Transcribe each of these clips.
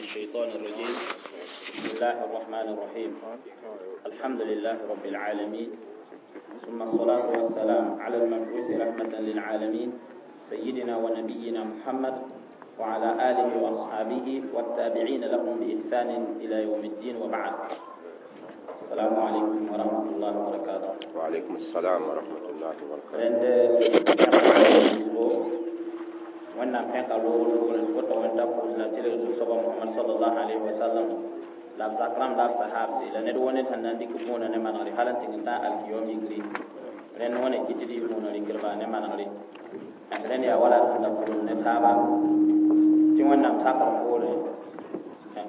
الشيطان الرجيم. بسم الله الرحمن الرحيم. الحمد لله رب العالمين، ثم الصلاة والسلام على المبعوث رحمة للعالمين، سيدنا ونبينا محمد وعلى آله وأصحابه والتابعين لهم بإحسان إلى يوم الدين، وبعد. السلام عليكم ورحمة الله وبركاته. وعليكم السلام ورحمة الله وبركاته. Rẽnd wẽnnaam pẽka loogr loogre woto wẽnda pʋʋs la tɩlg zu-soaba Mohamad sallallahu alaihi wasallam la b zak rãmb la b sahabse la ned wo ned sẽn na n dɩk võona ne manegre hal n tɩng n tã alkiyom yikri. Rẽnd wã ne kɩ tɩ d yɩ võona rɩkdba ne manegre. Rẽnd yaa wala sẽn da pʋlem ne taaba tɩ wẽnnaam sakr poorẽ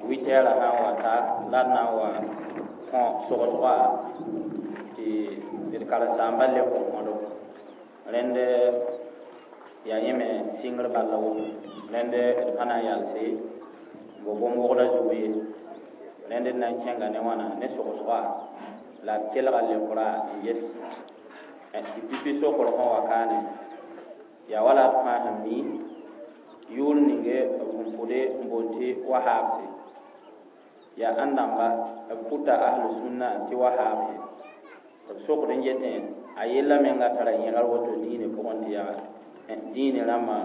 witɛɛrã sã n wa ta la d na n wa kõ sogsga tɩ d karen-saambã le kõ kõdo. Rẽnd yaa yẽ me sɩngr bal la woto. Rẽnd d pa na n yalse n bo bõn-wogda zug ye. Rẽnd d na n kẽnga ne wãna ne sogsga la d kelga leokra n ges tɩ pipi sokr sẽn wa kaane yaa wala d fãa sẽn mi yʋʋr ninge b sẽn pʋde n boond tɩ wahabse yaa ãn-dãmba b pʋta ahlu sũnna tɩ wahabse b sokd n yetẽ a yella menga tara yẽgr woto diine pʋgẽ tɩ yaa diine rãmbã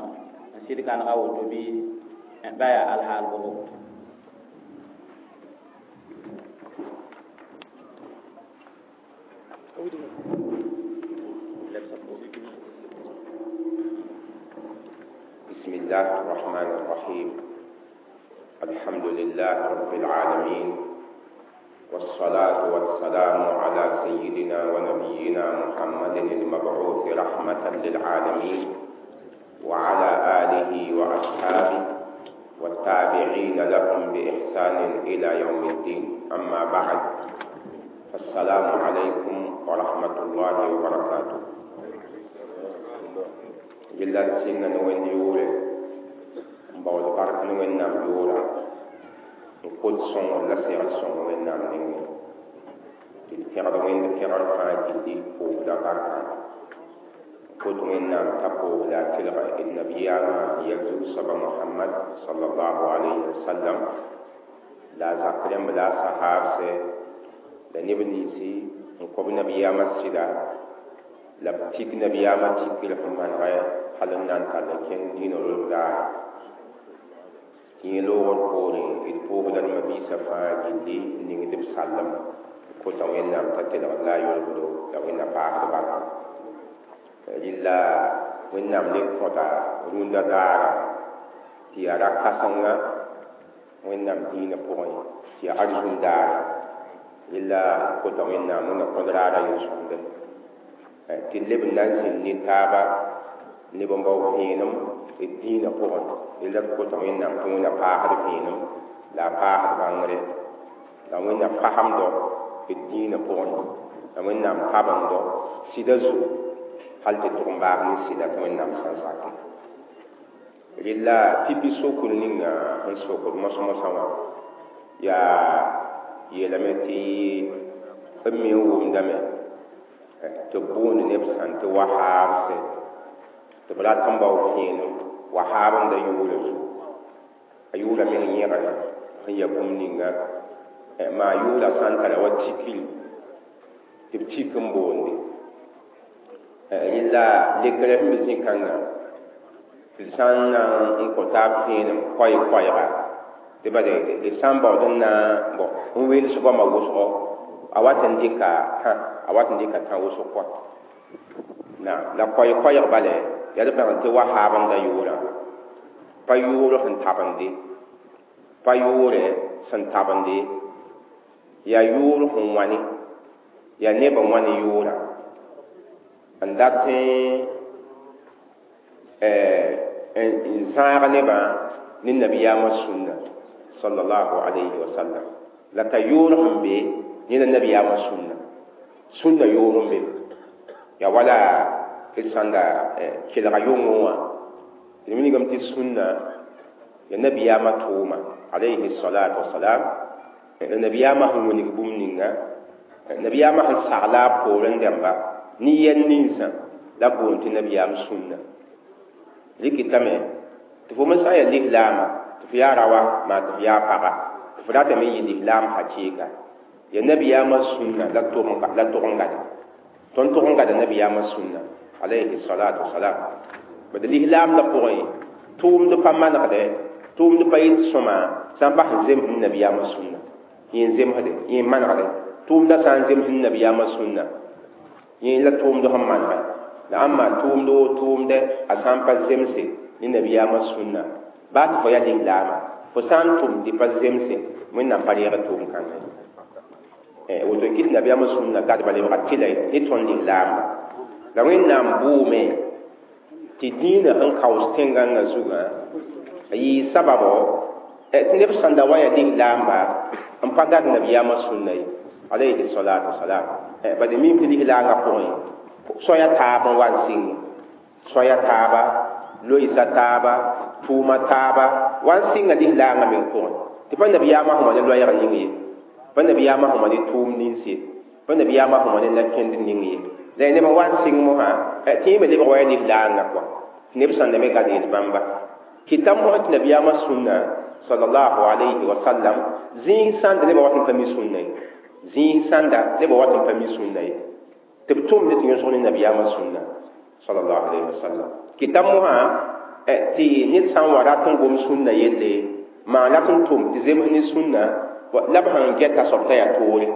n sɩd gãnega woto bɩ ba yaa alhaal bʋgo. بسم الله الرحمن الرحيم. الحمد لله رب العالمين، والصلاة والسلام على سيدنا ونبينا محمد المبعوث رحمة للعالمين، وعلى آله وأصحابه والتابعين لهم بإحسان إلى يوم الدين. أما بعد، فالسلام عليكم ورحمة الله وبركاته. بالله سنة نوين يوري مباول بارك نوين نام يورا نقود سون لا سير سون وين نام نيني تلفير وين تلفير فاجي دي فوق لا بارك قد وين نام تقو لا تلغى النبي ما يزو صبا محمد صلى الله عليه وسلم لا زقرم لا صحاب سي لا نبني سي نقوم نبي ما سيدا لا بتيك نبي ما تيك لهم غير حلنا نان تلكين دين الرجال يلو القوري الفوق لما بيسا فاجي نيندم سلم كنت وين نام تتلغى لا يلغدو لو إن بعض بعض lilla wẽnnaam le kõta rũndã daara tɩ yaa ra-kãsenga wẽnnaam dĩinã pʋgẽ tɩ yaa arzũm daare lilla kota wẽnnaam wẽnna kõd raara yel-sõmde tɩ leb n na n zĩnd ne taaba neb n bao vẽenem d dĩinã pʋgẽ lilla d kota wẽnnaam tɩ wẽnna paasd vẽenem la a paasd bãngre la wẽnna pasemdɔ d dĩinã pʋgẽ la wẽnnaam tabendɔ sɩda zugu hal tɩ tʋg n baag ne sɩda tɩ wẽnnaam sã n sake. Rella pipi sokr ninga sẽn sokd mos-mosã wã yaa yeelame tɩ b me n wʋmdame tɩ b boond neb sãn tɩ wahaabse tɩ b rat n bao vẽenem wahaab n da yʋʋra zugu a yʋʋra meng yẽgre sẽn ya bũmb ninga maa yʋʋra sã n tara wa tikri tɩ b tik n boonde rella lekre sẽn be zĩ-kãngã tɩ d sã n na n kõ taab vẽenem koɛɛ-koɛɛga tɩ bala d sã n baood n na n wels goamã wʋsgo a wat n dɩka tã a wat n dɩka tã wʋsg kɔa na la koɛɛ-koɛɛg bala yaa d bãng tɩ wahaab n da yʋʋrã pa yʋʋr sẽn tabende pa yʋʋrɛ sẽn tabende yaa yʋʋr sẽn wãne yaa neb n wãne yʋʋrã n dat n zãag nebã ne nabiyaamã sũnna sallallahu alayhi wa sallam la t'a yʋʋr sẽn be ne la nabiyaamã sũnna sũnna yʋʋr n be yaa wala d sãn da kelga yʋngẽ wã d wilgame tɩ sũnna ya nabiyaamã tʋʋma alayhi salatu wasalam la nabiyaamã sẽn wilg bũmb ninga nabiyaamã sẽn sagla a poorẽ dẽmba ni yɛl ninsã la boond tɩ nabiyaam sũnna rɩkɩtame tɩ fo me sã n yaa lislaama tɩ Tɩ f yaa raoã maa tɩ f yaa paga tɩ f ratame n yɩ lislaam hakɩɩka ya nabiyaamã sũnna la tʋg n gada tõnd tʋg n gada nabiyaamã sũnna alayhi salatu wasalam bad lislaamdã pʋgẽ tʋʋmd pa manegdɛ tʋʋmd pa yɩt sõma sã n pa sẽn zemsd nabiyaamã sũnna yẽ n zemsde yẽ n manegdɛ tʋʋmdã sã n zemsd nabiyaamã sũnna yẽ la tʋʋmd sẽn manegɛ la ãmba tʋʋmd woo tʋʋmdɛ a sã n pa zemse ne nabiyaamã sũnna baa tɩ fo yaa lislaama fo sã n tʋm tɩ pa zemse wẽnnaam pa reeg tʋʋm kãngã ye woto n kɩt nabiyaamã sũnna gadba lebga tɩla ne tõnd lislaamba la wẽnnaam bʋʋme tɩ dĩinã sẽn kaoos tẽn-gãngã zugã a yɩɩ sababo tɩ neb sẽn da wa yaa lislaamba n pa gad nabiyaamã sũnna ye alayhi salatu wasalam bad mim tɩ lislaangã pʋgẽ soaya taab n wa n sɩng soaya taaba loɩsa taaba tʋʋma taaba wa n sɩnga lislaangã meng pʋgẽ tɩ pa nabiyaamã sẽn wa ne loɛɛg ning ye pa nabiyaamã sẽn wa ne tʋʋm nins ye pa nabiyaamã sẽn wa ne na-kẽnd ning ye la neb n wa n sɩng mosã tɩ yẽ me lebg wa yaa lislaangã kɔa tɩ neb sãnda me gad yel bãmba kɩta mosã tɩ nabiyaamã sũnna sallallahu alayhi wa sallam zĩig sãnda nebã wat n pa mi sũnna ye zĩig sãnda nebã wat n pa mi sũnna ye tɩ b tʋmd tɩ yõsg ne nabiyaamã sũnna sallallahu alayhi wa sallam kɩta mosã tɩ ned sã n wa rat n gom sũnna yelle maan rat n tʋm tɩ zems ne sũnna la b sẽn gɛta soab t'a yaa toore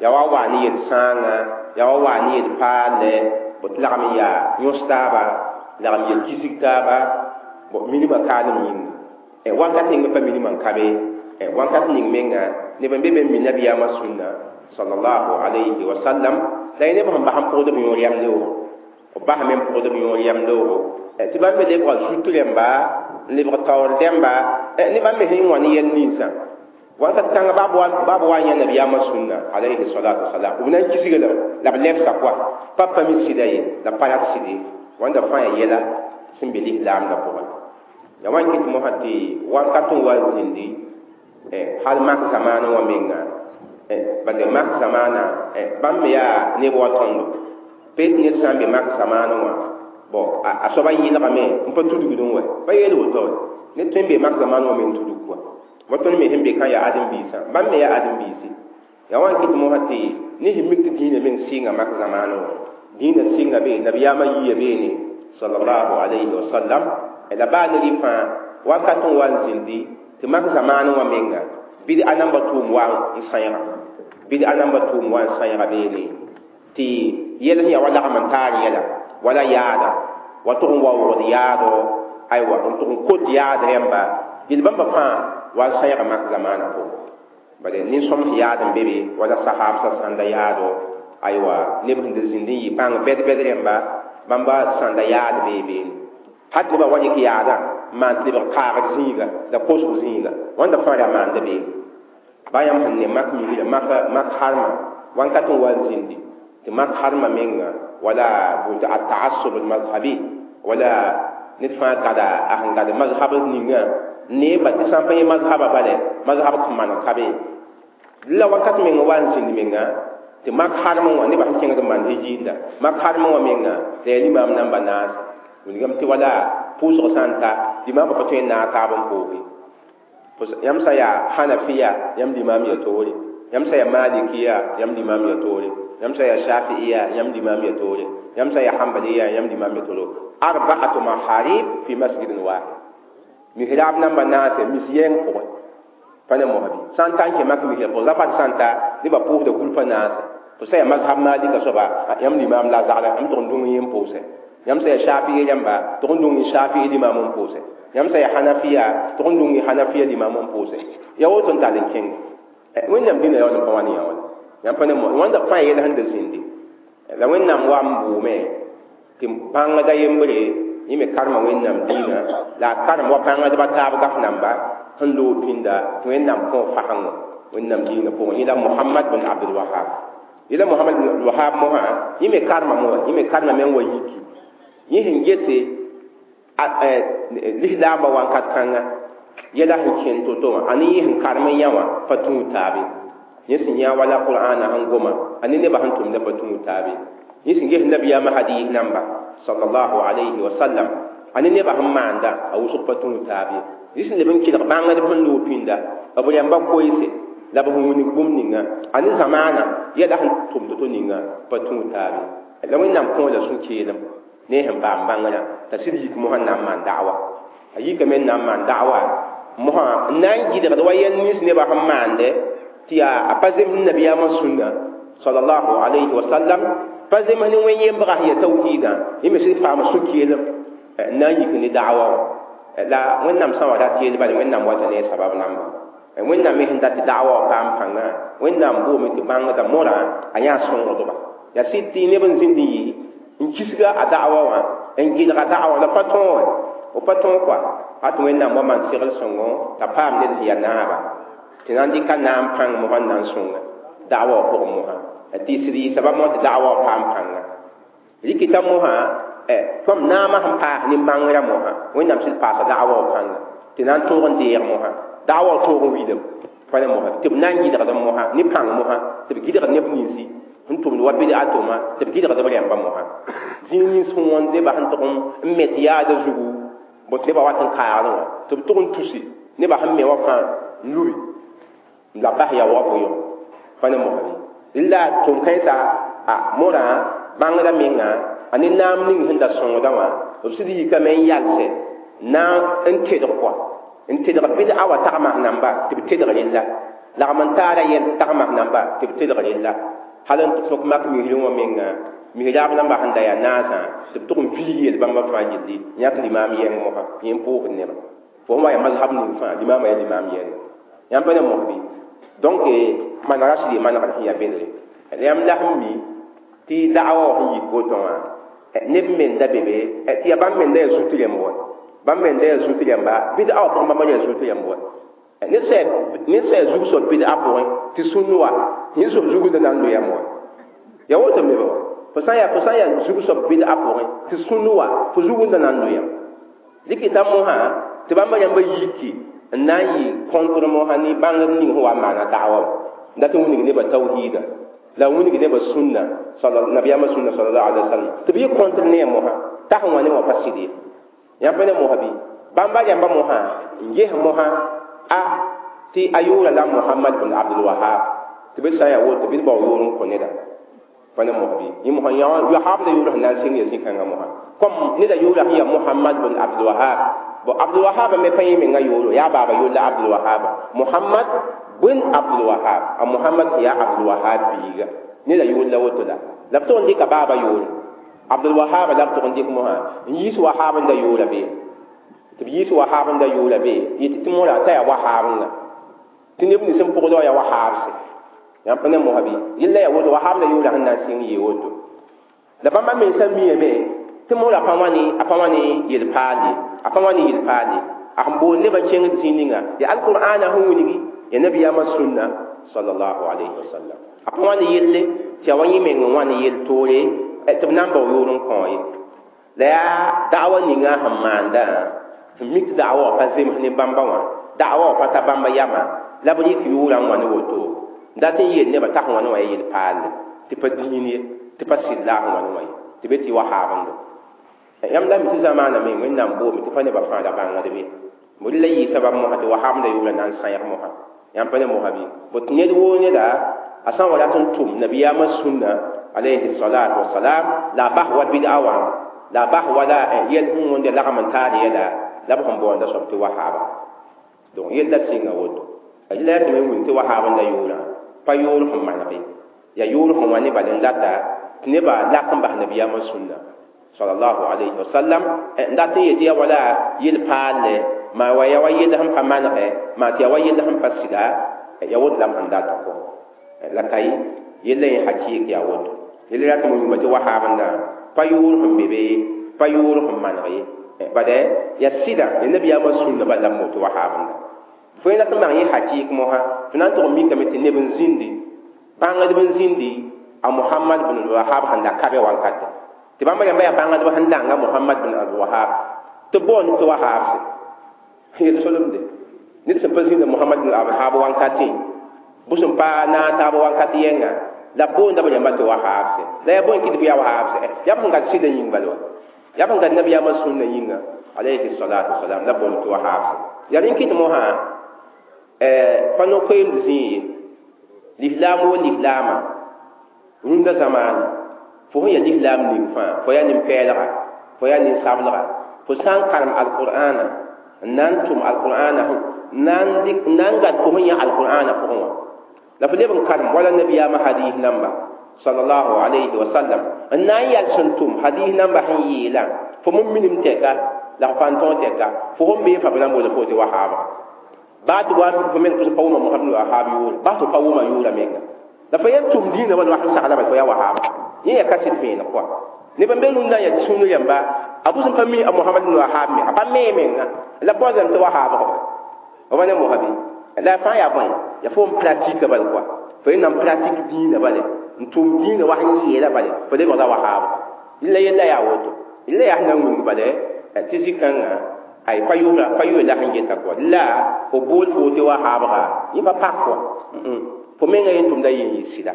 yaa wa waa ne yel-sãangã yaa wa waa ne yel-paalɛ tɩ lagm n yaa yõs taaba lagm yel kisg taaba minimã kaalem yĩnga wakat ning me pa minimã n ka be wakat ning menga neb n be be n mi nabiyaamã sũnna sallallahu alayhi wa sallam la y neb sẽn bas n pʋgd b yõor yam leoogo b basame n pʋgd b yõor yam leoogo tɩ bãmb me lebga zut rẽmba n lebg taoor dẽmba ne bãmb me sẽn wã ne yɛl ninsã wakat kãngã baa b wa n yã nabiyaamã sũnna alayhi salatu wasalam b na n kisga la b lebsa koa pa pa mi sɩda ye la pa rat sɩd ye wãnda fãa yaa yɛla sẽn be lislaamdã pʋgẽ ya wan kɩt mosã tɩ wakat n wa n zĩndi hal mak zamaanã wã menga bad mak zamaana bãmb me yaa neb wa tõndo peet ned sã n be mak zamaanã wã bõ a soaba yɩlgame n pa tudgd n wa pa yeel woto ned tõe n be mak zamaanã wã me n tudg kɔa wa tõnd me sẽn be kã yaa ãdem-biisã bãmb me yaa ãdem-biisi ya wan kɩt mosã tɩ ne sẽn mik tɩ dĩinã meng sɩnga mak zamaanã wã dĩinã sɩnga be nabiyaamã yiya beene sallallahu alayhi wa sallam la baa ne rɩ fãa wakat n wa n zĩndi tɩ mak zamaanã wã menga bɩd-a namba tʋʋm wa n sãeega bɩd-a namba tʋʋm wa n sãeega beene tɩ yɛl sẽn yaa wa lagm n taar yɛla wala yaada wa tʋg n wa wogd yaado aywa n tʋg n kot yaad rẽmba yel bãmba fãa wa n sãeega mak zamaanã pʋgẽ bala nin-sõms yaad n be be wala sahaabsã sãnda yaado aywa neb sẽn da zĩnd n yɩ bãng bɛd-bɛd rẽmba bãmba sãnda yaad bee beene hat nebã wa yik yaadã n maan tɩ lebg kaagd zĩiga la kosg zĩiga wãnda fãa ra maanda beene baa yãmb sẽn ne mak migra mak harma wãnkat n wa n zĩndi tɩ mak harma menga wala bʋ ataassub almazhabi wala ned fãa gada a sẽn gad mazhab ninga neeba tɩ sã n pa yẽ mazhaba bala mazhab kõn maneg ka be la wakat meng wa n zĩnd menga tɩ mak harmẽ wã nebã sẽn kẽngd n maan hijiinda mak harmẽ wã menga la yaa limaam namba naase wilgame tɩ wala pʋʋsg sã n ta limaamã pa tõe n naag taab n pooge yãmb sã yaa hanafiya yãmb limaam ya toore yãmb sã yaa malikiya yãmb limaam ya toore yãmb sã yaa shafi'iya yãmb limaam ya toore yãmb sã yaa hambaliya yãmb limaam ya toore arba'atu maharib fi masjidin wahid mihrab namba naase mis yɛng pʋgẽ pa ne mosbi sã n ta n kẽ mak misra pʋgẽ zapat sã n ta nebã pʋʋsda kulpã naase fo sã yaa mazhab malika soaba yãmb limaam la a zagla yãmb tʋg n dũng yẽ n pʋʋsɛ yãmb sã yaa shafi'i rãmba tʋg n dũng shafi'i limaam n pʋʋsɛ yãmb sã yaa hanafiya tʋg n dũng hanafiya limaam n pʋʋsɛ yaa woto n tall n kẽng wẽnnaam dĩnã yaool n pa wa ne yã wala yãmb pa ne mo wãnda fãa yɛl sẽn da zĩndi la wẽnnaam wa n bʋʋme tɩ bãngda yembre yẽ me karema wẽnnaam dĩinã la a karem wa bãngdbã taab gaf namba sẽn loog pĩnda tɩ wẽnnaam kõ fasẽngo wẽnnaam dĩinã pʋgẽ yẽla Mohamad bin Abdul Wahab yẽla Mohamad bin Abdul Wahab mosã yẽ me karema moa yẽ me karema meng wa yiki yẽ sẽn gese lislaambã wãnkat kãnga yɛla sẽn kẽnd to-to wã a ne yẽ sẽn karem n yã wã pa tũud taabe yẽ sẽn yã wala qur'ana sẽn goma a ne nebã sẽn tʋmda pa tũud taabe yẽ sẽn ges nabiyaamã hadis namba sallallahu alayhi wa sallam a A ne nebã sẽn maanda a wʋsg pa tũud taab ye rɩs n leb n kelg bãngdb sẽn loog pĩnda b rẽmba koeese la b sẽn wilg bũmb ninga a ne zamaana yɛla sẽn tʋm to-to ninga pa tũud taab ye la Wẽnnaam kõ la sũ-keelem ne sẽn paam bãngrã t'a sɩd yik mosã n na n maan da'wa a yikame n na n maan da'wa mosã n na n gɩdgd wa yɛl nins nebã sẽn maande tɩ yaa a pa zems nabiyaamã sũnna sallallahu alayhi wa sallam pa zems ne wẽn-yembgã sẽn ya tawhiidã yẽ me sɩd paam sũ-keelem n na n yik ne da'wa wã la Wẽnnaam sã n wa rat yell bala Wẽnnaam wata ne a sabab namba Wẽnnaam me sẽn dat tɩ da'wa wã paam pãnga Wẽnnaam boome tɩ bãngda morã a yãa sõngdba yaa sɩd tɩ neb n zĩnd n yɩ n kisga a da'wa wã n gɩlg a da'wa la pa tõog b pa tõog kɔa a tɩ Wẽnnaam wa maan segl sõngo t'a paam ned sẽn yaa naaba tɩ na n dɩka naam pãng mosã n na n sõnga da'wa wã pʋgẽ mosã tɩ sɩd yɩ sabab mosã tɩ da'wa wã paam pãnga rɩkɩta mosã tõm naamã sẽn paas nin-bãngrã mosã Wẽnnaam sɩd paasa da'wa wã pãnga tɩ na n tõog n deeg mosã da'wa wã tõog n wilem pa ne mosã tɩ b na n gɩdgd mosã ne pãng mosã tɩ b gɩdgd neb ninsi sẽn tʋmd wa bɩd'a tʋma tɩ b gɩdgd b rẽmba mosã zĩig nins sẽn wõnd nebã sẽn tʋg n met yaada zugu bõt nebã wat n kaagdẽ wã tɩ b tʋg n tusi nebã sẽn me wã fãa n lubi la bas yaoogã pʋgẽ pa ne mosã bɩ la tʋm-kãensã a morã bãngda menga a ne naam ning sẽn da sõngda wã b sɩd yikame n yalsɛ na n tedg kɔa n tedg bɩd'a wa tagmas namba tɩ b tedg rella lagm n taara yɛl tagmas namba tɩ b tedg rella hal n tõk mak misrẽ wã menga misraab namba sẽn da yaa naasã tɩ b tʋg n viig yel bãmba fãa yelli yãk limaam yɛng mosã yẽ n pʋʋsd nebã fo sẽn wa yaa mazhab ning fãa limaamã yaa limaam yɛnga yãmb pa ne mos bɩ donc manega sɩd y manegr sẽn yaa bedre la yãmb la sẽn mi tɩ da'wa wã sẽn yik woto wã neb menda be be tɩ yaa bãmb menda yaa zut rẽmb wa bãmb menda yaa zut rẽmba bɩd'a wã pʋgẽ bãmba yaa zut rẽmb wa ned sã yaa zug soab bɩd'a pʋgẽ tɩ sũn wa yẽ soab zugd na n loeeyam wa yaa woto me ba fo sã n yaa zug soab bɩd'a pʋgẽ tɩ sũn wa fo zugd na n loeeyam dɩkɩta mosã tɩ bãmba rãmba yiki n na n yɩ kõntr mosã ne bãngd ning sẽn wa n maana da'wa n dat n wilg nebã tawhiida la wilg nebã sũnna nabiyaamã sũnna sallallahu alaihi wasallam tɩ b yɩ kõntr ne a mosã t'a sẽn wa ne wã pa sɩd ye yãmb pa ne mosã bɩ bãmba rãmba mosã n ges mosã a tɩ a yʋʋra la Mohamad bin Abdul Wahab tɩ b sã n yaa woto bɩ d bao yoor n kõ neda pa ne mosã bɩ yẽ mosã Wahab la yʋʋra sẽn na n sɩng ya zĩ-kãngã mosã kom neda yʋʋra sẽn yaa Mohamad bin Abdul Wahab bo Abdul Wahab me pa yẽ menga yooro yaa baaba yoor la Abdul Wahab Mohamad bin Abdul Wahab a Mohamad yaa Abdul Wahab biiga neda yoor la woto la la b tʋg n dɩka baaba yoor Abdul Wahab la b tʋg n dɩk mosã n yiis Wahab n da yoora be tɩ b yiis Wahab n da yoora be yetɩ tɩ morã t'a yaa Wahabnga tɩ neb nins n pʋgdã wã yaa Wahabse yãmb pa ne mosã bɩ yella yaa woto Wahab la yoora sẽn na n sɩng yee woto la bãmba mensã miame tɩ morã pa wã ne yel-paal ye a pa wã ne yel-paal ye a sẽn boond nebã kẽngd zĩig ninga yaa alqur'aana sẽn wilgi yaa nabiyaamã sũnna sallallahu alayhi wa sallam a pa wã ne yelle tɩ yaa wa yẽ meng n wã ne yel-toore tɩ b na n bao yoor n kõ ye la yaa da'wa ninga sẽn maandã sẽn mik tɩ da'wa wã pa zems ne bãmba wã da'wa wã pa ta bãmba yama la b rɩk yʋʋrã n wã ne woto n dat n yeel nebã t'a sẽn wã ne wã yaa yel-paalle tɩ pa dĩin ye tɩ pa sɩd la a sẽn wã ne wã ye tɩ be tɩ wahaabndo yãmb la mi tɩ zamaana me Wẽnnaam boome tɩ pa nebã fãa la bãngd be bõe la yɩ sabab mosã tɩ wahabnda yʋʋra na n sãyg mosã yãmb pa ne mosã bɩ bot ned woo neda a sã n wa rat n tʋm nabiyaamã sũnna alayhi salatu wasalam la a bas wa bɩd'a wã la a bas wala yɛl sẽn wõnda lagm n taar yɛla la b sẽn boonda soab tɩ wahaaba donc yella sɩnga woto la yaa tɩ me wilg tɩ wahaab n da yʋʋrã pa yoor sẽn maneg ye yaa yoor sẽn wa ne bal n data tɩ nebã lak n bas nabiyaamã sũnna sallallahu alayhi wa sallam n dat n yetɩ yaa wala yel-paalle maa wa yaa wa yell sẽn pa manegɛ maa tɩ yaa wa yell sẽn pa sɩda yaa woto la m sẽn data kɔ la ka ye yella yẽ hakɩɩk yaa woto yella yaa tɩ m wilga tɩ wahaabndã pa yoor sẽn be be pa yoor sẽn maneg ye bad yaa sɩda ya nabiyaamã sũnna bal la m moto wahaabndã fo yẽ la tɩ maan yẽ hakɩɩk mosã tɩ na n tʋg n mikame tɩ neb n zĩndi bãngdb n zĩndi a Mohamad bin Wahab sẽn da ka be wankatɛ tɩ bãmba rãmba yaa bãngdb sẽn dãnga Mohamad bin Abdul Wahab tɩ boond tɩ Wahabse yel solemde ned sẽn pa zĩnda Mohamad bin Abdul Wahab wankatẽ bʋ sẽn pa naag taab wankat yɛnga la b boonda b rãmba tɩ Wahabse la yaa bõe kɩ tɩ b yaa Wahabse yaa b sẽn gat sɩda yĩng bala wa yaa b sẽn gat nabiyaamã sũnna yĩnga alayhi salatu wasalam la boond tɩ wahab yaa rẽn kɩt mosã pa no-koeemd zĩig ye lislaam wo lislaamã rũndã zamaane fo sẽn yaa lislaam ning fãa fo yaa nin-pɛɛlga fo yaa nin-sablga fo sã n karem alqur'ana n na n tʋm alqur'ana n na n gad fo sẽn yã alqur'ana pʋgẽ wã la fo leb n karem wala nabiyaamã hadis namba sallallahu alayhi wa sallam n na n yɛl sẽn tʋm hadis namba sẽn yeelã fo m minim tɛka la f pa n tõog tɛka fo sẽn bee fa b na n boola fo tɩ wahaaba baa tɩ wa fo meng pa wʋma Mohamad Wahab yʋʋre baa tɩ pa wʋma yʋʋra menga la fo yɛl tʋm dĩinã wala wa sẽn sagla bala fo yaa wahaaba yẽ yaa kaset vẽeneg kɔa neb n be rũndã n yaa sũur yãmba a bʋs n pa mi a Mohamad Wahab me a pa mee menga la baoodame tɩ wahaabg b wa ne mosabe la fãa yaa bõe yaa fo n pratique bala kɔa fo yẽ na n pratique dĩinã bale n tʋm dĩinã wa sẽn yeela bale fo lebgda wahaab la yella yaa woto la yaa sẽn na n wilg bale tɩ zĩ-kãngã ay pa yʋʋra pa yʋʋra la sẽn geta kɔa la fo bool fo tɩ wahaabga yẽ pa pak kɔa fo menga yẽ tʋmda yẽ yɩ sɩda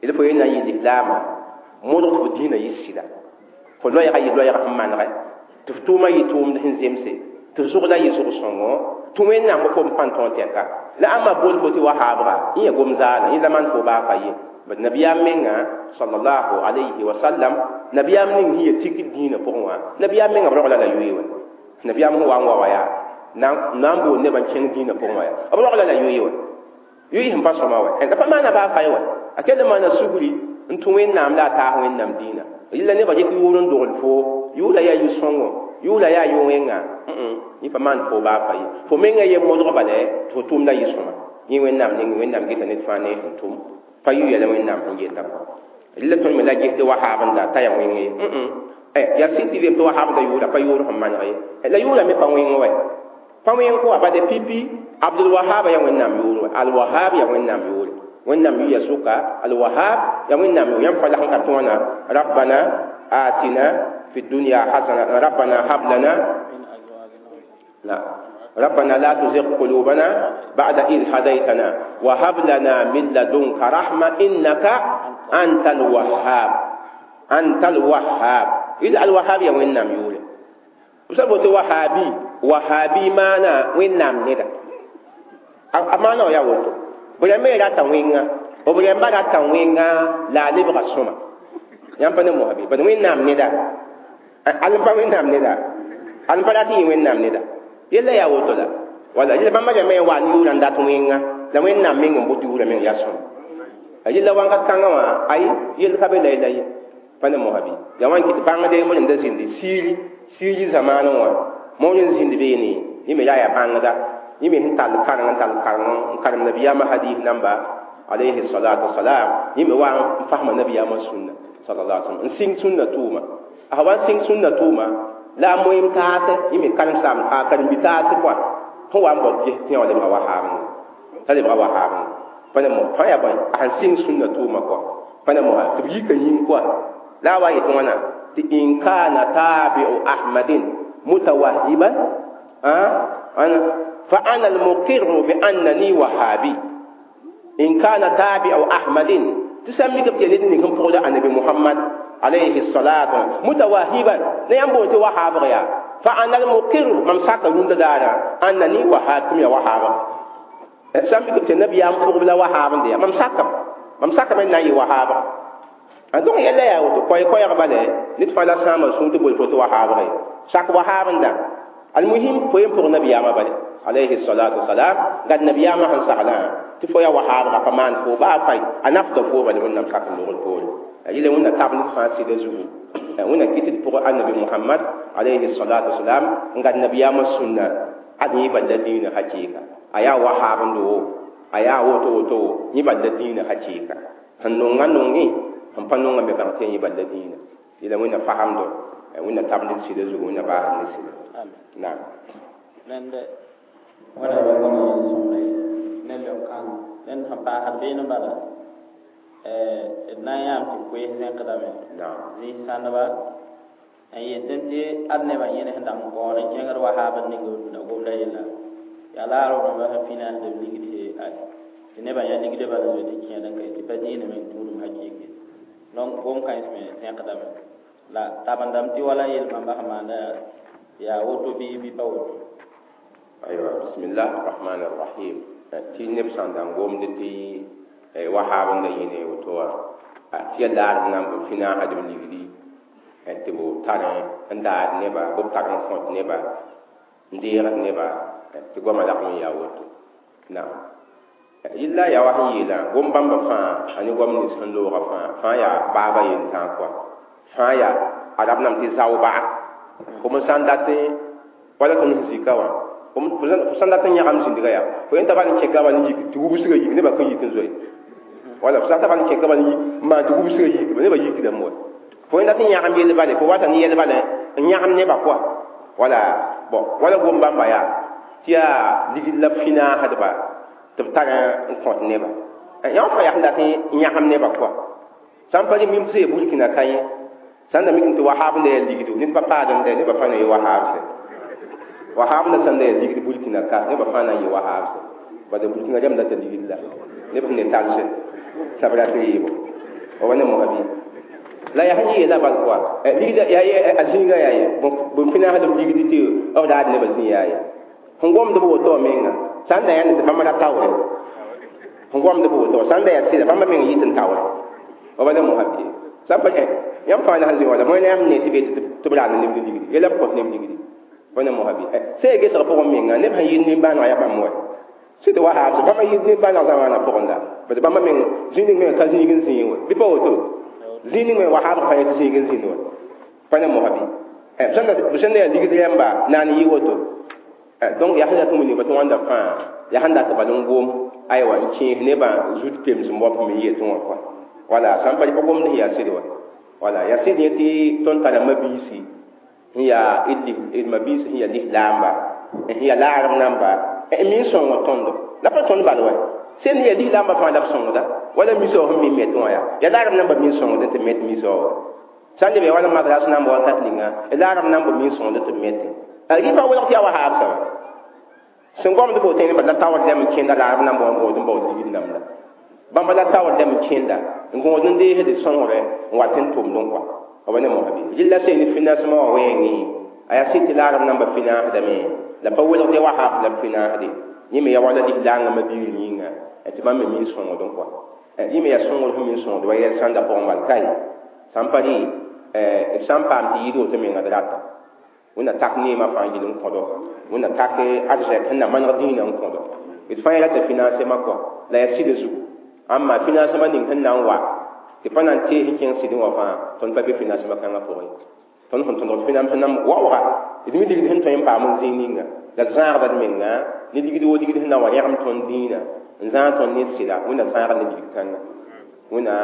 d fo yẽ na n yɩ lislaamã modg tɩ fo dĩinã yɩ sɩda fo loɛɛga yɩ loɛɛg sẽn manegɛ tɩ f tʋʋmã yɩ tʋʋmd sẽn zemse tɩ f zʋgda yɩ zʋg-sõngo tɩ wẽnnaam fo n pãn tõog tɛka la ãmba bool fo tɩ wahaabga yẽ yaa gom-zaala yẽ la maan fo baa pa ye bad nabiyaam menga sallallahu alayhi wa sallam nabiyaam ning sẽn yaa tik dĩinã pʋgẽ wã nabiyaam menga b rogla la yoe wã nabiyaam sẽn wa n wa wã yaa na n bool nebã n kẽng dĩinã pʋgẽ wã yaa b rogla la yoe wã yoe sẽn pa sõma wã la pa maana baa fa ye wã a kell n maana sugri n tũ wẽnnaam la a taas wẽnnaam dĩinã yella nebã dɩk yʋʋr n dogl fo yʋʋla yaa yʋ-sõngo yʋʋla yaa yʋ-wẽnga yẽ pa maan fo baa fa ye fo menga ye modg bala tɩ fo tʋʋmda yɩ-sõma yẽ wẽnnaam ning wẽnnaam geta ned fãa ne sẽn tʋm pa yʋ yɛla wẽnnaam sẽn yeta kɔ la tõnd me la ges tɩ wahaab n da t'a yaa wẽng ye yaa sɩd tɩ rem tɩ wahaab da yʋʋra pa yʋʋr sẽn maneg ye la yʋʋra me pa wẽng wɛ pa wẽng kɔ bade pipi Abdul Wahab yaa wẽnnaam yʋʋr wɛ Al Wahab yaa wẽnnaam yʋʋre wẽnnaam yʋya sʋka Al Wahab yaa wẽnnaam yʋʋr yãmb fa la sẽn ka tɩ wãna rabbana atina fi dunya hasana rabbana hab lana la ربنا لا تزغ قلوبنا بعد إذ هديتنا وهب لنا من لدنك رحمة إنك أنت الوهاب أنت الوهاب إذا الوهاب يا وين نام يقول وسبب وهابي وهابي مانا وين نام ندا أمانا يا ولد بلا ما لا تنوينا وبلا ما لا تنوينا لا لبغى السما يام بنا مهابي بنا وين نام ندا ألم وين نام ندا ألم بلاتي وين نام ندا yella yaa woto la wala yella bãmba rãmbã yaa wa n yʋʋra n dat wẽnga la wẽnnaam meng n bot yʋʋra meng yaa sõma yella wãnga kãngã wã ay yell ka be la la ye pa ne mosabi yaa wã n kɩt bãngde moor n da zĩndi siiri siiri zamaanẽ wã moor n zĩnd beene yẽ me yaa yaa bãngda yẽ me sẽn tall kareng n tall kareng n karem nabiyaamã hadis namba alayhi salatu wasalam yẽ me wa n fasma nabiyaamã sũnna sallallahu alaihi wasallam n sɩng sũnna tʋʋma a wa n sɩng sũnna tʋʋma la a moem taase yẽ me karen-saam a karen-bi taase kɔa sẽn wa n bao ges tẽ wã lebga wahaab t'a lebga wahaab pa ne mo fãa yaa bõe a sẽn sɩng sũnna tʋʋma kɔa pa ne mosa tɩ b yika yĩng kɔa la a wa yet wãna tɩ in kana tabi'u ahmadin mutawahiban fa ana almuqirru bi annani wahabi in kana tabi'u ahmadin tɩ sã n mik b tɩ ned ning sẽn pʋgda annabi muhammad عليه الصلاة متواهبا نيام بوتي وهاب غيا فأنا المقر من ساك روند دارا أنني وهاب كم يا وهاب سامي كنت النبي يام فوق بلا وهاب دي مم ساك من ناي وهاب أنتم يلا يا وتو كوي كوي غبالة نتفعل سام سونت بول فوت وهاب غيا ساك وهاب دا المهم فين فوق النبي يام بالي عليه الصلاة والسلام قد النبي يام هن سعلا تفويا وهاب غفمان فوق بافاي أنا أفضل فوق بل من نمسك النور فوق yele wẽnna tab ned fãa sɩda zugu wẽnna kɩt d pʋgã annabi Muhammad alayhi salatu wasalam n gad nabiyaamã sũnna ad yẽ bal la dĩinã hakɩɩka a yaa wahaabndo wo a yaa woto woto wo yẽ bal la dĩinã hakɩɩka sẽn nonga nongẽ sẽn pa nonga me bãng tɩ yẽ bal la dĩinã yela wẽnna fasamdo wẽnna tab ned sɩda zugu wẽnna baasd ned sɩda naam rẽnd wãna be wãna yel-sõmre ne leok-kãng rẽnd sẽn paasd beene bala d na n yãam tɩ koees zẽkdame zĩis sãndba n yetẽ tɩ ad nebã yẽne sẽn dag n kaood n kẽngd wahaab n ning b dũnã gomda yella yaa la a rʋdẽmba sẽn finãasd b ligd tɩ nebã yaa ligdã bala zoe tɩ kẽed n kae tɩ pa dĩinã meng tũudum hakɩɩke donc gom kãens me zẽkdame la tabendame tɩ wala yel bãmba sẽn maanda Yaa woto bɩ bɩ pa woto? Aywa, bismillah rahman rahim. Tɩ neb sã n da n gomd tɩ wahab n da yĩne woto wã, tɩ ya laarb nan b fĩnaasdb ligdi tɩ b tar n daad neba, b tar n kõt neba, n deegd neba, tɩ goamã lagm n yaa woto. Naam, yella yaa wa sẽn yeelã, gom bãmba fãa a ne goam nins sẽn loogã fãa fãa yaa baaba yentãag kɔa, fãa yaa arab nam tɩ zao-baga. Fo sã n dat wala tõnd sẽn zika wã, fo sã n dat n yãgam zĩndga yaa fo yẽn t'a bal n kẽka bal n yik tɩ wubsgã yik, nebã kõn yik n zoe. Wala fo sã n ta bal n kẽka bal n yik n maan tɩ wubsgã yik, nebã yikdame wa. Fo yẽn dat n yãgam yell bale, fo wata ne yɛl bala n yãgam nebã kɔa. Wala bɔn wala gom bãmba yaa tɩ yaa ligd la b fĩnaasdba tɩ b tar n kõt neba. Yã fãa yaa sẽn dat n yãgam nebã kɔa. Sã n pa rɩ mim tɩ sẽn burkina ka yẽ, sã n da mik tɩ wahab n da yaa ligdo, ned pa paad n dɛ, nebã fãa na yɩ wahab sɛ. Wahab na sã n da yaa ligd burkina ka, nebã fãa na n yɩ wahab sɛ. Bala burkina rãmb data ligd la neb sẽn ne talsɛ la b rat n yeebo wa ne mosa bɩ la yaa sẽn yeela bal kɔa ligda yaa a zĩiga yaa ye bõn fĩnaasdb ligd tɩ b raad nebã zĩ yaa ye. Sẽn gomd b woto menga sã n da yãnd tɩ bãmb ra taoore, sẽn gomd b woto sã n da yaa sɩda bãmba meng yit n taoore wa bala mosa bɩ sã n pa yãmb fãa na sẽn zĩ wala bõe la yãmb ne tɩ be tɩ b raad neb ligdi yela b kõs neb ligdi wa ne mosa bɩ sẽn gesg pʋgẽ menga neb sẽn yɩ nimbãaneg yaa bãmb wa sɩd tɩ wahab bãmba yɩ nimbãaneg zamaanã pʋgẽ la bad bãmba meng zĩig ning me ka zĩig n zĩig wa bɩ pa woto zĩig ning me wahab fãa tɩ zĩig n zĩnd wa pa ne mosa bɩ b sẽn da yaa ligd yãmba naan yɩ woto. Donc yaa sẽn dat n wilg tɩ wãnda fãa yaa sẽn dat bal n gom aywa n kẽes nebã zut pems n bɔp me n yetẽ wã kɔa. Wala sã n pa pa gomd sẽn yaa sɩd wa. Wala yaa sɩd yẽ tɩ tõnd tara mabiisi sẽn yaa d mabiisi sẽn yaa lislaamba sẽn yaa laarb namba n mi n sõng tõndo la pa tõnd bal wa sẽn yaa lislaamba fãa la b sõngda wala misao sẽn mi met wã yaa laarb namba mi n sõngd tɩ met misao wa sã n leb yaa wala madras namba wakat ninga laarb namba mi n sõngd tɩ mete rɩ pa welg tɩ yaa wahaab sã sẽn gomd bo tẽn la taoor lem n kẽnda laarb namba wã n gõod n baood ligd namda bãmba la taoor lem n kẽnda n gõod n deesd sõngre n wat n tʋmd n kɔa wa ne mosa bɩ rɩlla sẽn ne financement wã wẽenge a yaa sɩd tɩ laarb namba fĩnaasdame la pa welg tɩ wahab la b fĩnaasde yẽ me yaa wala lislaangã mabiir yĩnga tɩ bãmb me mi n sõngd n kɔa yẽ me yaa sõngr sẽn mi n sõngd wa yɛl sãnda pʋgẽ bal ka ye sã n pa rɩ b sã n paam tɩ yɩɩd woto menga d rata wẽnna tak neemã fãa yɩl n kõdo, wẽnna tak arzɛk sẽn na maneg dĩinã n kõdo. D fãa rata financement kɔa la yaa sɩda zugu amma financement ning sẽn na n wa tɩ pa na n tees n kẽng sɩdẽ wã fãa tõnd pa be financement kãngã pʋgẽ. Tõnd sẽn tõdg financement sẽn na waooga d mi ligd sẽn tõe n paam n zĩig ninga la d zãagda d menga ne ligd wo ligd sẽn na wa rẽgem tõnd dĩinã n zãag tõnd ne sɩda wẽnna zãagd ne ligd kãnga wẽnna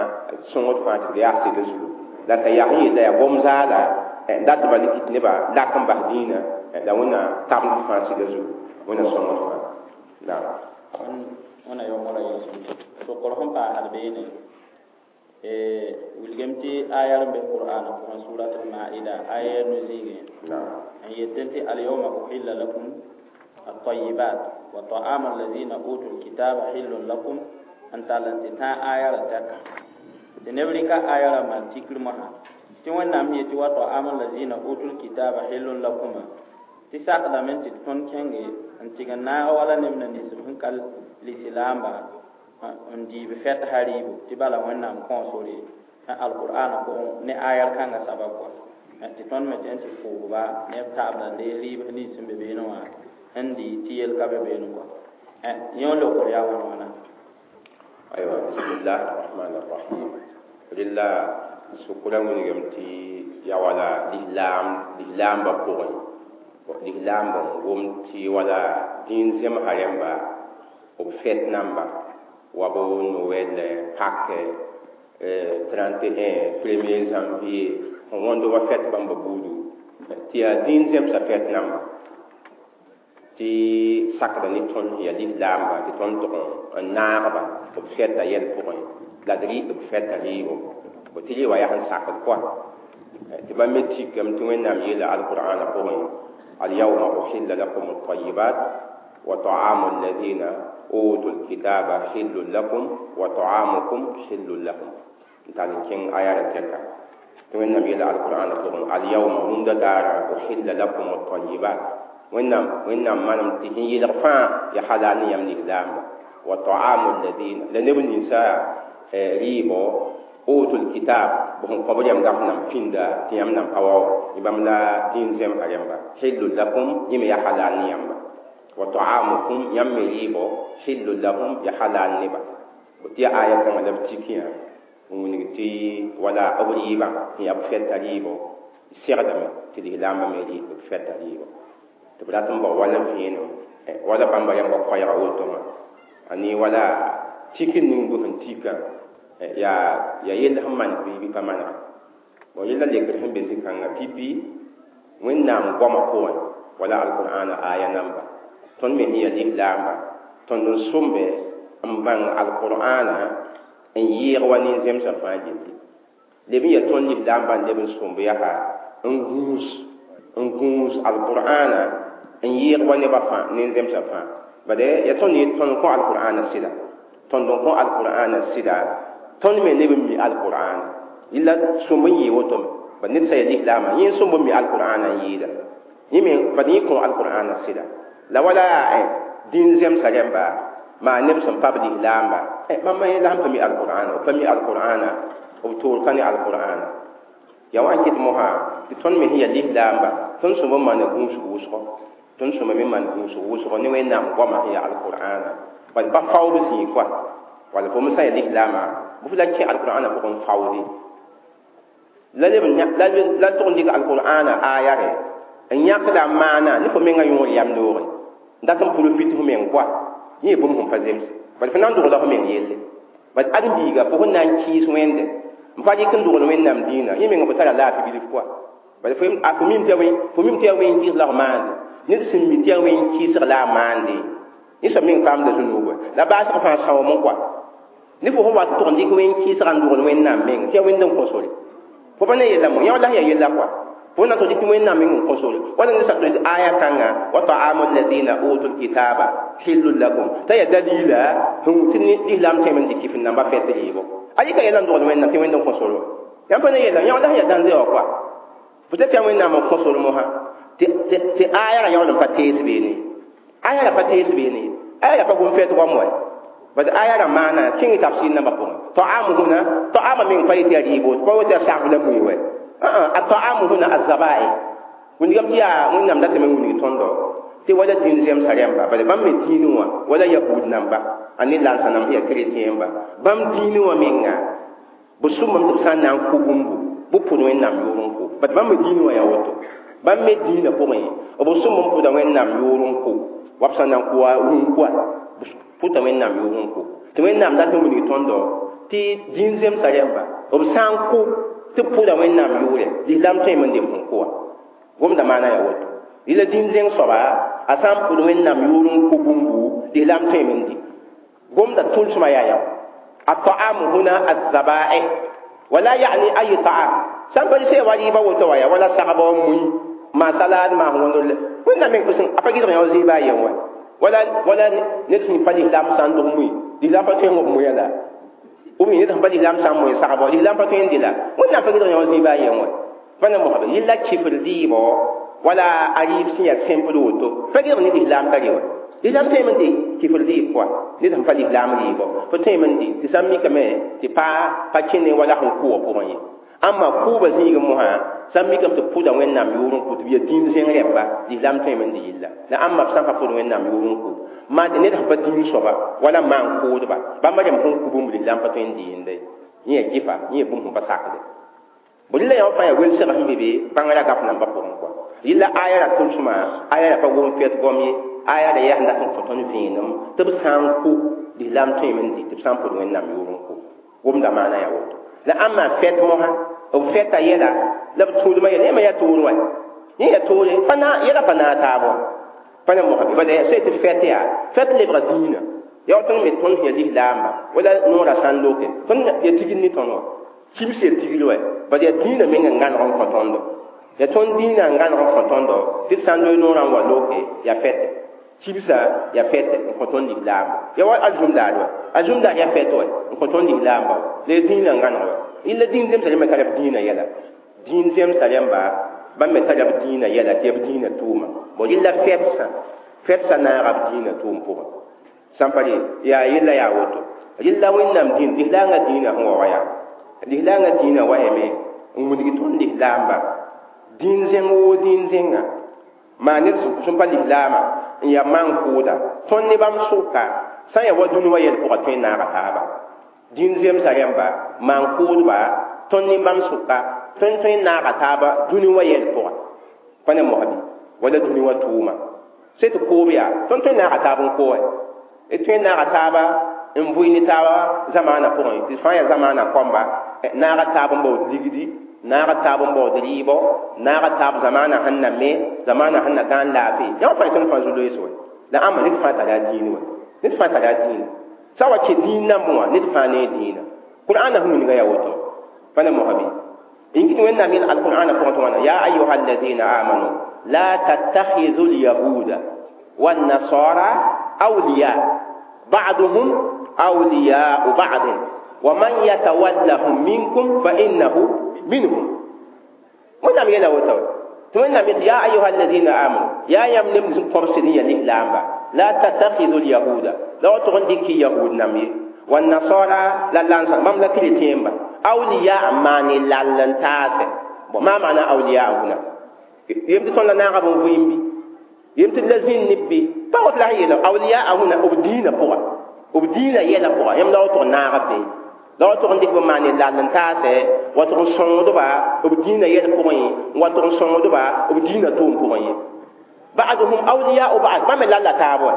sõngd fãa tɩ d yaa sɩda zugu la t'a yaa sẽn yella yaa gom zaala n dat bal kɩt nebã lak n bas dĩinã la wẽnna tabend fãa sɩda zugu wẽnna sõngd fãa naam. Wẽnna yaoongã yelsem sokr sẽn paasd beene wilgem tɩ aya n be qur'ana pʋgẽ surat al-maida aya no-zĩigẽ n yetẽ tɩ alyawma uhilla lakum الطيبات وطعام الذين أوتوا الكتاب حل لكم n tall n tɩ tãag aya ra tɛka tɩ neb rɩka aya ra maan tikr mosã tɩ wẽnnaam yetɩ wa ta'am allazina utul kitaba hillun lakuma tɩ sakdame tɩ tõnd kẽnge n tɩg n naag wala neb na ninsb sẽn ka lislaamba n diib fɛtsa rɩɩbo tɩ bala wẽnnaam kõo sore alqur'ana pʋgẽ ne ayar kãngã sabab kɔa tɩ tõnd me tɩ n tɩ pʋʋgba ne b taabda n dees rɩɩb nins sẽn be beene wã n dɩ tɩ yel ka be beene kɔa yẽ lokr yaa wãn wãna. Aywa, bismillah arrahman arrahim. Rɩla sʋkra wilgem tɩ ya wala lislaambã pʋgẽ lislaambã n gom tɩ wala dĩin zemsa rẽmba b fɛt namba wa b Noël, Pâques, 31 1er janvier n wõnd wa fɛt bãmba buudu tɩ yaa dĩin zemsa fɛt namba tɩ sakda ne tõnd yaa lislaamba tɩ tõnd tʋg n naagba b fɛta yɛl pʋgẽ la d rɩ b fɛta rɩɩbo b tɩ rɩ wa yaa sẽn sakd kɔa tɩ bãmb me tikame tɩ wẽnnaam yeela alqur'ana pʋgẽ alyawma uhilla lakum altayibat wa ta'amu alladhina utu alkitaba hillun lakum wa ta'amukum hillun lahum n tall n kẽng aya ra tɛka. Tɩ Wẽnnaam yeela alqur'ana pʋgẽ alyawma rũndã daara uhilla lakum at-tayyibat Wẽnnaam manem tɩ sẽn yɩlg fãa ya halal ne yãmb lislaamba wa ta'amu alladina la neb ninsa rɩɩbɔ utul kitab b sẽn kõ b rẽmb gaf nam pĩnda tɩ yãmb nan pa wa wã bãmb la dĩin zemsã rẽmba hillu lakum yẽ me ya halal ne yãmba wa ta'amukum yãmb me rɩɩbɔ hillu lahum ya halal neba tɩ ya aya kãngã la b tikẽ n wilg tɩ wala b rɩɩbã sẽn yaa b fɛta rɩɩbɔ segdame tɩ lislaambã me rɩ b fɛta rɩɩbɔ tɩ b rat n bao wala vẽenem wala bãmba rẽmba koɛɛga woto wã a ne wala tik ning bɩ sẽn tika yaa yell sẽn maneg bɩ bɩ pa manega bon yella lekr sẽn be zĩ-kãngã pipi Wẽnnaam goamã pʋgẽ wala alqur'ana aya namba tõnd me sẽn yaa lislaamba tõnd n sõmbe n bãng alqur'ana n yɩɩg wa nin-zemsã fãa gilli leb n yaa tõnd lislaambã n leb n sõmb yaa n gũus alqur'ana n yɩɩg wa nebã fãa nin-zemsã fãa bade yaa tõnd tõnd kõ alqur'ana sɩda tõnd n kõ alqur'ana sɩda tõnd me leb n mi alqur'ana yella sõmb n yɩɩ woto me bad ned sã yaa lislaamã yẽ n sõmb n mi alqur'ana n yɩɩda yẽ me bad yẽ kõ alqur'ana sɩda la wala dĩn-zemsã rẽmba maa neb sẽn pa b lislaamba bãmb yẽ la sẽn pa mi alqur'ana b pa mi alqur'ana b toor ka ne alqur'ana ya wa n kɩt mosã tɩ tõnd me sẽn yaa lislaamba tõnd sõmb n maana gũusg wʋsgo tõnd sõmb me maan gũusg wʋsgo ne Wẽnnaam goamã sẽn yaa alqur'ana bad pa faood zĩig koa wala fo me sã yaa lislaamã bɩ f la kẽ alqur'ana pʋgẽ n faoode la tʋg n dɩk alqur'ana aya rɛ n yãkda maana ne fo mengã yõor yam noore n dat n profit f meng koa yẽ bũmb sẽn pa zems bad fo na n dogla f meng yelle bad ãdem-biiga fo sẽn na n kɩɩs Wẽnde n pa dɩk n dogl Wẽnnaam dĩinã yẽ meng fo tara laafɩ bilf koa bad fo mim tɩ yaa wẽn kɩɩs la f maande ned sẽn mi tɩ yaa wẽn kɩɩsg la a maande yẽ soab meng paamda zũnuuba la baasg fãa sãoom n koa ne fo sẽn wa tʋg n dɩk wẽn kɩɩsga n dogl Wẽnnaam meng tɩ yaa wẽnd n kõ sore fo pa ne yella mo yã la sẽn yaa yella koa fo na tʋg tɩ Wẽnnaam meng n kõ sore wala ned sã tɩ aya kãnga wa ta'amu alladina utul kitaba hillun lakum t'a yaa dalila sẽn tɩ lislaam tõeme n dɩk kɩf n namba fɛt rɩɩbɔ a yɩka yɛla n dogl Wẽnnaam tɩ wẽnd n kõ sore yãmb pa ne yella yã la sẽn yaa dãnze wã koa fo tɩ yaa Wẽnnaam n kõ sore mosã tɩ aya ra yaool n pa tees beene aya ra pa tees beene aya ra pa gom fɛt goam wa bad aya ra maana kẽng tafsir nambã pʋgẽ ta'amu huna ta'ama meng pa yetɩ yaa rɩɩbo pa woto yaa sagb la mui wɛ a ta'amu huna azabae wingame tɩ yaa Wẽnnaam datame n wilg tõndo tɩ wala dĩn zemsã rẽmba bad bãmb me dĩinẽ wã wala yahud namba a ne lansa nam sẽn yaa chrétien ba bãmb dĩinẽ wã menga b sʋmbame tɩ b sã n na n kʋ bũmbu bɩ pʋd Wẽnnaam yʋʋr n kʋ bad bãmb me dĩinẽ wã yaa woto bãmb me dĩinã pʋgẽ b sʋmb n pʋda Wẽnnaam yʋʋr n kʋ wa b sã n na n kʋ rũn-koa pʋta Wẽnnaam yʋʋr n kʋ tɩ Wẽnnaam dat n wilg tõndo tɩ dĩn zemsã rẽmba b sã n kʋ tɩ b pʋda Wẽnnaam yʋʋrɛ lislaam tõeme n deb sẽn kʋ wã gomda maana yaa woto yɩla dĩn-zẽng soaba a sã n pʋd Wẽnnaam yʋʋr n kʋ bũmbu lislaam tõeme n dɩ gomda tʋlsmã yaa yã الطعام هنا الذبائح ولا يعني أي طعام sã n pa sẽn wa rɩɩbã woto wa ya wala sagba wa mui maa salad maa wõndr Wẽnnaam meng pʋsẽ a pa gɩdg yã zɩɩbã a yen wa wala ned sẽn pa lislaam sã n dog mui lislaam pa tõe n wob muya la ou bien ned sẽn pa lislaam sã n moe sagba lislaam pa tõe n dɩ la Wẽnnaam pa gɩdg yã zɩɩbã a yen wa pa na mosbe yella kifr rɩɩbɔ wala a rɩɩb sẽn yaa simple woto pa gɩdg ne lislaam ka rɩ wa lislaam tõeme n dɩ kifr rɩɩb pʋga ned sẽn pa lislaam rɩɩbɔ fo tõeme n dɩ tɩ sã n mikame tɩ pa kẽne wala sẽn kʋ wã pʋgẽ ye amma kʋʋba zĩig mosã sã n mikame tɩ pʋda Wẽnnaam yʋʋr n kʋ tɩ b yaa dĩin zẽng rẽmba lislaam tõeme n dɩ yella la ãmba b sã n pa pʋd Wẽnnaam yʋʋr n kʋ maa tɩ ned sẽn pa dĩin soaba wala maan kʋʋdba bãmba rẽmb sẽn kʋ bũmb lislaam pa tõe n dɩ yende yẽ yaa kɩfa yẽ yaa bũmb sẽn pa sakde bõ rɩla yã fãa yaa welsg sẽn be be bãngrã gaf nambã pʋgẽ koa yella aya ra tʋlsmã aya ra pa gom fɛt goam ye aya ra yaa sẽn dat n kõ tõnd vẽenem tɩ b sã n kʋ lislaam tõeme n dɩ tɩ b sã n pʋd Wẽnnaam yʋʋr n kʋ gomda maana yaa woto la ãmba fɛt mosã b fɛta yɛla la b tũudmã yɛla yẽma yaa toor wa yẽ yaa toore yɛla pa naag taab wã pa na mosã bala yaa sã tɩ fɛt yaa fɛt lebga dĩinã yaa tõnd me tõnd sẽn yaa lislaamba wala noorã sã n loke tõnd yaa tigr ne tõnd wã kibs yaa tigr wa bala yaa dĩinã meng n gãneg n kõ tõndo yaa tõnd dĩinã n gãneg n kõ tõndo tɩ d sã n loe noorã n wa loke yaa fɛte kibsã yaa fɛte n kõ tõnd lislaamba yaa wa azũm-daar wa azũm-daar yaa fɛt wa n kõ tõnd lislaamba wa la yaa dĩinã n gãneg wa yella dĩin zemsã rẽmba tara b dĩinã yɛla Dĩin zemsa rẽmba bãmb me tara b dĩinã yɛla tɩ b dĩinã tʋʋma bõ rɩla fɛdsã fɛdsã naaga b dĩinã tʋʋm pʋgẽ sãn pa re yaa yella yaa woto rɩla wẽnnaam dĩin lislaangã dĩinã sẽn wa wa yaa lislaangã dĩinã wa yame n wilg tõnd lislaamba dĩin zẽng woo dĩin zẽnga maa ned sẽn pa lislaama n yaa maan-kʋʋda tõnd ne bãmb sʋka sã n yaa wa dũni wã yɛl pʋga tõe n naaga taaba dĩin zemsa rẽmba maan-kʋʋdba tõnd ne bãmb sʋka tõnd tõe n naaga taaba dũni wã yɛl pʋga pa ne mosbi wala dũni wã tʋʋma se tɩ koob yaa tõnd tõe n naaga taab n koe d tõe n naaga taaba n vʋɩ ne taaba zamaana pʋgẽ tɩ fãa yaa zamaana kɔmba naaga taab n baood ligdi naaga taab n baood rɩɩbɔ naaga taab zamaana sẽn na me zamaana sẽn na gãan laafɩ yã fãa tõnd fãa zu-loees wɛ la ãmba ned fãa tara a dĩin wɛ ned fãa tara a dĩinã sã wa kẽ dĩin nambẽ wã ned fãa ne dĩinã qur'aana sẽn wilga yaa woto pa ne mosbi إن كنت وين من القرآن فقط يا أيها الذين آمنوا لا تتخذوا اليهود والنصارى أولياء بعضهم أولياء بعض ومن يتولهم منكم فإنه منهم وين نعم يلا وتو وين نعم يا أيها الذين آمنوا يا يمنم قرصنية الإسلام لا تتخذوا اليهود لا تغندك يهود نمي والنصارى لا لانسا مملكة التيمبا أولياء ماني لالنتاس ما معنى أولياء هنا يمتى تون لنا غبن ويمبي يمتى لازين نبي فقط لا هي أولياء هنا أبدينا بوا أبدينا يلا بوا يم لا تون نغبي لا تون ديك ماني لالنتاس وتون سوندبا أبدينا يلا بوا وتون سوندبا أبدينا توم بوا بعضهم أولياء بعض ما من لا تابوا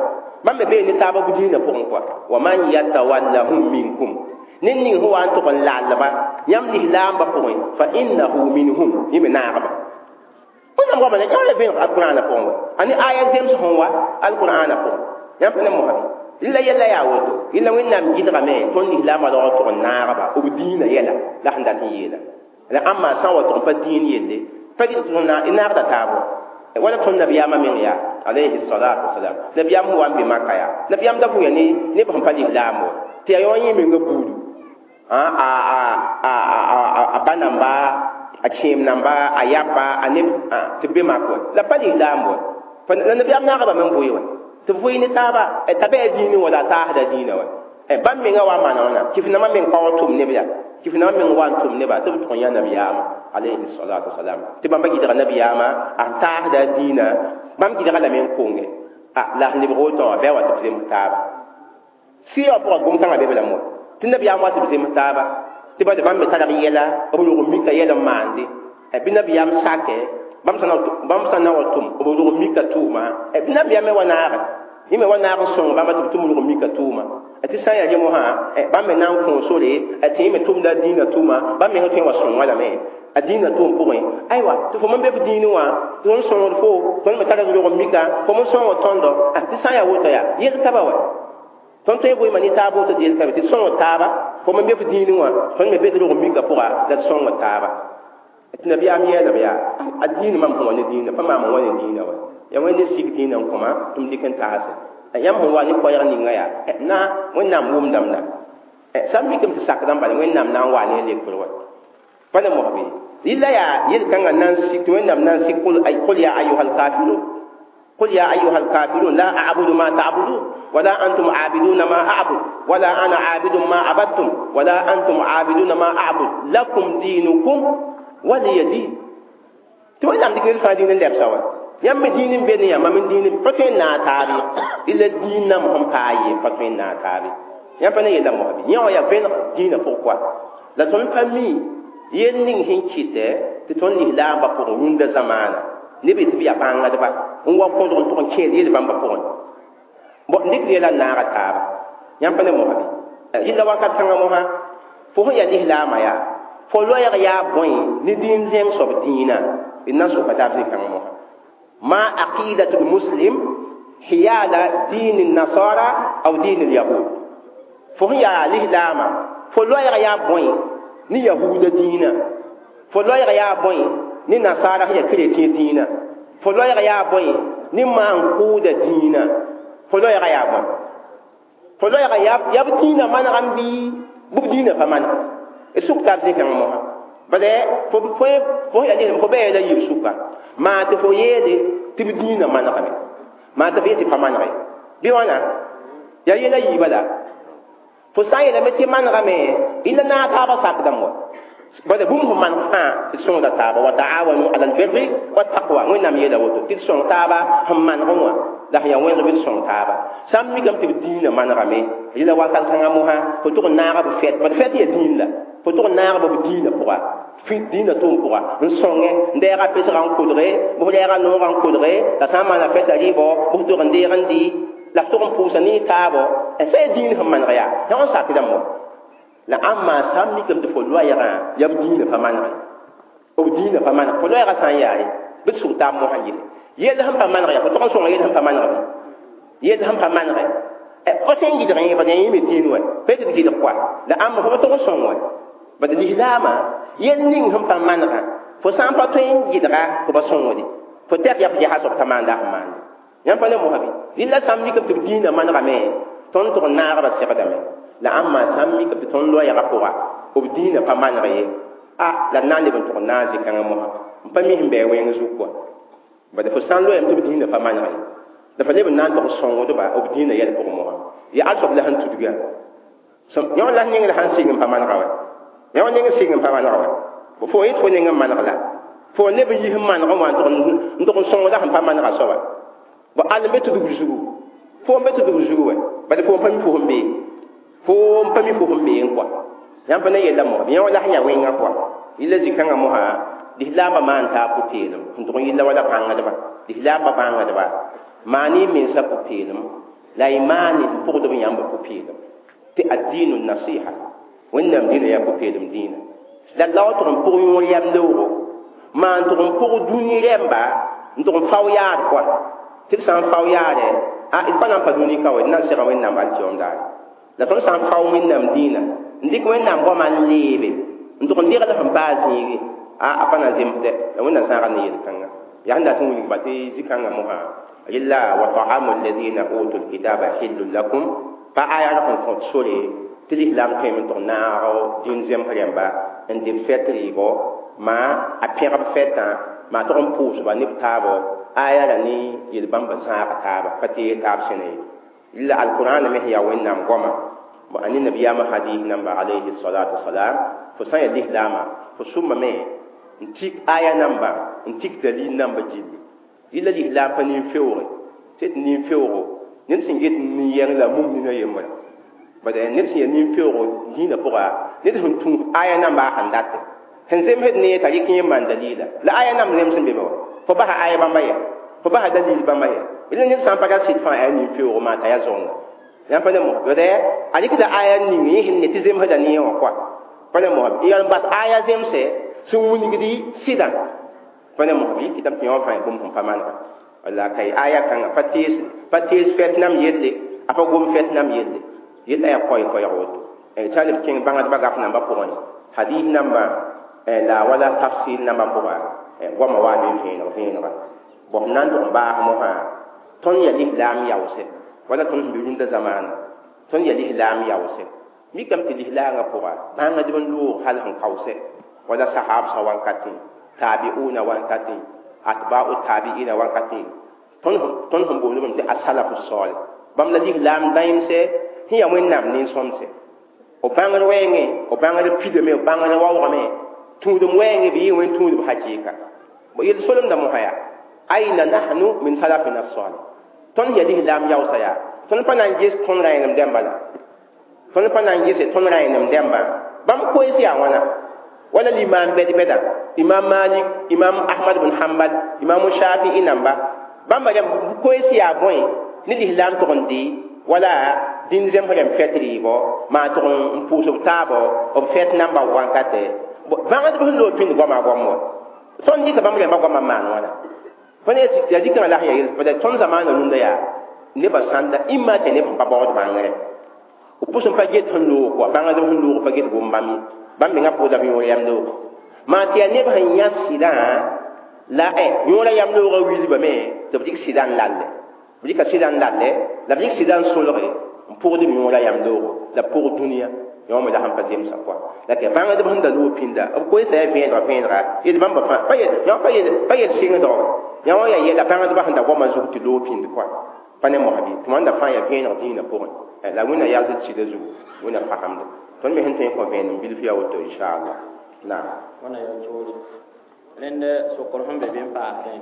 ما من بين تابوا أبدينا بوا ومن يتولهم منكم ned ning sẽn wa n tʋg n lallba yãmb lislaambã pʋgẽ fa innahu minhum yẽ me naagba wẽnnaam goama yã la vẽeneg alqur'aana pʋgẽ wa a ne aya zems sẽn wa alqur'aana pʋgẽ yãmb pa ne mosame rɩla yɛla yaa woto rɩla wẽnnaam gɩdgame tõnd lislaambã rao tʋg n naagba b dĩinã yɛla la sẽn dat n yeela la ãmba sã n wa tʋg n pa dĩin yelle pa gɩd tɩ naagda taab wala tõnd nabiyaamã meng yaa alayhi salatu wasalam nabiyaam sẽn wa n be maka yaa nabiyaam da vʋya ne neb sẽn pa lislaam wa tɩ yaa yõ yẽ menga buudu a ba namba a kẽem namba a yaba a neb tɩ be mak wɛ la pa lislaam wɛ la nabiyaam naagba me n vʋɩ wɛ tɩ vʋɩ ne taaba t'a bɩ a dĩinẽ wala a taasda dĩinã wɛ bãmb menga wa maana wãna kɩf-nambã meng pa wa tʋm neb yaa kɩf-nambã meng wa n tʋm neba tɩ b tʋg n yã nabiyaamã alayhi salatu wasalam tɩ bãmba gɩdga nabiyaamã a taasda dĩinã bãmb gɩdga lame n konge la sẽn lebg woto wã bɩ a wa tɩ b zems taaba sɩɩgã pʋgã gom-kãngã be b lame wa tɩ nabiyaam wa tɩ b zems taaba tɩ ba bãmb me tara b yɛla b rog mika yɛl n maande bɩ nabiyaam sakɛ bãmb sã n na wa tʋm b rog mika tʋʋma bɩ nabiyaam me wa naage yẽ me wa naag n sõng bãmba tɩ b tʋm rog mika tʋʋma tɩ sã n yaa rẽ mosã bãmb me na n kõ sore tɩ yẽ me tʋmda a dĩinã tʋʋma bãmb mengã tõe n wa sõnga lame a dĩinã tʋʋm pʋgẽ aywa tɩ fo me be f dĩinẽ wã tɩ tõnd sõngd fo tõnd me tara rog mika fo me sõng tõndo tɩ sã n yaa woto yaa yel taba wa tõnd tõe n vʋɩɩma ne taab woto tɩ yel tabe tɩ sõng taaba fo me be f dĩinẽ wã tõnd me be tɩ rog mika pʋga la tɩ sõng taaba tɩ nabiyaam yeelame yaa a dĩinã mam sẽn wa ne dĩinã pa maam n wa ne dĩinã wa yaa wẽnd ne sig dĩinã n kõma tɩ m dɩk n taase yãmb sẽn wa ne koɛɛg ninga yaa na wẽnnaam wʋmdame la sã n mikame tɩ sakdã bala wẽnnaam na n waa ne a lekr wa pa ne mosbe rɩla yaa yel-kãngã na n sik tɩ wẽnnaam na n sik qul ya ayuha alkafirun قل يا أيها الكافرون لا أعبد ما تعبدون ولا أنتم عابدون ما أعبد ولا أنا عابد ما عبدتم ولا أنتم عابدون ما أعبد لكم دينكم ولي دين تقول نعم ديك الفا دين اللي بسوا يم دين بيني يا من دين فتوين ناتاري إلا دين نم هم كاي فتوين ناتاري يم فنا يلا مهبي يا يا بين دين pourquoi la ton famille yen ning hin kite te ton ni la ba pour runda zamana ne be tɩ b yaa bãngdba n wa kõdg n tʋg n kẽed yel bãmba pʋgẽ bõ n dɩk yɛla n naaga taaba yãmb pa ne mosã bɩ yella wakat kãngã mosã fo sẽn yaa lislaamã yaa fo loɛɛg yaa bõe ne dĩin zẽng soab dĩinã d na n soka taab zĩ-kãngã mosã ma aqidatu lmuslim hiyala diin nasara aw diin lyahud fo sẽn yaa lislaamã fo loɛɛg yaa bõe ne yahuuda dĩinã fo loɛɛg yaa bõe ne nasara sẽn yaa keretẽ dĩinã fo loɛɛg yaa bõe ne maan-kʋʋda dĩinã fo loɛɛga yaa bõe fo loɛɛga yaa b dĩinã manegame bɩ b dĩinã pa maneg d sʋk taab zĩ-kãngã mosã Bade fo fo fo ya ne fo be la yib suka ma te fo yele tɩ b dĩinã manegame maa tɩ f yetɩ pa manege bɩ wãna yaa yɛla yiibã la fo sã n yeelame tɩ manegame y la naag taabã sakdame wa bala bũmb sẽn maneg fãa tɩ d sõngda taaba wa taawanu ala albirri wattaqwa wẽnnaam yeela woto tɩ d sõng taaba sẽn manegẽ wã la sẽn yaa wẽneg bɩ d sõng taaba sã n mikame tɩ b dĩinã manegame yela wakat kãngã mosã fo tʋg n naaga b fɛt bad fɛt yaa dĩin la fo tʋg n naag b dĩinã pʋga dĩinã tʋʋm pʋga n sõnge n deega pesgã n kodge bʋ lɛɛga noogã n kodge la sã n maana fɛta rɩɩbɔ bʋ tʋg n deeg n dɩ la f tʋg n pʋʋsa ne taabɔ sã yaa dĩin sẽn maneg yaa yã n sakdame wa la ãmba sã n mikame tɩ fo loɛɛgã yaa b dĩinã pa manege b dĩinã pa maneg fo loɛɛgã sã n yaare bɩ d sug taab mosã yese yell sẽn pa maneg yaa fo tʋg n sõnga yell sẽn pa maneg bɩ yell sẽn pa manege fo sẽn gɩdg yẽ bad yẽ me dĩin wɛ pa tɩ d gɩdg kɔa la ãmba fo pa tʋg n sõng wɛ bad lislaamã yell ning sẽn pa manegã fo sã n pa tõe n gɩdga fo pa sõngde fo tɛk yaa fo ges a soab t'a maanda sẽn maande yãmb pa ne mosã bɩ rɩla sã n mikame tɩ b dĩinã manegame tõnd tʋg n naagba segdame la ãmba sã n mikame tɩ tõnd loɛɛgã pʋga b dĩinã pa maneg ye a la d na n leb n tʋg n naag zĩ-kãngã mosã n pa mi sẽn bɩ a wẽng zug kɔa bad fo sã n loɛɛme tɩ b dĩinã pa maneg ye la fa leb n na n tʋg sõngdba b dĩinã yɛl pʋgẽ mosã yaa al soab la sẽn tudga yõ la neng la sãn sɩng n pa manega wɛ yõ neng sɩng n pa manega wɛ fo yet fo neng n maneg la fo leb n yis n manegẽ wã n tʋg n sõngda sẽn pa manega soaba bo al n be tudg zugu fo n be tudg zugu wɛ bad fo n pa mi fo sẽn bee fo n pa mi fo sẽn bee n kɔa yãmb pa ne yella mosã yõ la sẽn yaa wẽngã kɔa yella zĩ-kãngã mosã lislaambã maan taa pʋ-peelem sẽn tʋg n yella wala bãngdba lislaambã bãngdba maan y mensã pʋ-peelem la y maan n pʋgdb yãmb pʋ-peelem tɩ ad-diinu nasiha wẽnnaam dĩinã yaa pʋ-peelem dĩinã la la wa tʋg n pʋg yõor yam leoogo maan tʋg n pʋg dũni rɛmba n tʋg n fao yaad kɔa tɩ d sã n fao yaadɛ a d pa na n pa dũni ka wɛ d na n sega wẽnnaam alkiyoom daare la tõnd sã n fao wẽnnaam dĩinã n dɩk wẽnnaam goamã n leebe n tʋg n degl sẽn paa zĩigi a pa na zemsdɛ la wẽnnaam sãaga ne yel-kãnga yaa sẽn dat n wilgba tɩ zĩ-kãngã mosã yella wa taamu alladina utu lkitaba hillun lakum pa aya r sẽn kõt sore tɩ lislaam tõeme n tʋg naag dĩin zems rẽmba n dɩ b fɛt rɩɩbɔ maa a pẽgb fɛtã maa tʋg n pʋʋsba ne b taabɔ aya ra ne yel-bãmba zãaga taaba pa tees taab sẽna ye la alqur'an me sẽn yaa wẽnnaam goama a ne nabiyaamã hadis namba alayhi salatu wasalam fo sã n yaa lislaamã fo sʋmame n tik aya namba n tik dalil namba gilli yella lislaam pa nin-feooge tɩ d nin-feoogo ned sẽn get nin-yɛng la mum nina yembrã bad ned sẽn yaa nin-feoogo dĩinã pʋga ned sẽn tũus aya namba a sẽn date sẽn zemsd ne t'a rɩk yẽ n maan dalila la aya namb zems n be be wa fo basa aya bãmba yɛ fo basa dalil bãmba yɛ la ned sã n pa ra sɩd fãa yaa nin-feoogo maa t'a yaa zõnga yãmb pa ne mos bad a rɩkda aya ning yẽ sẽn ne tɩ zemsda ne wã kɔa pa ne mos y yaa n bas aya zemsɛ sẽn wilgdi sɩdã pa ne mos bɩ kɩtame tɩ yõ fãa bũmb sẽn pa manega wala kay aya kãngã pa tees fɛt nam yelle a pa gom fɛt nam yelle yella yaa koɛɛ-koɛɛg woto t'a leb kẽng bãngdbã gaf nambã pʋgẽ hadis nambã la wala tafsir nambã pʋga goamã waa be vẽeneg vẽenega bõ f na n tʋg n baas mosã tõnd yaa lislaam yaoosɛ wala tõnd sẽn be rũndã zamaana tõnd yaa lislaam yaoosɛ mikame tɩ lislaangã pʋga bãngdb n loog hal sẽn kaoosɛ wala sahabsã wankatẽ tabiuna wankatẽ atba'u tabi'ina wankatẽ tõnd sẽn boond bame tɩ asalafu salih bãmb la lislaam dãemsɛ sẽn yaa wẽnnaam nin-sõmsɛ b bãngr wɛɛngẽ b bãngr pidame b bãngr waoogame tũudem wɛɛngẽ bɩ yɩ wẽn tũudb hakɩɩka yel solemda mosã yaa aina nahnu min salafina salih tõnd yaa lislaam yaoosã yaa tõnd pa na n ges tõnd rãenem dẽmba la tõnd pa na n gese tõnd rãenem dẽmbã bãmb koees yaa wãna wala limaam bɛd-bɛda imam malik imam ahmad bn hanbal imam shafi'i namba bãmba rẽmb koees yaa bõe ne lislaam tʋg n dee wala dĩn zems rẽmb fɛt rɩɩbɔ maa tʋg n pʋʋs b taabɔ b fɛt namba wankatɛ bãngdb sẽn loog pĩnd goama goam wa tõnd dɩka bãmb rẽmba goamã n maan wãna fo ne yaa zikãngã la sẽn yaa yel tõnd zamaana rũndã yaa nebã sãnda ĩmma tɩ neb sẽn pa baood bãngre b pʋs n pa get sẽn loog kɔa bãngdb sẽn loog pa get gom bãmb ye bãmb mengã pʋʋda b yõor yam loog maa tɩ yaa neb sẽn yã sɩdã la yõorã yam loogã wilbame tɩ b dɩk sɩdã n lalle b dɩka sɩdã n lalle la b dɩk sɩdã n solge n pʋgd b yõorã yam loogo la b pʋg dũniyã yõ me la sẽn pa zemsa pʋa la tɩ bãngdb sẽn da loog pĩnda b koeesa yaa vẽenega vẽenega yel bãmba fãa pa yel sɩngdgo yã wã yaa yɛla bãngdbã sẽn da goamã zug tɩ loog pĩnd pʋa pa ne mosã bɩ tɩ wãnda fãa yaa vẽeneg dĩinã pʋgẽ la wẽnna yals d sɩda zugu wẽnna fagemda tõnd me sẽn tõe n kõ vẽenem bilf yaa woto inchallah naam wãna yaa toore rẽnd sokr sẽn be be n paasdẽ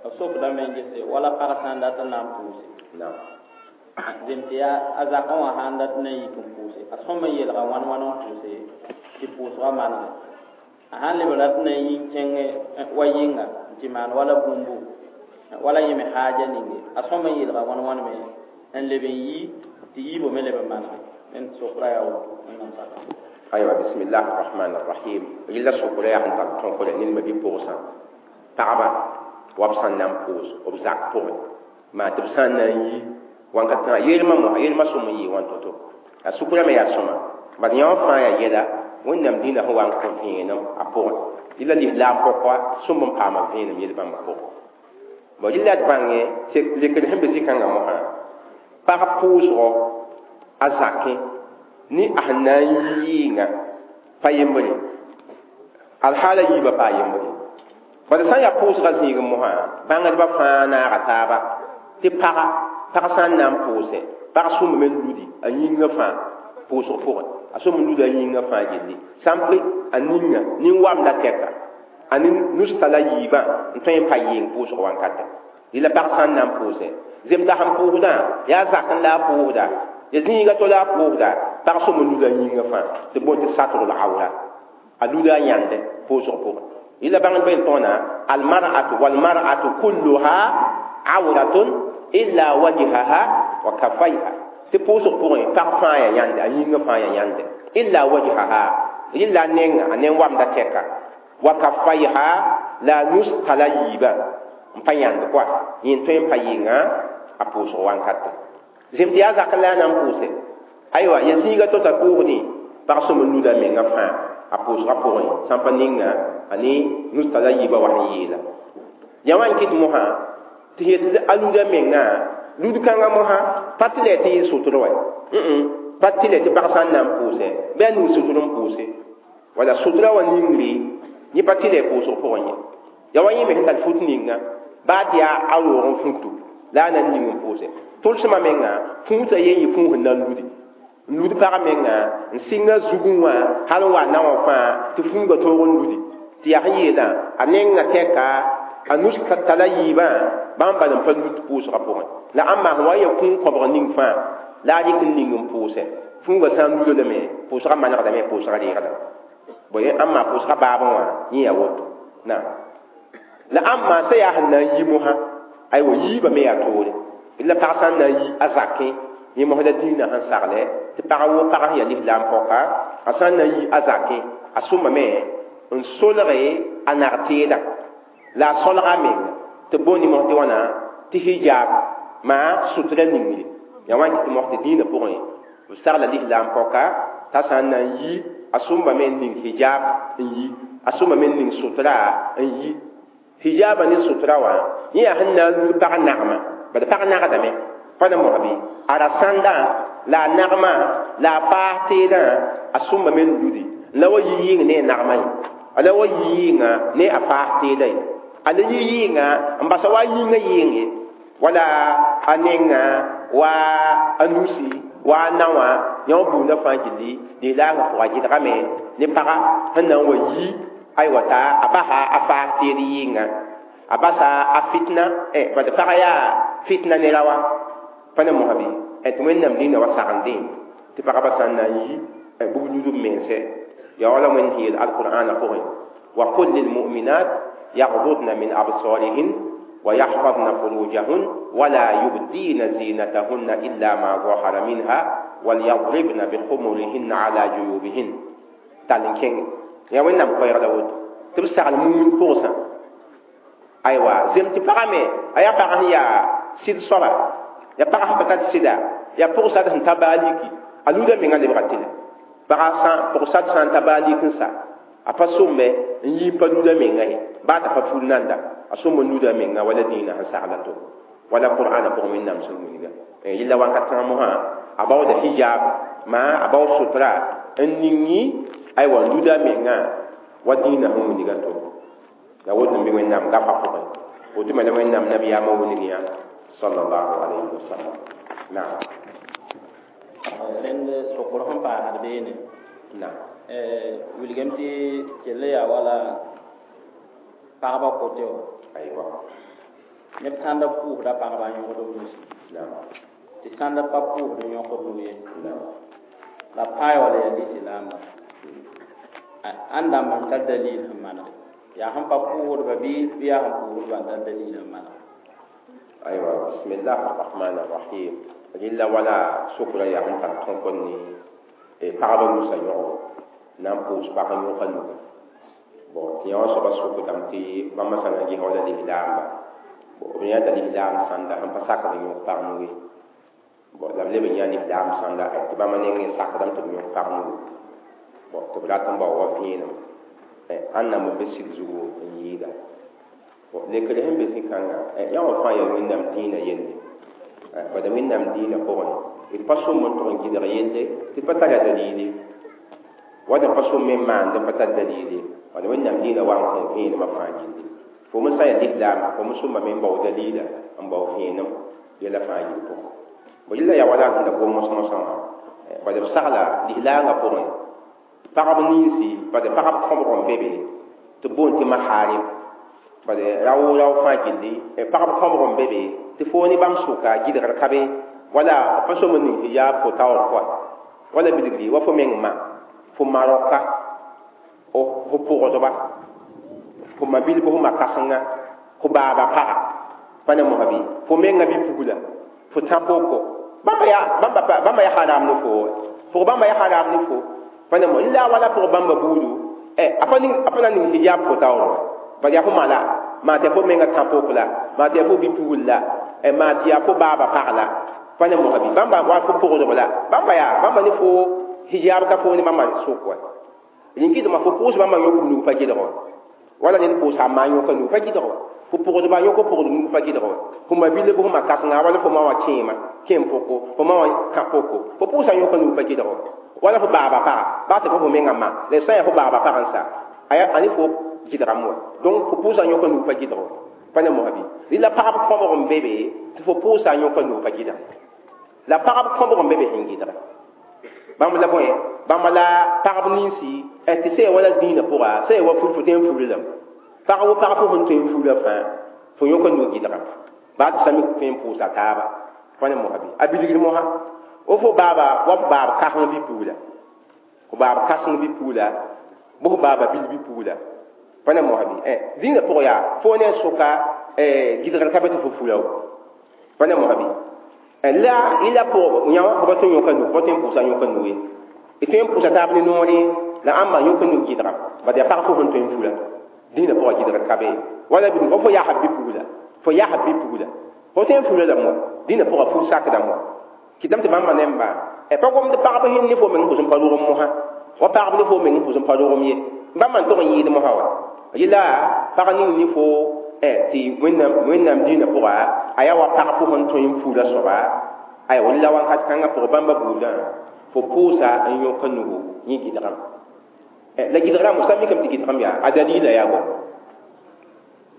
b sokdame n gese wala pag sã n dat n na n pʋʋse naam zem tɩ yaa a zakã wã sã n dat n na n yik n pʋʋse a sõm n yelga wãn wãn n pʋʋse tɩ pʋʋsgã manege a sãn leb rat n na n yi n kẽng wa yɩnga n tɩ maan wala bũmbu wala yẽ me haaja ninge a sõm n yelga wãn wãn me n leb n yi tɩ yiibã me leb n manege rẽnd sokra yaa woto wẽnnaam saka aywa bismillah arrahman arrahim rɩla sokra yaa sẽn tar tõkre ned bi pʋgsã pagba wa b sãn na n pʋʋs b zak pʋgẽ maa tɩ b sã n na n yi wãnka tãga yelmã mosã yelmã sõm n yɩɩ wãn to-to a sʋkrame yaa sõma bad yã wã fãa yaa yɛla wẽnnaam dĩinã sẽn wa n kõ vẽenem a pʋgẽ rɩla lislaam pɔka sõm n paama vẽenem yel-bãmbã pʋgẽ bon rɩla d bãngẽ lekr sẽn be zĩ-kãngã mosã pag pʋʋsgɔ a zakẽ ne a sẽn na n yi yɩɩngã pa yembre alhaala yiibã paa yembre bad sã n yaa pʋʋsgã zĩigẽ mosã bãngdbã fãa naaga taaba tɩ paga pag sã n na n pʋʋsẽ pag sõmbame n ludi a yĩngã fãa pʋʋsg pʋgẽ a sõm n luda a yĩngã fãa gilli sã n pɩ a ninga nin-wamda tɛka a nusta la yiibã n tõe n pa yɩɩng pʋʋsg wãnkata rɩla pag sã n na n pʋʋsẽ zemda sẽn pʋʋsdã yaa zak n la a pʋʋsda ya zĩiga to la a pʋʋsda pag sõm n luda a yĩngã fãa tɩ boond tɩ satrl awra a luda a yãnde pʋʋsg pʋgẽ rɩla bãngdbã yel tõona almar'atu walmar'atu kulluha awratun illa wajhaha wa kaffayha tɩ pʋʋsg pʋgẽ pag fãa yaa yãnde a yĩngã fãa yaa yãnde illa wajhaha rɩla a nenga a nen-wamda tɛka wa kaffayha la nus tala yiibã n pa yãnd koa yẽn tõe n pa yɩnga a pʋʋsg wãnkata zem tɩ yaa zak la a na n pʋʋse aywa ya zĩiga to t'a pʋʋsdẽ pag sõm n luda menga fãa a pʋʋsgã pʋgẽ sã n pa ninga a ne nus tala yiibã wa sẽn yeela ya wã n kɩt mosã tɩ yet a luda mengã lud kãngã mosã pa tɩ lɛ tɩ yɩ sʋtr wɛ pa tɩ lɛ tɩ pag sã n na n pʋʋsɛ bɩ a ning sʋtr n pʋʋse wala sʋtra wã ningre yẽ pa tɩ lɛ pʋʋsg pʋgẽ ye ya wa yẽ me sẽn tar fut ninga baa tɩ yaa a roog n fuutu la a na n ning n pʋʋsɛ tʋlsmã menga fũusã yen yɩ fũus n na n ludi n lud pagã menga n sɩnga zugẽ wã hal n wa na wã fãa tɩ fũuga toog n ludi tɩ yaa sẽn yeelã a nenga tɛka a nus tala yiibã bãmb bal n pa lut pʋʋsgã pʋgẽ la ãmba sẽn wa n ya kũun kõbg ning fãa la a rɩk n ning n pʋʋsɛ fũuga sã n luda lame pʋʋsgã manegdame pʋʋsgã reegda bõe ãmba pʋʋsgã baabẽ wã yẽ yaa woto naam la ãmba sã yaa sẽn na n yi mosã aywa yiibã me yaa toore la pag sã n na n yi a zakẽ yẽ mos la dĩinã sẽn saglɛ tɩ pag wo pag sẽn yaa lislaam pɔka a sã n na n yi a zakẽ a sõmbame n solge a nag-teedã la a solga menga tɩ boond mos tɩ wãna tɩ hijab maa sʋtra ningre yaa wã n kɩt mos tɩ dĩinã pʋgẽ b sagla lislaam pɔka t'a sã n na n yi a sõmbame n ning hijab n yi a sõmbame n ning sʋtra n yi hijaba ne sʋtra wã yẽ yaa sẽn na n lud pag nagmã bad pag nagdame pa na mosã bɩ a ra sãndã la a nagmã la a paas teedã a sõmbame n ludi la wa yi yɩng ne a nagmã ye a la wa yi yɩnga ne a paas teedã ye a la yi yɩnga n basa wa a yĩngã yɩng ye wala a nenga wa a nusi wa a na wã yã wã buudã fãa gilli lislaangã pʋga gɩdgame ne paga sẽn na n wa yi aywa t'a a basa a faas teed yɩnga a basa a fitna bad pag yaa fitna ne ra wa pa ne mosã bɩ tɩ wẽnnaam dĩinã wa sagendẽ tɩ pagba sã n na n yi bʋb lud b mense yaa wala wẽnd sẽn yeel alqur'ana pʋgẽ wa qul lilmuminat yagdudna min absarihin ويحفظن فروجهن ولا يبدين زينتهن إلا ما ظهر منها وليضربن بخمرهن على جيوبهن تالين كينغ يا وين نام كوير داود تبسع المؤمن بوسا أيوة زم تفهمي أيا فهم يا سيد صبا يا فهم بتات سيدا يا بوسا ده تباليكي ألودا من اللي بغتنا فهم بوسا سان تباليك نسا a pa sõmbe n yɩ pa luda menga ye baa t'a pa ful nanda a sõmb n luda menga wala dĩinã sẽn sagla to wala qur'ana pʋgẽ wẽnnaam sẽn wilga yɩla wãnkat kãngã mosã a baooda hijab Ma a bao sutra n ningi aywa luda menga wa dĩinã sẽn wilga to la woto n be wẽnnaam gafã pʋgẽ woto me la wẽnnaam nabiyaamã wilg yã sallallahu alayhi wa sallam. Naam. Rẽnd sokr sẽn paasd beene. Naam. Wilgame tɩ kell yaa wala pagba kote wã. Aywa. Neb sãn da pʋʋsda pagba n yõgd b nusi. Naam. Tɩ sãn da pa pʋʋsd n yõkd nu ye. Naam. La pãa wala yaa lislaamba. Ãn dãmb n tar dalil sẽn manegre. Yaa sẽn pa pʋʋsdba bɩ yaa sẽn pʋʋsdba n tar dalil sẽn manegre. Aywa, bismillah arrahman arrahim. Rɩla wala sokra yaa sẽn tar tõk n ne pagba nusa yõgo na n pʋʋs pag n yõka nuga. Bon, tɩ yã wã soaba sokdame tɩ bãmba sã n ges wala lislaamba. Bon, b yã t'a lislaam sãnda sẽn pa sakd n yõk pag nu ye. Bon, la b leb n yã lislaam sãnda tɩ bãmba nengẽ sakdame tɩ b yõk pag nugu. Bon, tɩ b rat n bao wa vẽenem ãnna n be sɩd zugu n yɩɩda. Bon, lekr sẽn be zĩ-kãngã yã wã fãa yaa wẽnnaam dĩinã yelle. Bala wẽnnaam dĩinã pʋgẽ d pa sõm n tʋg n gɩdg yelle tɩ d pa tara dalile. Wala pa sõm me n maand n pa tar dalile. Wala wẽnnaam dĩinã wa n kõ vẽenemã fãa gilli. Fo me sã n yaa lislaama fo me sõmame n bao dalila n bao vẽenem yɛla fãa yɩl pʋgẽ. Bo yella yaa wala sẽn da gom mosã-mosã wã. Bala b sagla lislaangã pʋgẽ pagb ninsi bala pagb kõbg n be be tɩ b boond tɩ maharim. Bala rao fãa gilli pagb kõbg n be be tɩ fo ne bãmb sʋka gɩdgr ka be wala pa sõm n ning tɩ yaa fo taoor pʋga wala bilgri wa fo meng ma fo ma raoka fo pʋgdba fo ma bilb fo ma kãsenga fo baaba paga pa ne mosã bɩ fo menga bi-pugla fo tã poko bãmba yaa haram ne fo pʋg bãmba yaa haram ne fo pa ne mo la wala pʋg bãmba buudu a pa na ning hijab fo taoor wa bala yaa fo ma la maa tɩ yaa fo menga tã pok la maa tɩ yaa fo bi-pugl la maa tɩ yaa fo baaba pag la pa ne mosã bɩ bãmba wa fo pʋgdb la bãmba yaa bãmba ne fo hijab ka fo ne bãmba sʋk wa rĩn-kɩtmã fo pʋʋs bãmba yõk nug pa gɩdg wa wala ned pʋʋsa a ma yõka nug pa gɩdg wa fo pʋgdba yõk pʋgd nug pa gɩdg wa fo ma bilb fo ma kãsenga wala fo ma wã kẽema kẽem poko fo ma wã kã poko fo pʋʋsa yõka nug pa gɩdg wa wala fo baaba paga baa tɩ fo menga ma la sã n yaa fo baaba pag n sa a ne fo gɩdgame wa donc fo pʋʋsa yõka nug pa gɩdg wa pa ne mosã bɩ rɩla pagb kõbg n be be tɩ fo pʋʋsa yõka nug pa gɩdg la pagb kõbg n be be sẽn gɩdga bãmb la bõe bãmba la pagb ninsi tɩ sã wala dĩinã pʋga sã wa fur fo tõe n furi lame pag wo pag fo sẽn tõe n fura fãa fo yõka nug gɩdga baa tɩ sã mi tõe n pʋʋsa taaba pa ne mosã bɩ a bilgr mosã o fo baaba wa f baab kãseng bi-pugla fo baab kãseng bi-pugla bɩ fo baaba bil bi-pugla pa ne mosã bɩ dĩinã pʋgã yaa fo ne sʋka gɩdgr ka be tɩ fo fura wa pa ne mosã bɩ la ila pʋg yã wã fo pa tõe n yõka nug fo pa tõe n pʋʋsa yõka nug ye d tõe n pʋʋsa taab ne noore la ãmba yõka nug gɩdga bad yaa pag fo sẽn tõe n fura dĩinã pʋgã gɩdgr ka be wala bɩ fo yaasb bi-pugla fo yaasb bi-pugla fo tõe n fura lame wa dĩinã pʋgã fur sakdame wa kɩtame tɩ bãmba nemba pa gomd pagb sẽn ne fo meng pʋs n pa rogem mosã wa pagb ne fo meng pʋs n pa rogem ye bãmba n tog n yɩɩd mosã wa yela pag ning ne fo tɩ wẽnnaam dĩinã pʋga a yaa wa pag fo sẽn tõe n fura soaba aywa la wãnkat kãngã pʋgã bãmba buudã fo pʋʋsa n yõka nugu yẽ gɩdgame la gɩdgrã sã mikame tɩ gɩdgame yaa a dalila yaa bõe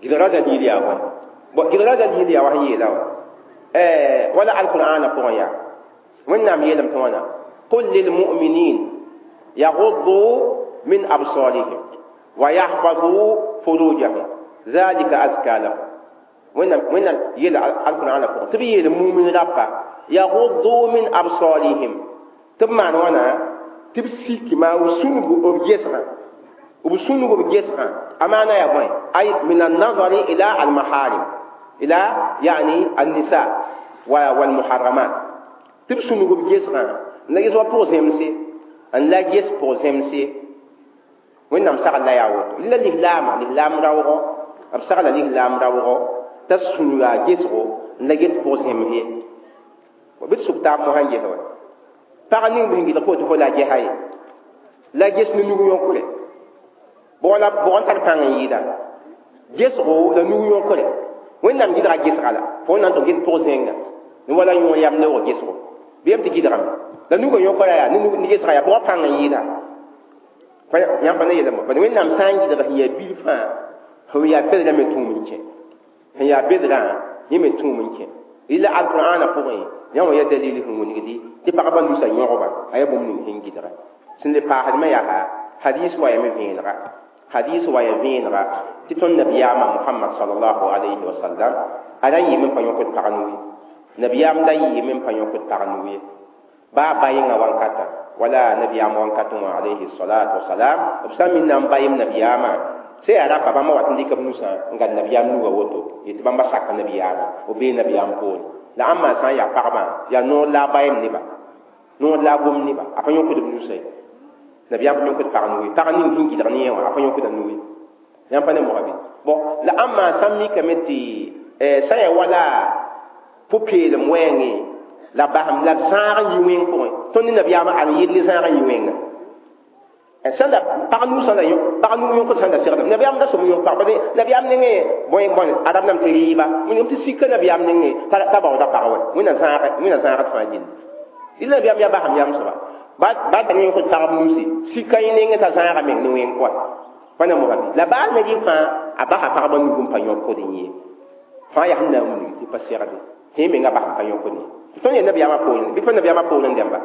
gɩdgrã dalil yaa bõe bon gɩdgrã dalil yaa wa sẽn yeela wa wala alqur'ana pʋgẽ yaa wẽnnaam yeelame tɩ wãna qul lilmuminin yaguddu min absarihim wa yahfazu furujahum zalika azka lahum wẽnnaam yeela alqur'ana pʋgẽ tɩ b yeel mumin rapa yaguddu min absarihim tɩ b maan wãna tɩ b sikma b sũnug b gesgã b sũnug b gesgã a maana yaa bõe ay min annazari ila almaharim ila yani annisa walmuharramat tɩ b sũnug b gesgã n la ges wa pʋg zemse n la ges pʋg zemse wẽnnaam sagl la yaa woto la lislaama lislaam raoogɔ b sagla lislaam raoogɔ t'a sũnuga gesgo n la get pʋg zems ye bɩ d sʋk taab mosã n ges wa pag ning bɩ sẽn gɩdg fo tɩ fo la gesa ye la ges ne nug yõkre bʋg la bʋg n tar pãng n yɩɩda gesgo la nug yõkre wẽnnaam gɩdga gesga la fo na n tɩ get pʋg zẽnga ne wala yõor yam leoog gesgo bɩ yam tɩ gɩdgame La nuga yõkra yaa ne gesga yaa bʋga pãng n yɩɩda yãmb pa ne yeelame bad Wẽnnaam sã n gɩdg sẽn yaa bil fãa sẽn yaa bedrã me tũum n kẽ sẽn yaa bedrã yẽ me tũum n kẽ rɩla alqur'ana pʋgẽ yã wã yaa dalil sẽn wilgdi tɩ pagba nusa yõgba a yaa bũmb ning sẽn gɩdga sẽn le paasdmã yaa hadis wa ya me vẽenega hadis wa ya vẽenega tɩ tõnd nabiyaamã Muhammad sallallahu alayhi wa sallam a ra yɩɩm n pa yõkd pag nu ye nabiyaam da yɩɩm n pa yõkd pag nu ye baa ba-yẽngã wankata wala nabiyaam wankatẽ wã alayhi salatu wasalam b sã n minna n bayem nabiyaamã sã yaa rapa bãmba wat n dɩk b nusã n gad nabiyaam nuga woto yetɩ bãmba saka nabiyaamã b bee nabiyaam poore la ãmba sã n yaa pagba yaa noor la a bayem neba noor la a gom neba a pa yõkd b nusã ye nabiyaam pa yõkd pag nu ye pag ning sẽn gɩdg ne yẽ wã a pa yõkda nu ye yãmb pa ne moga bɩ bon la ãmba sã n mikame tɩ sã yaa wala pʋ-peelem wɛɛngẽ la basem la zãag n yi wẽng pʋgẽ tõnd ne nabiyaamã al n yɩl ne zãag n yi wẽnga sã la pag nu sã la pag nu yõkd sã n da segdame nabiyaam da sõm yõk pag parce nabiyaam nengẽ bõe bõe arab nam tɩ rɩɩba wẽnnaam tɩ sika nabiyaam nengẽ t'a baooda pag wɛ wẽnna zãagd fãa gilli rɩla nabiyaam yaa basem yam soaba ba ta ne yõkd pagb nusi sika yẽ nengẽ t'a zãaga meng ne wẽng kɔa pa na moga bɩ la baa ne rɩ fãa a basa pagba nug n pa yõkd n yee fãa yaa sẽn na n wilg tɩ pa segde tɩ menga bas n pa yõkd ye tõnd yaa nabiyaamã poorẽ bɩ pa nabiyaamã poorẽ dẽmba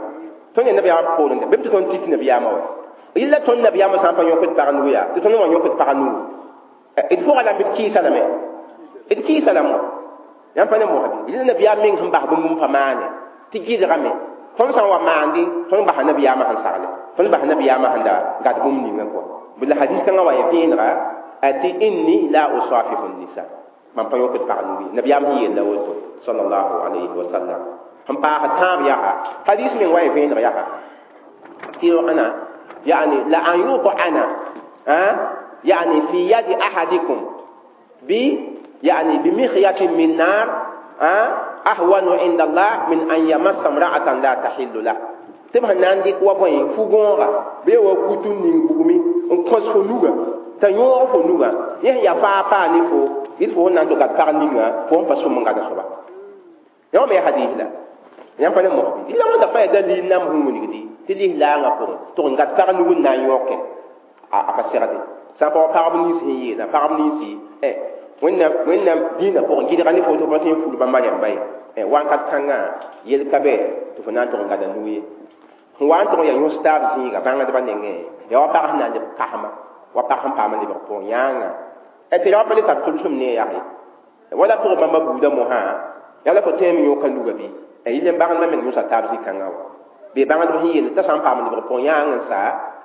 tõnd yaa nabiyaamã poorẽ dẽmba bɩ tɩ tõnd tit nabiyaamã wa yella tõnd nabiyaamã sã n pa yõkd pag nugu yaa tɩ tõnd wã yõkd pag nugu d pʋga la b kɩɩsa lame d kɩɩsa lame yãmb pa ne moga bɩ yella nabiyaam meng sẽn bas bũmb n pa maane tɩ gɩdgame tõnd sã n wa maande tõnd basa nabiyaamã sẽn sagle tõnd basa nabiyaamã sẽn da gad bũmb ninga kɔa la hadis kãngã wa ya vẽenega tɩ inni la usafihu nisa mam pa yõkd pag nugu ye nabiyaam sẽn yella woto sallallahu alayhi wa sallam sẽn paas tãab yaa hadis meng wa ya vẽeneg yaa tɩ ana يعني لأن يطعن يعني في يد أحدكم ب يعني بمخية من نار أهون عند الله من أن يمس امرأة لا تحل له tɩ b sẽn na n dɩk wa bõe fu-gõoga bɩ wa kutu ning bugmi n kõs fo nuga t'a yõog fo nuga yẽ sẽn yaa faa paa ne fo yɩl fo sẽn na n tɩ gad pag ninga fo sẽn pa sõm n gada soaba yã me hadis la yãmb pa ne mosbi la wãnda fãa yaa dalil nam sẽn wilgdi tɩ lislaangã pʋgẽ tɩ n gad pag nug n na n yõke a pa segde sã n pa wa pagb nins sẽn yeelã pagb ninsi Wẽnnaam dĩinã pʋgẽ gɩdga ne fo tɩ fo pa tõe n ful bãmba rãmba ye wãnkat kãngã yel ka bɛ tɩ fo na n tʋg n gada nug ye sẽn wa n tʋg n yaa yõs taab zĩiga bãngdbã nengẽ yaa wa pag sẽn na n leb kasma wa pag sẽn paam n lebg pʋgẽ yãanga tɩ ra wa pa le tar tʋlsem ne yaa ye wala pʋgẽ bãmba buudã mosã yaa la fo tõeme yõka nuga bɩ yɩl n bãngdbã meng yõsa taab zĩ-kãngã wa bee bãngdb sẽn yeel t'a sã n paam n lebg pʋgẽ yãang n sa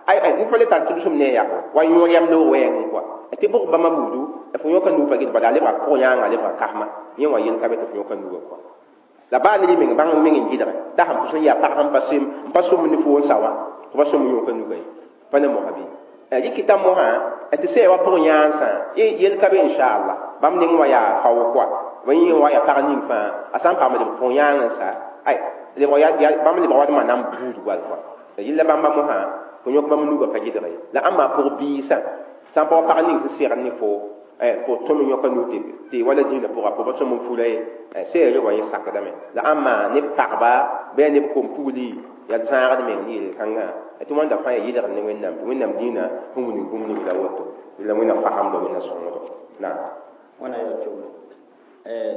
ay ay n pa le tar tʋlsem ne yaa wa yõor yam loog wɛɛngẽ kɔa tɩ bʋg bãmba buudu fo yõka nug pa gɩd bala a lebga pʋgẽ yãanga a lebga kasma yẽ wã yel ka be tɩ fo yõka nuga kɔa la baa ne meng bãng meng n gɩdge t'a sẽn pʋs n yaa pag sẽn pa sem n pa sõm ne fo n sa wã fo pa sõm n yõka nuga ye pa ne mosa bɩ rɩkɩta mosã tɩ sã ya wa pʋgẽ yãansã yel ka be inchallah bãmb neng wã yaa fao kɔa bõe yẽ wa yaa pag ning fãa a sã n paam lebg pʋgẽ yãang n sa ay bãmb lebg wa d na n buud wal kɔa yella bãmba mosã fo yõk bãmb nuga pa gɩdge ye la ãmba pʋg biisã sã n pa wa pag ning sẽn segd ne fo fo tõm n yõka nug tɩ wala dĩinã pʋga fo pa sõm n fula ye sẽn wa yẽ sakdame la ãmba ne pagba bɩ yaa neb kom-pugli yaa zãagd meng ne yel-kãngã tɩ wãnda fãa yaa yɩlgd ne Wẽnnaam tɩ Wẽnnaam dĩinã sẽn wilg bũmb ning la woto la Wẽnnaam fasamdo Wẽnna sõngdo naam wãna yaa kiuule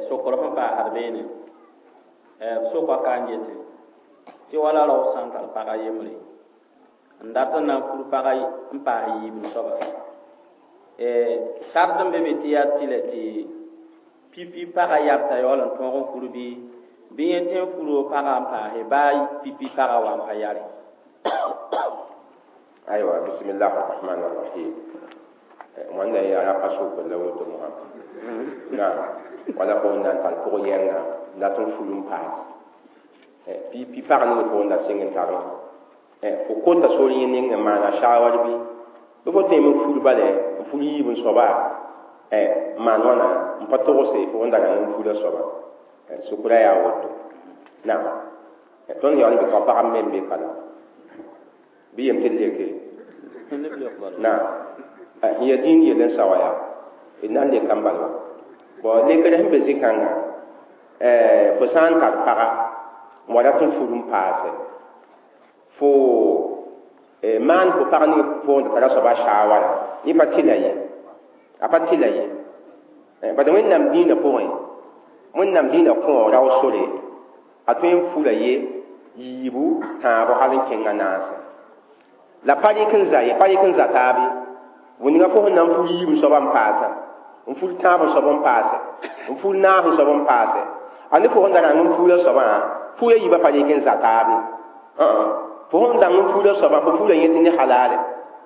sokr sẽn paasd beene b sokã ka n yetɩ tɩ wala rao sã n tar pag a yembre n dat n na n fur pag n paas yiib soaba sart n be be tɩ yaa tɩlɛ tɩ pipi paga yabta yaool n tõog n fur bɩ bɩ yẽ tẽ n furo paga n paase baa pipi paga wa n pa yare aywa bismillah arrahman arrahim wãnda yaa rapa sokr la woto mosã naam wala fo n na n tar pʋg yɛnga n dat n ful n paas pipi pag ning fo n da sɩng n tar fo kota sor yẽ ning n maana shawar bɩ bɩ fo tõeme n ful bale n ful yiib n soaba n maan wãna n pa togse fo n da rãng n fula soaba sukra yaa woto naam tõnd yaool n be ka pagb me n be kala bɩ yem tɩ d leke naam sẽn yaa dĩin yell n sa wa yaa d na n leka n bal wa bon lekr sẽn be zĩ-kãngã fo sã n tar paga n wa rat n fur n paase Fo maan fo pag ning pʋgẽ t'a tara soaba shaawara yẽ pa tɩla ye a pa tɩla ye bad Wẽnnaam dĩinã pʋgẽ Wẽnnaam dĩinã kõo rao sore a tõe n fula ye yiibu tãabo hal n kẽngã naase la pa rɩk n za ye pa rɩk n za taab ye wẽnga fo sẽn na n ful yiib n soaba n paasa n ful tãab n soab n paase n ful naas n soab n paase a ne fo sẽn da rãng n fuula soabã fuula yiibã pa rɩk n za taab ye fo sẽn dãng n fuula soabã fo fuula yẽ tɩ ne halaale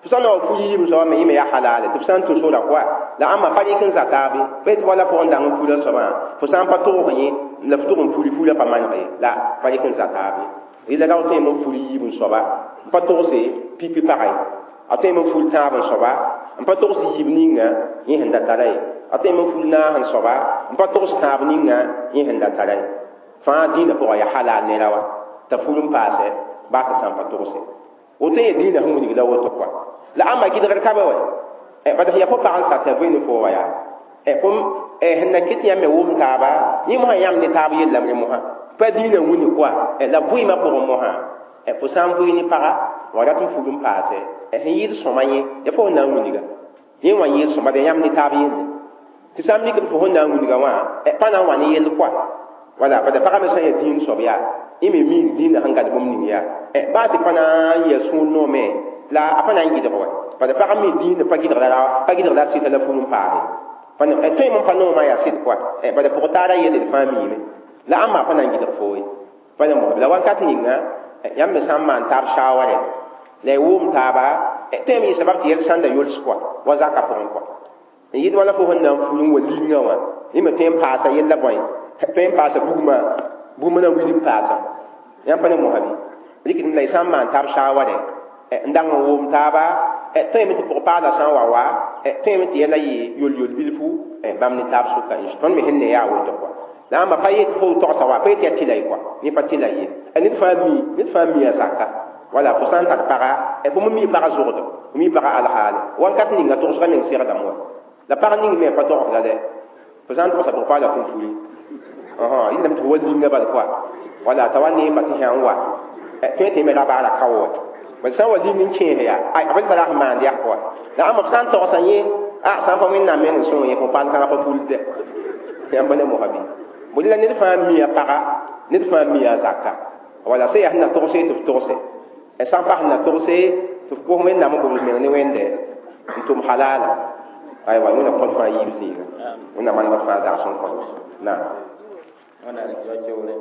fo sã n na wa ful yiib n soabã me yẽ me yaa halaale tɩ f sã n tũ sora koa la ãmba pa rɩk n za taab ye pa yetɩ wala fo sẽn dãng n fuula soabã fo sã n pa tʋgs yẽ la f tʋg n fuli fuula pa maneg ye la pa rɩk n za taab ye rɩla rao tõeme n ful yiib n soaba n pa togse pipi pagã ye a tõeme n ful tãab n soaba n pa togs yiib ninga yẽ sẽn da tara ye a tõeme n ful naas n soaba n pa togs tãab ninga yẽ sẽn da tara ye fãa dĩinã pʋgã yaa halal nera wa t'a ful n paase baa t'a sã n pa togse woto yẽ dĩinã sẽn wilg la woto kɔa la ãmba gɩdgr ka be wa bad sẽn yaa fo pag n sata vɩ ne fo wa yaa fo sẽn na kɩt yãmb me wʋm taaba yẽ mosã yãmb ne taab yellame ne mosã pa dĩinã wilg kɔa la vɩɩmã pʋgẽ mosã fo sã n vɩɩ ne paga wa rat n ful n paase sẽn yɩɩd sõma yẽ ya fo sẽn na n wilga yẽ wã yɩɩd sõma de yãmb ne taab yelle tɩ sã n mikd fo sẽn na n wilga wã pa na n wa ne yell kɔa wala bad pagã me sã n yaa dĩin soab yaa yẽ me miig dĩinã sẽn gad bũmb ning yaa baa tɩ pa na n yɛa sũur noome la a pa na n gɩdg wa bad pagã me dĩinã pa gɩdg pa gɩdg la sɩta la ful n paase pa tõe n pa noomã yaa sɩd kɔa bad pʋg-taarã yelle d fãa miime la ãmba a pa na n gɩdg foo ye pa ne mosb la wakat ninga yãmb me sã n maan taab shaaware la y wʋʋm taaba tõe n yɩ sabab tɩ yɛl sãnda yols kɔa wa zaka pʋgẽ kɔa n yɩd wala fo sẽn na n ful n wa lingã wã yẽ me tõe n paasa yella bõe tõe n paasa bugmã bugmã na wilg n paasa yãmb pa ne mosa bɩ rɩkdem la y sã n maan taab shaaware n dang n wʋʋm taaba tõeme tɩ pʋg-paala sã n wa wa tõeme tɩ yɛla yɩ yol-yol bilfu bãmb ne taab sʋka tõnd me sẽn ne yaa woto kɔa la ãmba pa yet fo togsa wa pa yet yaa tɩla ye kɔa yẽ pa tɩla ye ned fãa mi ned fãa mi a zaka wala fo sã n tar paga fo me mi paga zʋgdo fo mi paga alhaale wãnkat ninga togsga meng segdame wa la pag ning me pa togsda dɛ fo sã n togsa pʋg-paala fũn fuli yẽlame tɩ fo wa linga bal kɔa wala t'a wa neemba tɩ sã n wa tõe tɩ me ra baara kao wa bad sã n wa ling n kẽes yaa a b tara sẽn maand yaa kɔa la ãmba f sã n togsa yẽ a sã n pa Wẽnnaam meng n sõng yẽ fo paal kãngã pa fulde yãmb pa ne mosa bɩ bõe la ned fãa mi a paga ned fãa mi a zaka wala sã yaa sẽn na togse tɩ f togse sã n pa sẽn na togse tɩ f kos Wẽnnaam n gomd meng ne Wẽnde n tʋm halaala aywa Wẽnna kõt fãa yiib zĩiga Wẽnnaam manegd fãa zagsem n kõt naam wẽnna rɩk yao keoore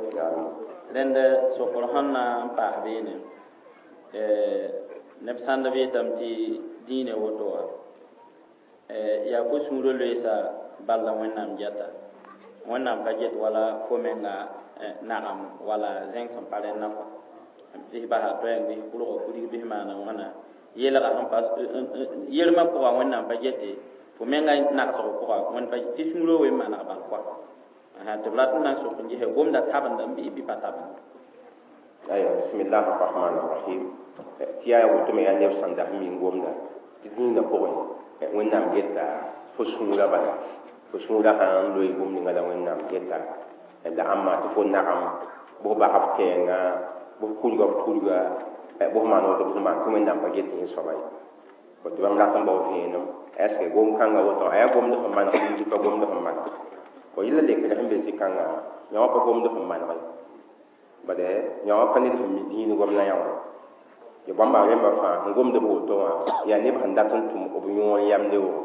rẽnd sokr sẽn na n paas beene neb sãnd b yetame tɩ dĩinã woto wã yaa fo sũurã loeesa bal la Wẽnnaam geta Wẽnnaam ka get wala fo menga nagam wala zẽng sẽn pa rẽnna kɔa bɩs basa toɛɛng bɩs kʋlga kurig bɩs maana wãna yeelga sẽn pa yelmã pʋga Wẽnnaam pa gete fo menga nagsg pʋga wẽnd pa tɩ sũurã wen maneg bal kɔa tɩ b rat n na n sok n gese gomda tabenda n bɩ bɩ pa tabenda aywa bismillah arrahman arrahim tɩ yaa woto me yaa neb sẽn da sẽn min gomda tɩ dĩinã pʋgẽ Wẽnnaam geta fo sũurã bala fo sũurã sãn loe bũmb ninga la Wẽnnaam geta la ãmba tɩ fo nagam bʋs bas f kɛɛnga bʋs kurga f turga bʋs maan woto bʋs maan tɩ Wẽnnaam pa get yẽ soaba ye tɩ bãmb rat n bao vẽenem est ce que gom kãngã woto a yaa gomd sẽn maneg tɩ pa gomd sẽn maneg bõ yella lekre sẽn be zĩ-kãngã yã wã pa gomd sẽn maneg ye bad yã wã pa ned sẽn mi dĩin gomdã yã wã ya bãmba rẽmbã fãa sẽn gomd b woto wã yaa neb sẽn dat n tʋm b yõor yamde wʋgo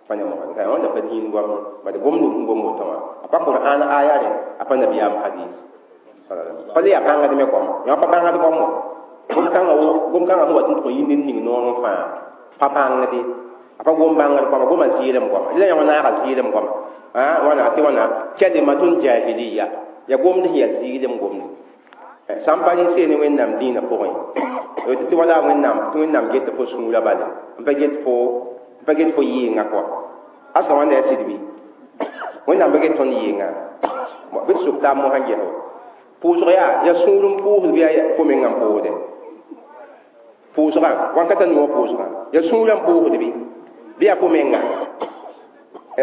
pa ne moga ka wãnda pa dĩin goam bad gomd sẽn gom woto wã a pa Qur'an aya rẽ a pa nabiyaam hadis pa le yaa bãngd me goam yã wã pa bãngd goam wã gom kãngã gom kãngã sẽn wat n tʋg n yɩ ned ning noor n fãa pa bãngde a pa gom bãngd goama goma zɩɩlem goama la yã wã naaga zɩɩlem goama wãna tɩ wãna kalimatun jahiliya ya gomd sẽn yaa zɩɩlem gomde sã n pa rẽ see ne Wẽnnaam dĩinã pʋgẽ tɩ wala Wẽnnaam tɩ Wẽnnaam get fo sũurã bale n pa get fo yɩɩngã kɔa asa wãnda yaa sɩd bɩ Wẽnnaam pa get tõnd yɩɩngã bɩ tɩ sʋk taab mosã ges wa pʋʋsg yaa sũur n pʋʋsd bɩ yaa fo mengã n pʋʋsde pʋʋsgã wãnkata nuwã pʋʋsgã yaa sũurã n pʋʋsd bɩ yaa fo mengã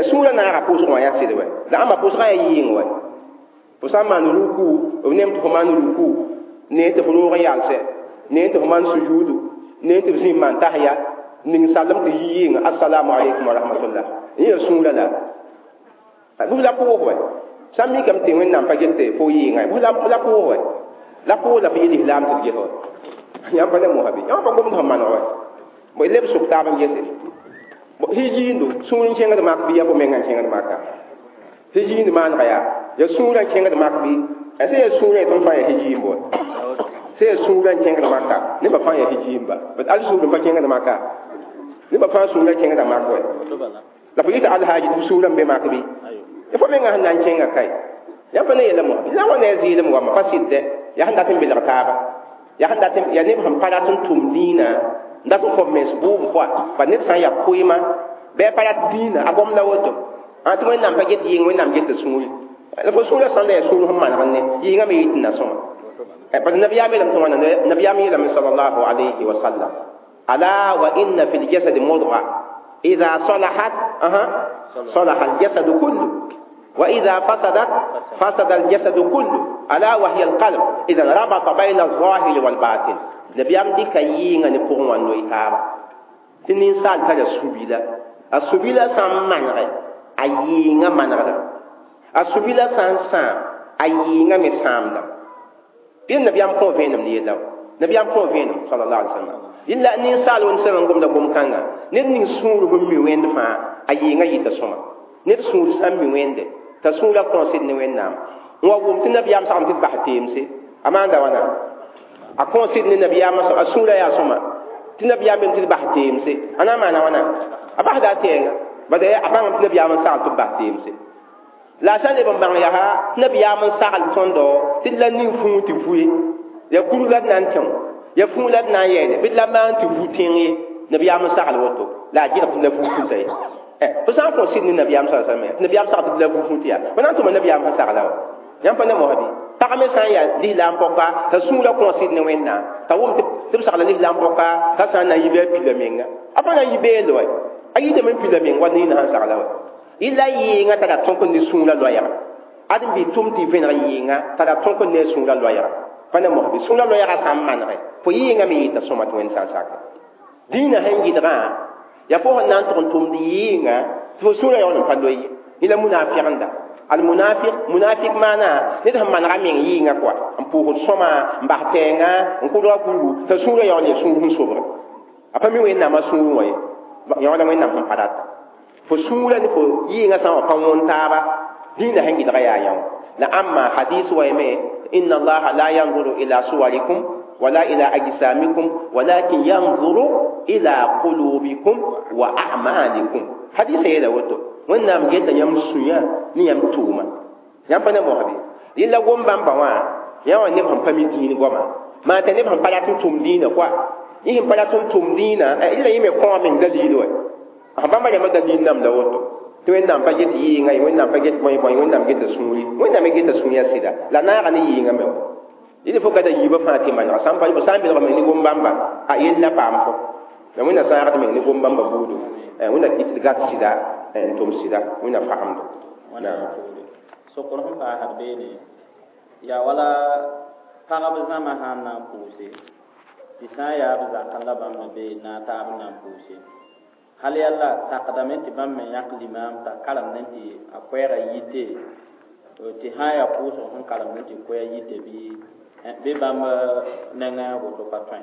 sũurã naaga pʋʋsg wã yaa sɩd wɛ la ãmba pʋʋsgã yaa yɩɩng wɛ fo sã n maan ruku b nem tɩ fo maan ruku ne tɩ fo roog n yalsɛ Ne tɩ f maan sujuudu, ne tɩ f zĩ n maan tahiya, ning salem tɩ yi yɩnga assalamu alaikum wa rahmatullah. Yẽ sũurã la bʋs la pʋʋs wɛ sã n mikame tɩ Wẽnnaam pa get fo yɩɩngã bʋs la pʋʋs wɛ la pʋʋs la fo yel lislaam tɩ d ges wɛ yãmb pa ne mosã bɩ yãmb pa gomd sẽn maneg wɛ bõe leb sʋk taab n gese hijiindo sũur n kẽngd mak bɩ yaa fo mengã n kẽngd maka hijiind maanega yaa ya sũurã n kẽngd mak bɩ sẽn yaa sũurã tɩ m fãa yaa hijiimb wɛ sẽn yaa sũurã n kẽngd maka nebã fãa yaa hijiimba bat al sũur n pa kẽngd maka nebã fãa sũurã kẽngda mak wɛ la fo yɩta alhaaji tɩ f sũurã n be mak bɩ fo mengã sẽn na n kẽnga kae yãmb pa ne yɛla mosã la wa ne a zɩɩlem wamba pa sɩdɛ yaa sẽn dat n belg taaba yaa sẽn dat yaa neb sẽn pa rat n tʋm dĩinã n dat n kõ mens bʋʋm pʋa pa ned sã n yaa koeema bɩ a pa rat dĩinã a gom la woto tɩ Wẽnnaam pa get yɩng Wẽnnaam geta sũuri la fo sũurã sãn da yaa sũur sẽn maneg ne yɩngã me yɩ tɩ na sõma parce que nabiyaam yeelame tɩ wãna nabiyaam yeelame sallallahu alayhi wa sallam ala wa inna fi ljasadi mudga idha salahat salaha aljasadu kullu وإذا فسدت فسد الجسد كله ألا وهي القلب. إذا ربط بين الظاهر والباطن. نبيام دي كيينغا ني بوغ وان نوي تابا تي نينسال تالا سوبيلا السوبيلا سان مانغ ايينغا مانغ السوبيلا سان سان ايينغا مي سامدا بين نبيام كون فينم ني يداو نبيام كون فينم صلى الله عليه وسلم إلا نينسال ون سان غوم دا غوم كانغا نيت نين سور هم مي وند فا ايينغا يتا سوما ned sũur sã n mi wẽnde t'a sũurã kõosd ne Wẽnnaam n wa wʋm tɩ nabiyaam sagem tɩ d bas teemse a maanda wãna a kõosd ne nabiyaamã a sũurã yaa sõma tɩ nabiyaam me tɩ d bas teemse a na n maana wãna a basda a tɛɛnga bad a bãngame tɩ nabiyaam n sagl tɩ b bas teemse la a sã n leb n bãng yaa tɩ nabiyaam n sagl tõndo tɩ d la ning fũu tɩ vu ye yaa kurg la d na n tẽ yaa fũu la d na n yɛɛne bɩ d la maan tɩ vu tẽng ye nabiyaam n sagl woto la a gɩlg tɩ la vu fũta ye fo sã n kõ sɩd ne nabiyaam sa sallam tɩ nabiyaam sag tɩ b la vu fũu tɩ yaa fo na n tʋma nabiyaam sẽn sagla wa yãmb pa ne mosã bɩ pag me sã n yaa lislaam pɔka t'a sũurã kõ sɩd ne Wẽnnaam t'a wʋm tɩ b sagla lislaam pɔka t'a sã n na n yi bɩ a pila menga a pa na n yi beeld wɛ a yitame n pila meng wa nina sẽn sagla wa yɩla yɩɩngã tara tõk ne sũurã loɛɛga ad n bɩ tʋm tɩ vẽneg yɩɩngã tara tõk ne sũurã loɛɛga pa ne mosã bɩ sũurã loɛɛga sã n manegɛ fo yɩɩngã me yɩta sõma tɩ Wẽnd sã n sake dĩinã sẽn gɩdgã ya fo sẽn na n tʋg n tʋmd yɩɩngã tɩ fo sũurã yaool n pa loe ye yẽla munaafɩgenda almunafiq munafiq maana ned sẽn manega meng yɩɩngã kɔa n pʋʋsd sõma n bas tɛɛngã n kʋdga kurgu t'a sũurã yaool yaa sũur sẽn sobge a pa mi Wẽnnaamã sũurẽ wã ye yaoola Wẽnnaam sẽn pa rata fo sũurã ne fo yɩɩngã sã n wa pa wõn taaba dĩinã sẽn gɩdga yaa yã wã la amma hadis wa yeme inna allaha la yanzuru ila suwarikum wala ila ajsamikum walakin yanzuru ila qulubikum wa a'malikum hadis yeela woto Wẽnnaam geta yãmb sũyã ne yãmb tʋʋma yãmb pa ne mosã bɩ yẽla gom bãmba wã yã wã neb sẽn pa mi dĩin goama maa t'a neb sẽn pa rat n tʋm dĩinã koa yẽ sẽn pa rat n tʋm dĩinã yẽla yẽ me kõo meng daliil wɛ bãmba rãmbã daliil namda woto tɩ Wẽnnaam pa get yɩɩngã ye Wẽnnaam pa get bõe bõe Wẽnnaam geta sũuri Wẽnnaam me geta sũurã sɩda la naaga ne yɩɩngã me wa yẽl fo ka da yiibã fãa tɩ manega sã n pa sã n belg me ne gom bãmba a yell na paam fo la Wẽnna sãagd meng ne gom bãmba buudu Wẽnna kɩt tɩ gat sɩda n tʋm sɩda Wẽnna fagemdo sokr sẽn paasd beene yaa wala pagb zãma sã n na n pʋʋse tɩ sã n yaa b zakã la bãmb me be na a taab n na n pʋʋse hal yalla sakdame tɩ bãmb me yãk limaam t'a karemdẽ tɩ a koɛɛgã yite tɩ sã n yaa pʋʋsg sẽn karemdẽ tɩ koɛɛ yite bɩ bãmb nengã woto pa tõe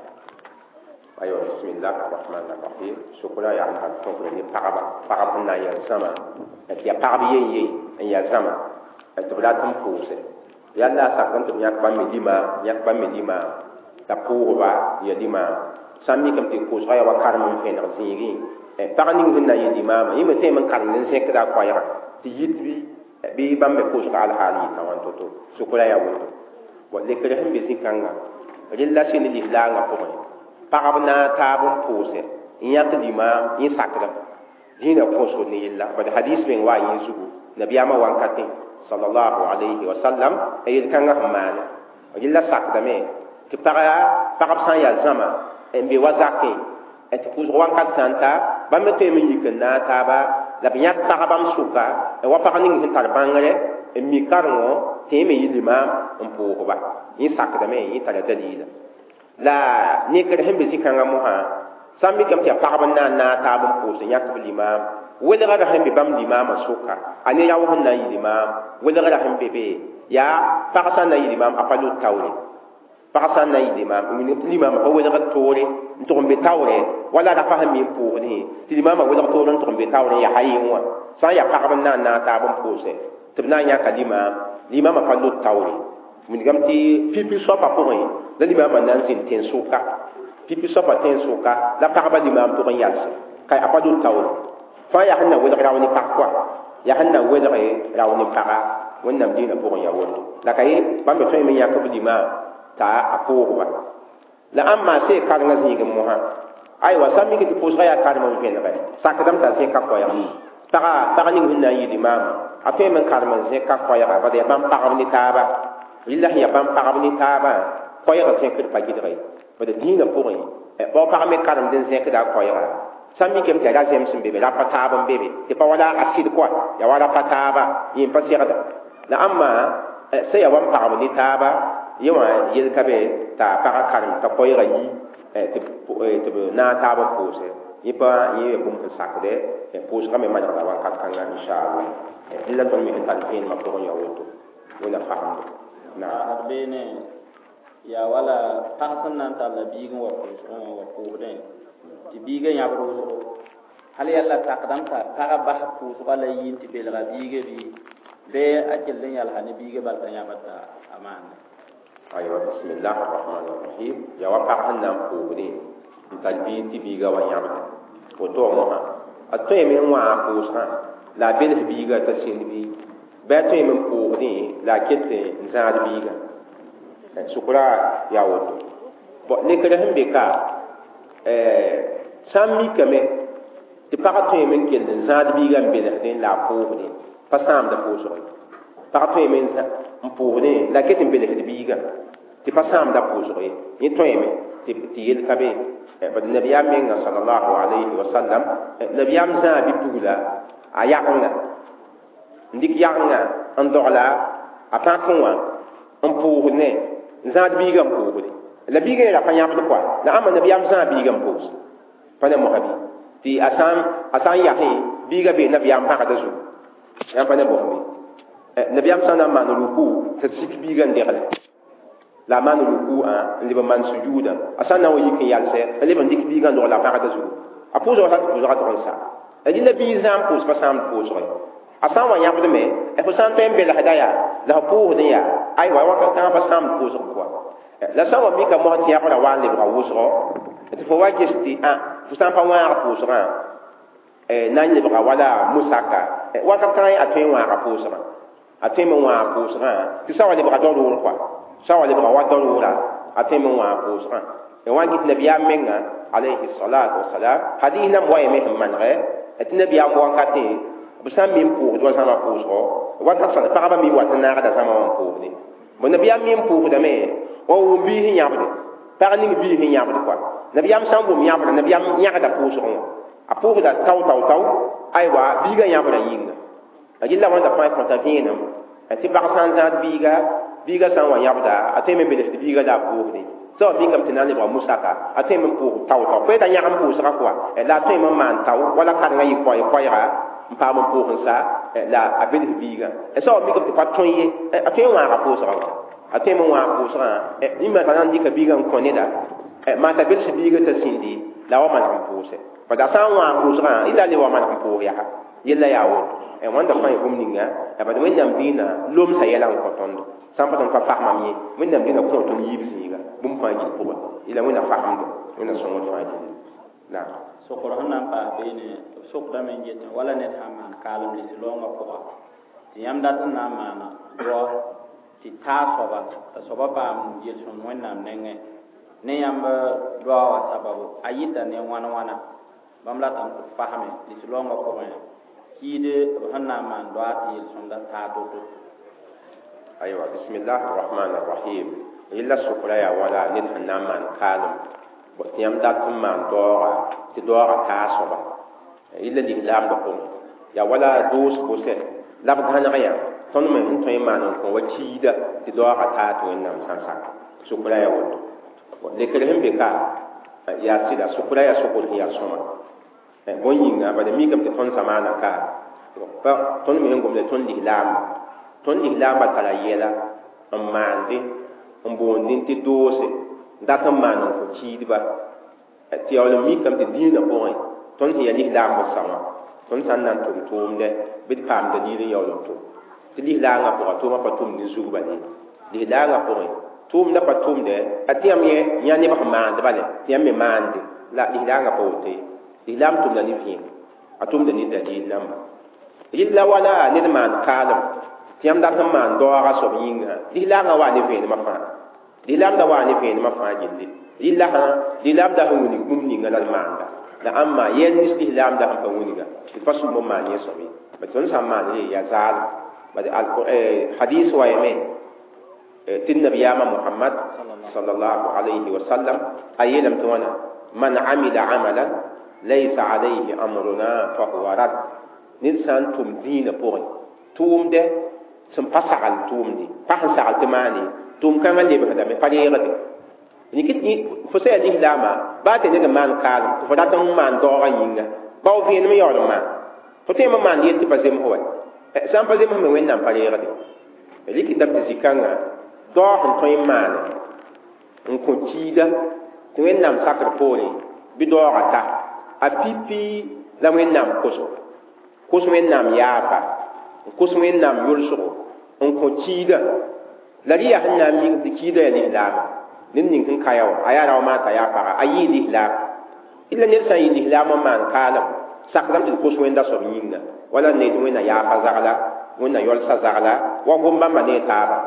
aywa bismillah arrahman arrahim sokra yaa n tar tõkre ne pagba pagb sẽn na n yaa zãma tɩ yaa pagb yen ye n yaa zãma tɩ b rat n pʋʋse yalla a sakdame tɩ b yãk bãmb me limaam yãk bãmb me limaam t'a pʋʋsba ya limaam sã n mikame tɩ koosga yaa wa karem n vẽneg zĩigẽ pag ning sẽn na n yɩ limaamã yẽ me tõeme n karemd n zẽkda a koɛɛgã tɩ yit bɩ bãmb me koosga alhaal yɩta wãn to-to sokra yaa woto bon lekr sẽn be zĩ-kãnga rella sɩ ne lislaangã pʋgẽ pagb na n taab n pʋʋse n yãk limaam yẽ sakdame dĩinã kõsg ne yella bad hadis meng wa yẽ zugu nabiyaamã wankatẽ sallallahu alayhi wa sallam a yel-kãngã sẽn maane yella sakdame tɩ pagb sã n yaa zãma n be wa zakẽ tɩ pʋʋsg wakat sã n ta bãmb me tõeme n yik n naag taaba la b yãk pagbãmb sʋka wa pag ning sẽn tar bãngre n mi karengo tɩ yẽ me yɩ limaam n pʋʋsba yẽ sakdame yẽ tara daliila La nekr sẽn be zĩ-kãngã mosã sã n mikame tɩ yaa pagb n na n naag taab n pʋʋs n yãk b limaam welgrã sẽn be bãmb limaamã sʋka a ne rao sẽn na n yɩ limaam welgrã sẽn be be yaa pag sã n na n yɩ limaam a pa lut taoore pag sã n na n yɩ limaam wilg tɩ limaamã pa welgd toore n tʋg n be taoorɛ wala rapa sẽn mi n pʋʋsdẽ tɩ limaamã welg toor n tʋg n be taoorẽ yaa ha yẽ wã sã n yaa pagb n na n naag taab n pʋʋsɛ tɩ b na n yãka limaam limaamã pa lut taoore wilgame tɩ pipi soapã pʋgẽ la limaamã na n zĩnd tẽn-sʋka pipi soapã tẽn-sʋka la pagba limaam tʋg n yalse ka a pa lut taoore fãa yaa sẽn na welg rao ne pag koa yaa sẽn na welg rao ne paga wẽnnaam dĩinã pʋgẽ yaa woto la ka ye bãmb me tõeme n yãk b limaam t'a a pʋʋsba la ãmb maa see karengã zĩigẽ mosã aywa sã n mik tɩ pʋʋsgã yaa karem n vẽnegɛ sakdame t'a zẽka koɛɛg paga pag ning sẽn na n yɩ limaamã a tõeme n karem n zẽka koɛɛga bad yaa bãmb pagb ne taaba rɩla sẽn yaa bãmb pagb ne taabã koɛɛgã zẽkd pa gɩdge bad dĩinã pʋgẽ bao pag me karemd n zẽkda a koɛɛga sã n mikame tɩ yaa ra-zẽms n be be rapa taab n be be tɩ pa wala a sɩd koa yaa wa rapa taaba yẽ pa segda la ãmba sẽn yaa wa n pagb ne taaba yẽ wã yel ka be t'a pagã karem t'a koɛɛgã yi tɩ b naag taab n pʋʋsɛ yẽ pa yẽ yaa bũmb sẽn sakdɛ pʋʋsgã me manegda wakat kãnga inchallah dẽla tõnd me sẽn tar vẽenemã pʋgẽ yaa woto wẽnna fasemdo naam beene yaa wala pag sẽn na n talla biig n wa pʋʋsgẽ wã wa pʋʋsdẽ tɩ biigã yãbd wʋsgo hal yalla sakdame t'a pagã bas pʋʋsgã la yi n tɩ belga biigã bɩ bɩ a kell n yalsa ne biigã bal t'a yãbd t'a a maane aywa bismillah arrahman arrahim yaa wa pag sẽn na n pʋʋsdẽ n tar biig tɩ biigã wa yãbda woto wã mosã a tõeme n wãag pʋʋsgã la a bels biigã t'a sĩnd bɩ bɩ a tõeme n pʋʋsdẽ la a ket n zãad biigã sʋkra yaa woto bɔn nekr sẽn be ka sã n mikame tɩ pagã tõeme n kell n zãad biigã n belsdẽ la a pʋʋsdẽ pa sãamda pʋʋsg ye pag tõeme n pʋʋsdẽ la a ket n belsd biigã tɩ pa sãamda pʋʋsg ye yẽ tõeme tɩ yel ka be bad nabiyaam menga sallallahu alayhi wa sallam nabiyaam zãa bi-pugla a yagenga n dɩk yagenga n dogla a pãkẽ wã n pʋʋsd ne n zãad biigã n pʋʋsde la biigã yɛla pa yãbd koa la ãmba nabiyaam zãa biigã n pʋʋs pa ne mosã bɩ tɩ a sã n yasẽ biigã bee nabiyaam pãgda zugu yãmb pa ne bosm bɩ nabiyaam sã n na n maan ruku t'a sik biigã n degle la a maan ruku n leb n maan sujuuda a sã n na n wa yik n yalsɛ n leb n dɩk biigã n dogla a pãgda zugu a pʋʋsgã sa tɩ pʋʋsgã tʋg n sa rɩla biig zãam pʋʋs pa sãamd pʋʋsge a sã n wa yãbdme fo sã n tõe n belsda yaa la f pʋʋsdẽ yaa aywa wakat kãngã pa sãamd pʋʋsg pʋga la sã n wa mika mosã tɩ yãbra wa n lebga wʋsgo tɩ fo wa ges tɩ fo sã n pa wãag pʋʋsgã na n lebga wala musaka wakat kãngã a tõe n wãaga pʋʋsgã a tõeme n wãag pʋʋsgã tɩ sã wa lebga darʋʋr koa sã wa lebga wa darʋʋra a tõeme n wãag pʋʋsgã wã n gɩt nabiyaam menga alayhi salatu wasalam hadis nan wayame sẽn manegɛ tɩ nabiyaam wakatẽ b sã n mi n pʋʋsd wa zãma pʋʋsgɔ wakat sã pagba mi wat n naagda zãma wã n pʋʋsdẽ bõ nabiyaam mi n pʋʋsdame wa wʋm biis n yãbde pag ning biis n yãbd koa nabiyaam sã n wʋm yãbda nabiyaam yãgda pʋʋsgẽ wã a pʋʋsda tao tao tao aywa biigã yãbda yĩnga a gilla wãnda fãa kõta vẽenem tɩ pag sã n zãad biiga biiga sã n wa yãbda a tõeme n belsd biiga la a pʋʋsdẽ sã wa mikame tɩ na n lebga musaka a tõeme n pʋʋs tao tao pa yeta yãgem pʋʋsgã koa la a tõeme n maan tao wala karengã yɩ koɛɛga n paam n pʋʋs n sa la a bels biigã sã wa mikame tɩ pa tõe ye a tõe n wãaga pʋʋsgã wã a tõeme n wãag pʋʋsgã yĩmba t'a na n dɩka biigã n kõ neda maa t'a bels biigã t'a sĩndi la wa maneg n pʋʋsɛ bad a sã n wãag pʋʋsgã yɩla le wa maneg n pʋʋs yaa yella yaa woto wãnda fãa yã bũmb ninga bad wẽnnaam dĩinã lomsa yɛla n kõ tõndo sã n pa tõnd pa fasmam ye wẽnnaam dĩinã kõ tõnd yiib zĩiga bũmb fãa gill pʋgẽ yɩla wẽnna fasemdo wẽnna sõngd fãa gilli naam sokr sẽn na n paas beene b sokdame n getẽ wala ned sã n maan kaalem lis-loongã pʋga tɩ yãmb dat n na n maana doa tɩ taa soaba t'a soaba paam yel-sõmd wẽnnaam nengẽ ne yãmb doa wã sababu a yɩta ne wãn wãna bãmb ratame tɩ b fasme lis-loongã pʋgẽ kiid b sẽn na n maan doa tɩ yel-sõmda taa to-to aywa bismillah arrahman arrahim yella sʋkra yaa wala ned sẽn na n maan kaalem tɩ yãmb dat n maan daooga tɩ daooga taa soaba yella lislaamdã pʋgẽ yaa wala doos bʋsɛ la b gãneg yã tõnd me sẽn tõe n maan n kõ wa kiida tɩ daooga taa tɩ wẽnnaam sã n sak sʋkra yaa woto Lekr sẽn be ka yaa sɩda sʋkra yaa sʋkr sẽn yaa sõma bõn yĩnga bala mikame tɩ tõnd zamaana ka pa tõnd me sẽn gomda tõnd lislaamba tara yɛla n maande n boondẽ tɩ doose dat n maan n kõ kiidba tɩ yaool n mikame tɩ dĩinã pʋgẽ tõnd sẽn yaa lislaamb sa wã tõnd sã n na n tʋm tʋʋmdɛ bɩ d paam dalil n yaool n tʋm tɩ lislaangã pʋga tʋʋmã pa tʋmd ne zug bale lislaangã pʋgẽ tʋʋmdã pa tʋmdɛ a tɩ yãmb yẽ yã neb sẽn maand bale tɩ yãmb me maande la lislaangã pa woto ye lislaam tʋmda ne vẽem a tʋmda ne dalil namba rɩlla wala ned maan kaalem tɩ yãmb dat n maan daooga soab yĩngã lislaangã waa ne vẽenemã fãa lislaam da waa ne vẽenemã fãa gilli rɩlla sã lislaam da sẽn wilg bũmb ninga la d maanda la ãmba yɛl nins lislaam da sẽn pa wilga tɩ pa sũm n maan yẽ soab ye ba tõnd sã n maan re yaa zaalem bad hadis wa yame tɩ nabiyaamã Muhammad sallallahu alayhi wa sallam a yeelame tɩ wãna man amila amalan laysa alayhi amruna fahuwa rad ned sã n tʋm dĩinã pʋgẽ tʋʋmdɛ sẽn pa sagl tʋʋmde pa sẽn sagl tɩ maane tʋʋm kãngã lebsdame pa reegde fo sã yaa lislaamã baa tɩ ned n maan kaalem tɩ fo rat n maan daoogã yĩnga bao vẽenem yaool n maan fo tõe n maan yel tɩ pa zems wa sã n pa zems me wẽnnaam pa reegde rɩkɩtame tɩ zĩ-kãngã daoog sẽn tõe n maane n kõ kiida tɩ wẽnnaam sakr poorẽ bɩ daoogã ta a pipi la wẽnnaam koso kos wẽnnaam yaaba n kos wẽnnaam yʋlsgo n kõ kiida la rɩ yaa sẽn na n mik tɩ kiida yaa lislaama ned ning sẽn ka ya wã a yaa rao maata yaa paga a yɩɩ lislaam illa ned sã n yɩ lislaam n maan kaalem sakdame tɩ d kos wẽnda soab yĩnga wala ne tɩ wẽnna yaafa zagla wẽnna yɔlsa zagla wa gom bãmba ne taaba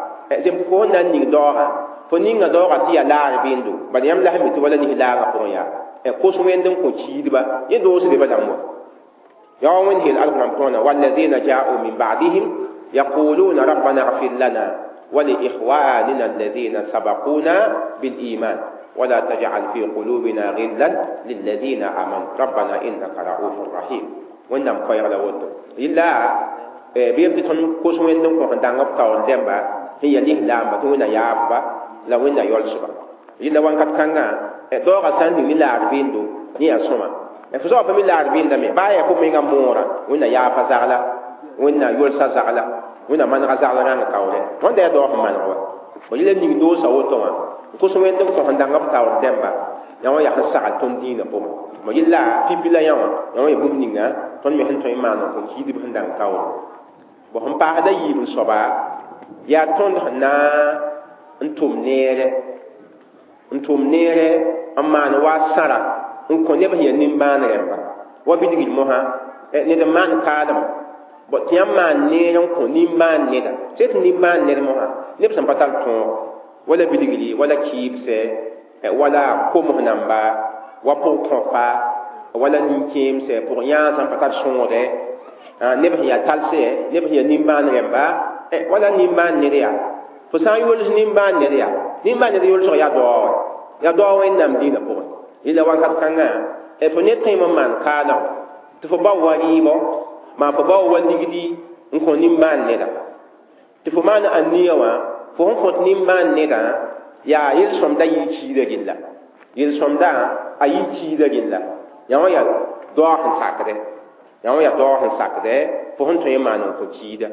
zem fo sẽn na n ning daoogã fo ninga daoogã tɩ yaa laar bẽndo bala yãmb la sẽn mi tɩ wala lislaangã pʋgẽ yaa kos wẽnd n kõ kiidba yẽ doosde ba dãmb wa yaa wa wẽnd heel alqur'an pʋgẽ والذين جاءوا من بعدهم يقولون ربنا اغفر لنا ولإخواننا الذين سبقونا بالإيمان ولا تجعل في قلوبنا غلا للذين آمنوا ربنا إنك رؤوف رحيم وإنم خير لوتو إلا بيبت تون كوس وين كو دانغ تاون ديمبا هي الإسلام تونا يابا لا وين يولسبا إلا وان كات كانغا دوغا ساندي ni laar bindo ni ya soma fo soaba pa mi laar bĩndame baa yaa fo menga moorã wẽnna yaafa zagla wẽnna yolsã zagla wẽnna manega zagla rãng kaoore wãnda yaa daoog sẽn maneg wa fo yela ning doosa woto wã n kos wẽnd n kõ sẽn dãng b taoor dẽmba yã wã yaa sẽn sagl tõnd dĩinã pʋgẽ mo yella pipi la yã wã yã wã yaa bũmb ninga tõnd me sẽn tõe n maan n kõ kiidb sẽn dãng kaoore bõ sẽn paasda yiib n soaba yaa tõnd sẽn na n tʋm neere n maan wa sãra n kõ neb sẽn yaa nimbãan rẽmba wa bilgd mosã ned n maan kaalem bõ tɩ yãmb maan neer n kõ nimbãan neda sẽn tɩ nimbãan ned mosã neb sẽn pa tar tõog wala bilgri wala kɩɩbsɛ wala koms namba wa pʋg-kõpa wala nin-kẽemsɛ pʋg yãag sẽn pa tar sõogdɛ neb sẽn yaa talsɛ neb sẽn yaa nimbãan rẽmba wala nimbãan ned yaa fo sã n yols nimbãan ned yaa nimbãan ned yolsg yaa daoog yaa daoog wẽnnaam dĩinã pʋgẽ yella wakat kãngã fo ned tõe n maan kaalem tɩ fo bao wa rɩɩbɔ maa fo bao wa ligdi n kõ nimbãan neda tɩ fo maan ania wã fo sẽn kõt nimbãan nedã yaa yel-sõmda yɩ kiida gilla yel-sõmda a yɩ kiida gilla yã wã yaa daoog sẽn sakdɛ yã wã yaa daoog sẽn sakdɛ fo sẽn tõe n maan n kõ kiida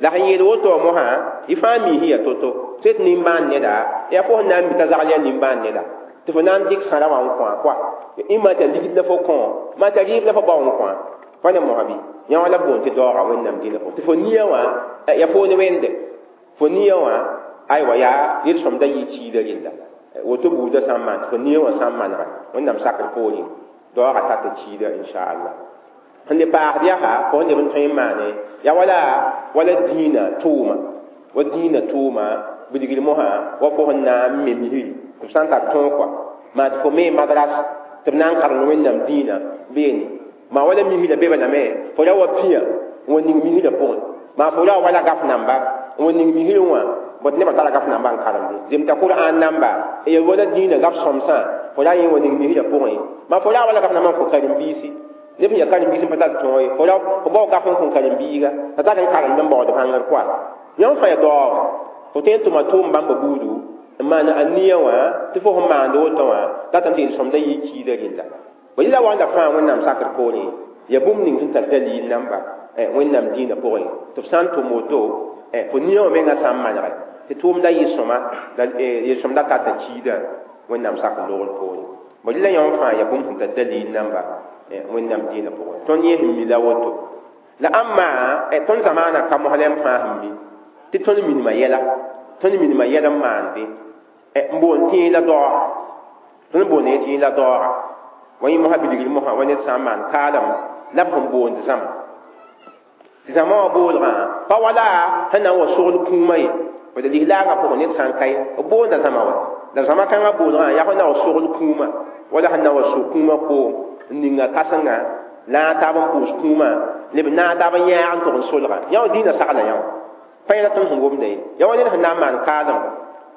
la sẽn yeel woto mosã y fãa miis yaa to-to tɩ tɩ nimbãan neda yaa fo sẽn na n mi t'a zagl yaa nimbãan neda tɩ fo na n dɩk sãra wã n kõ koa ĩ maa t'a ligd la fo kõ maa t'a rɩɩb la fo bao n kõ pa ne mosã bɩ yã wã la b boond tɩ daooga wẽnnaam dĩinã pʋgẽ tɩ fo nia wã yaa fo ne wẽnde fo nia wã aywa yaa yel-sõmda yɩ kiida rella woto buudã sã n maan tɩ fo nia wã sã n manega wẽnnaam sakr poorẽ daooga tar tɩ kiida inchallah sẽn le paasd yaa fo sẽn leb n tõe n maane yaa wala dĩinã tʋʋma wa dĩinã tʋʋma bilgr mosã wa fo sẽn na n me misri tɩ b sã n tar tõog kɔa maa tɩ fo me madras tɩ b na n karemd wẽnnaam dĩinã beene maa wala misrã be balame fo ra wa pĩa n wa ning misrã pʋgẽ maa fo ra wala gaf namba n wa ning misrẽ wã bõe tɩ nebã tara gaf namba n karemde zemta Kur'an namba ya wala dĩinã gaf sõmsã fo ra yẽ wa ning misrã pʋgẽ maa fo ra wala gaf namba n kõ karen-biisi neb sẽn yaa karen-biis n pa tar tõog ye fo ra fo bao gaf n kõ karen-biiga t'a tar n karemd n baood bãngr koa yãmb fãa yaa daoog fo tõe n tʋma tʋʋm bãmba buudu N maan a nia wã tɩ fo sẽn maand woto wã datame tɩ yel-sõmda yɩ kiida rella. Bõ yɩla wanda fãa Wẽnnaam sakr poorẽ ya bũmb ning sẽn tar dalil namba Wẽnnaam dĩinã pʋgẽ tɩ f sã n tʋm woto fo nia wã menga sã n manege tɩ tʋʋmda yɩ sõma la yel-sõmda tata kiidã Wẽnnaam sakr loogr poorẽ. Bõ rɩla yã wã fãa ya bũmb sẽn tar dalil namba Wẽnnaam dĩinã pʋgẽ. Tõnd yẽ sẽn mi la woto. La ãmba tõnd zamaana ka moslem fãa sẽn mi tɩ tõnd minimã yɛla, tõnd minimã yɛl n maande n boond tẽeg la daooga. Tõnd boond ye tẽeg la daooga. Wa yẽ mosã bilgr mosã wa ned sã n maan kaalem la b sẽn boond zãma. Tɩ zãma wã boolgã pa wala sẽn na n wa sogl kũumã ye. Bala lislaangã pʋgẽ ned sã n ka ye b boonda zãma wa. La zãma kãngã boolgã yaa sẽn na wa sogl kũumã wala sẽn na wa sog kũumã koom n ninga kãsenga la a taab n pʋʋs kũumã leb naag taab n yãag n tʋg n solga. Yã wã dĩinã sagla yã wã. Pa yẽla tõnd sẽn wʋmda ye. Ya wa ned sẽn na n maan kaalem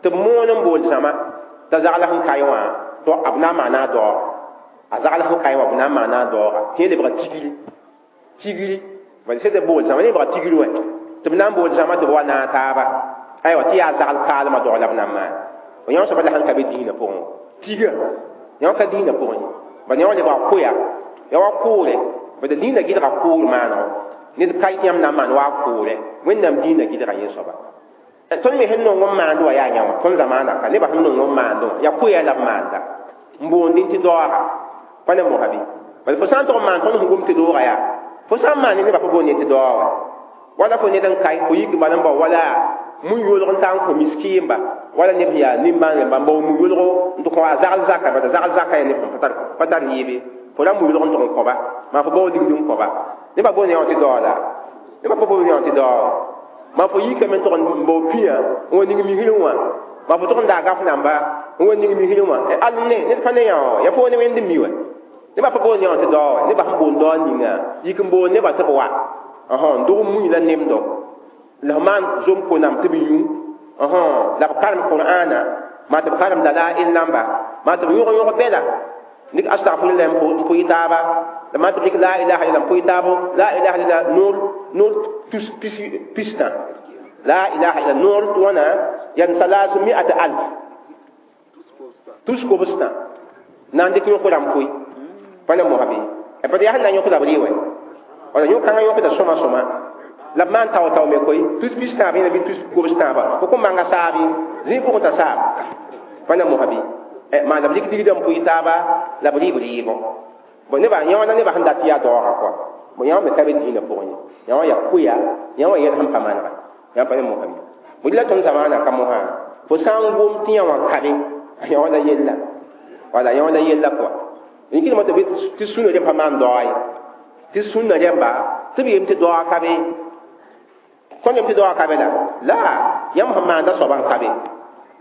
tɩ b moon n bool zãma t'a zagl sẽn kae wã tɩ b na n maana a daooga. A zagl sẽn kae wã b na n maana a daooga tɩ yẽ lebga tigri. Tigri bala sẽn tɩ bool zãma lebga tigri wɛ tɩ b na n bool zãma tɩ b wa naag taaba. Aywa tɩ yaa zagl kaalmã dog la b na n maan. Yã wã soaba la sẽn ka be dĩinã pʋgẽ. Tiga yã wã ka dĩinã pʋgẽ. Bala yã wã lebga koya ya wa kʋʋre. Bala dĩinã gɩdga kʋʋr maanego. Ned ka yãmb na n maan wa a kʋʋre. Wẽnnaam dĩinã gɩdga yẽ soaba. Tõnd me sẽn nong n maand wã yaa yã wã. Tõnd zamaana ka nebã sẽn nong n maand wã yaa koɛɛ la b maanda. N boondẽ tɩ daooga. Pa ne mosa bɩ. Bala fo sã n tog n maan tõnd sẽn gom tɩ dooga yaa. Fo sã n maan nebã pa boond tɩ daoog wã. Wala fo ned n kae fo yik bala n bao wala mu-yʋlg n taa n kõ miskiimba wala neb sẽn yaa nimbãan-rẽmba n bao mu-yʋlgo n tɩ kõ a zagl zaka bala zagl zaka yaa neb sẽn pa tar yɩɩbe. Fo ra mu-yʋlg n tʋg n kõba maa fo bao ligd n kõba. Nebã boond yã wã tɩ daoog la. Nebã pa boond yã wã tɩ daoog. Maa fo yikame n tʋg n bao pĩa n wa ning misrẽ wã. Maa fo tʋg n daa gaf namba n wa ning misrẽ wã. Al ne ned pa ne yã wã yaa fo ne wẽnd n mi wɛ. Nebã pa boond yã wã tɩ daoog wɛ. Nebã sẽn boond daoog ninga yik n boond nebã tɩ b wa. N dog mui la nemdo. La f maan zom ko-nam tɩ b yũ. La b karem Qur'aana maa tɩ b karem dalail namba maa tɩ b yõg-yõg bɛla. Nik astagfirullah n pʋɩ taaba. La maa tɩ b dɩk la ilaha illallah n pʋɩ taabo. La ilaha illallah noor tus pistã. La ilaha illallah noor wãna yam salaas mi'at alf. Tus kobstã. Na n dɩk yõk rãmb pʋɩ. Pa ne mosa bɩ. Pa yaa sẽn na n yõkda b rɩ wɛ. Wala yõk-kãngã yõkda sõma sõma. La b maan tao-tao me koe. Tus pis tãab yẽna bɩ tus kobs tãaba. Fo kõn manga saabi. Zĩig pʋgẽ t'a saab. Pa ne mosa bɩ. Maan la b lik ligdã n pʋɩ taaba la b rɩ b rɩɩbɔ. Bõ nebã yã wã la nebã sẽn dat tɩ yaa daooga kɔa. Bõ yã wã me ka be dĩinã pʋgẽ ye. Yã wã yaa koya, yã wã yɛl sẽn pa manega. Yã pa ne mosa bɩ. Bõ la tõnd zamaana ka mosã fo sã n gom tɩ yã wã ka be yã wã la yella. Wala yã wã la yella kɔa. N kɩdmã tɩ sũnã rẽmb pa maan daoa ye. Tɩ sũnã rẽmba tɩ b yem tɩ daoa ka be. Tõnd yem tɩ daoa ka be la. La yãmb sẽn maanda soaba n ka be.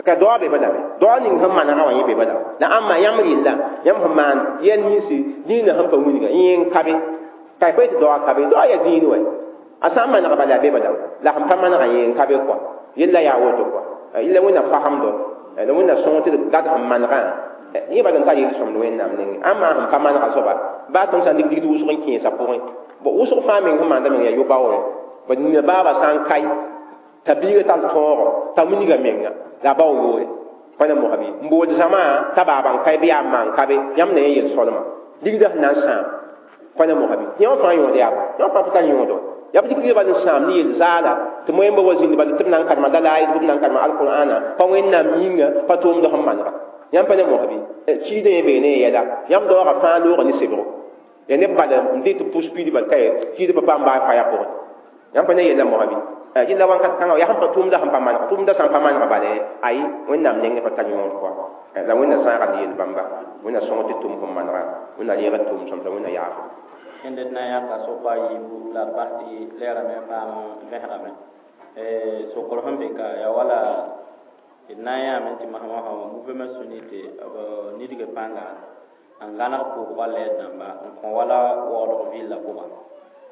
Ka daoa be balame. Daoa ning sẽn manegã wã yẽ be bala. La ãmba yãmb rɩlla yãmb sẽn maan yɛl ninsi dĩinã sẽn pa wilga yẽ n ka be. Ka pa yetɩ daoa ka be. Daoa yaa dĩin wɛ. A sã n maneg bala be bala. La sẽn pa manegã yẽ n ka be kɔa. Yella yaa woto kɔa. Yella Wẽnnaam fasemdo. La Wẽnnaam sõng tɩ d gad sẽn manegã. Yẽ bala n tar yel-sõmd Wẽnnaam nengẽ. Ãmba sẽn pa manegã soaba baa tõnd sã n dɩk ligd wʋsg n kẽesã pʋgẽ. Bõ wʋsg fãa meng sẽn maanda meng yaa yo-baoore. Bad nina baaba sã n kae t'a biiga tar tõogo t'a wilga menga la a bao yoore. Pa na mosa bɩ. N bool zãma t'a baaba n kae bɩ yaa n maan ka be yãmb na yẽ yel-sõlma. Ligdã sẽn na n sãam. Pa na mosa bɩ. Yã wã fãa yõod yaa bã. Yã wã fãa pa tar yõodo. Yaa b dɩk bal n sãam ne yel-zaala tɩ moẽmba wa zĩnd bala tɩ b na n karema dalail bɩ b na n karema alqur'ana pa Wẽnnaam yĩnga pa tʋʋmd sẽn manega. Yãmb pa ne mosa bɩ. Kiidã yẽ bee ne yɛla. Yãmb daoogã fãa looga ne sebgo. Yaa neb bala n dɩ tɩ pʋs piid bal ka ye kiidã pa paam baa faya pʋgẽ. Yãmb pa ne yella mosa bɩ. Yella wãnkat kãngã yaa sẽn pa tʋʋmda sẽn pa manega. Tʋʋmda sã n pa manega bala ayi Wẽnnaam nengẽ pa tar yõod kɔa. La Wẽnna sãaga d yel bãmba. Wẽnna sõng tɩ tʋm sẽn manega. Wẽnna reeg d tʋʋm sõmsa Wẽnna yaafo. Kẽnd d na n yãka sokã yiibu la d bas tɩ lɛɛrame n paam vẽsgame. Sokr sẽn be ka yaa wala d na n yãame tɩ masã wã mouvement sunnite b nidg pãnga n gãneg pʋʋsgã lɛɛd dãmba n kõ wala waoodg vɩlla pʋgã.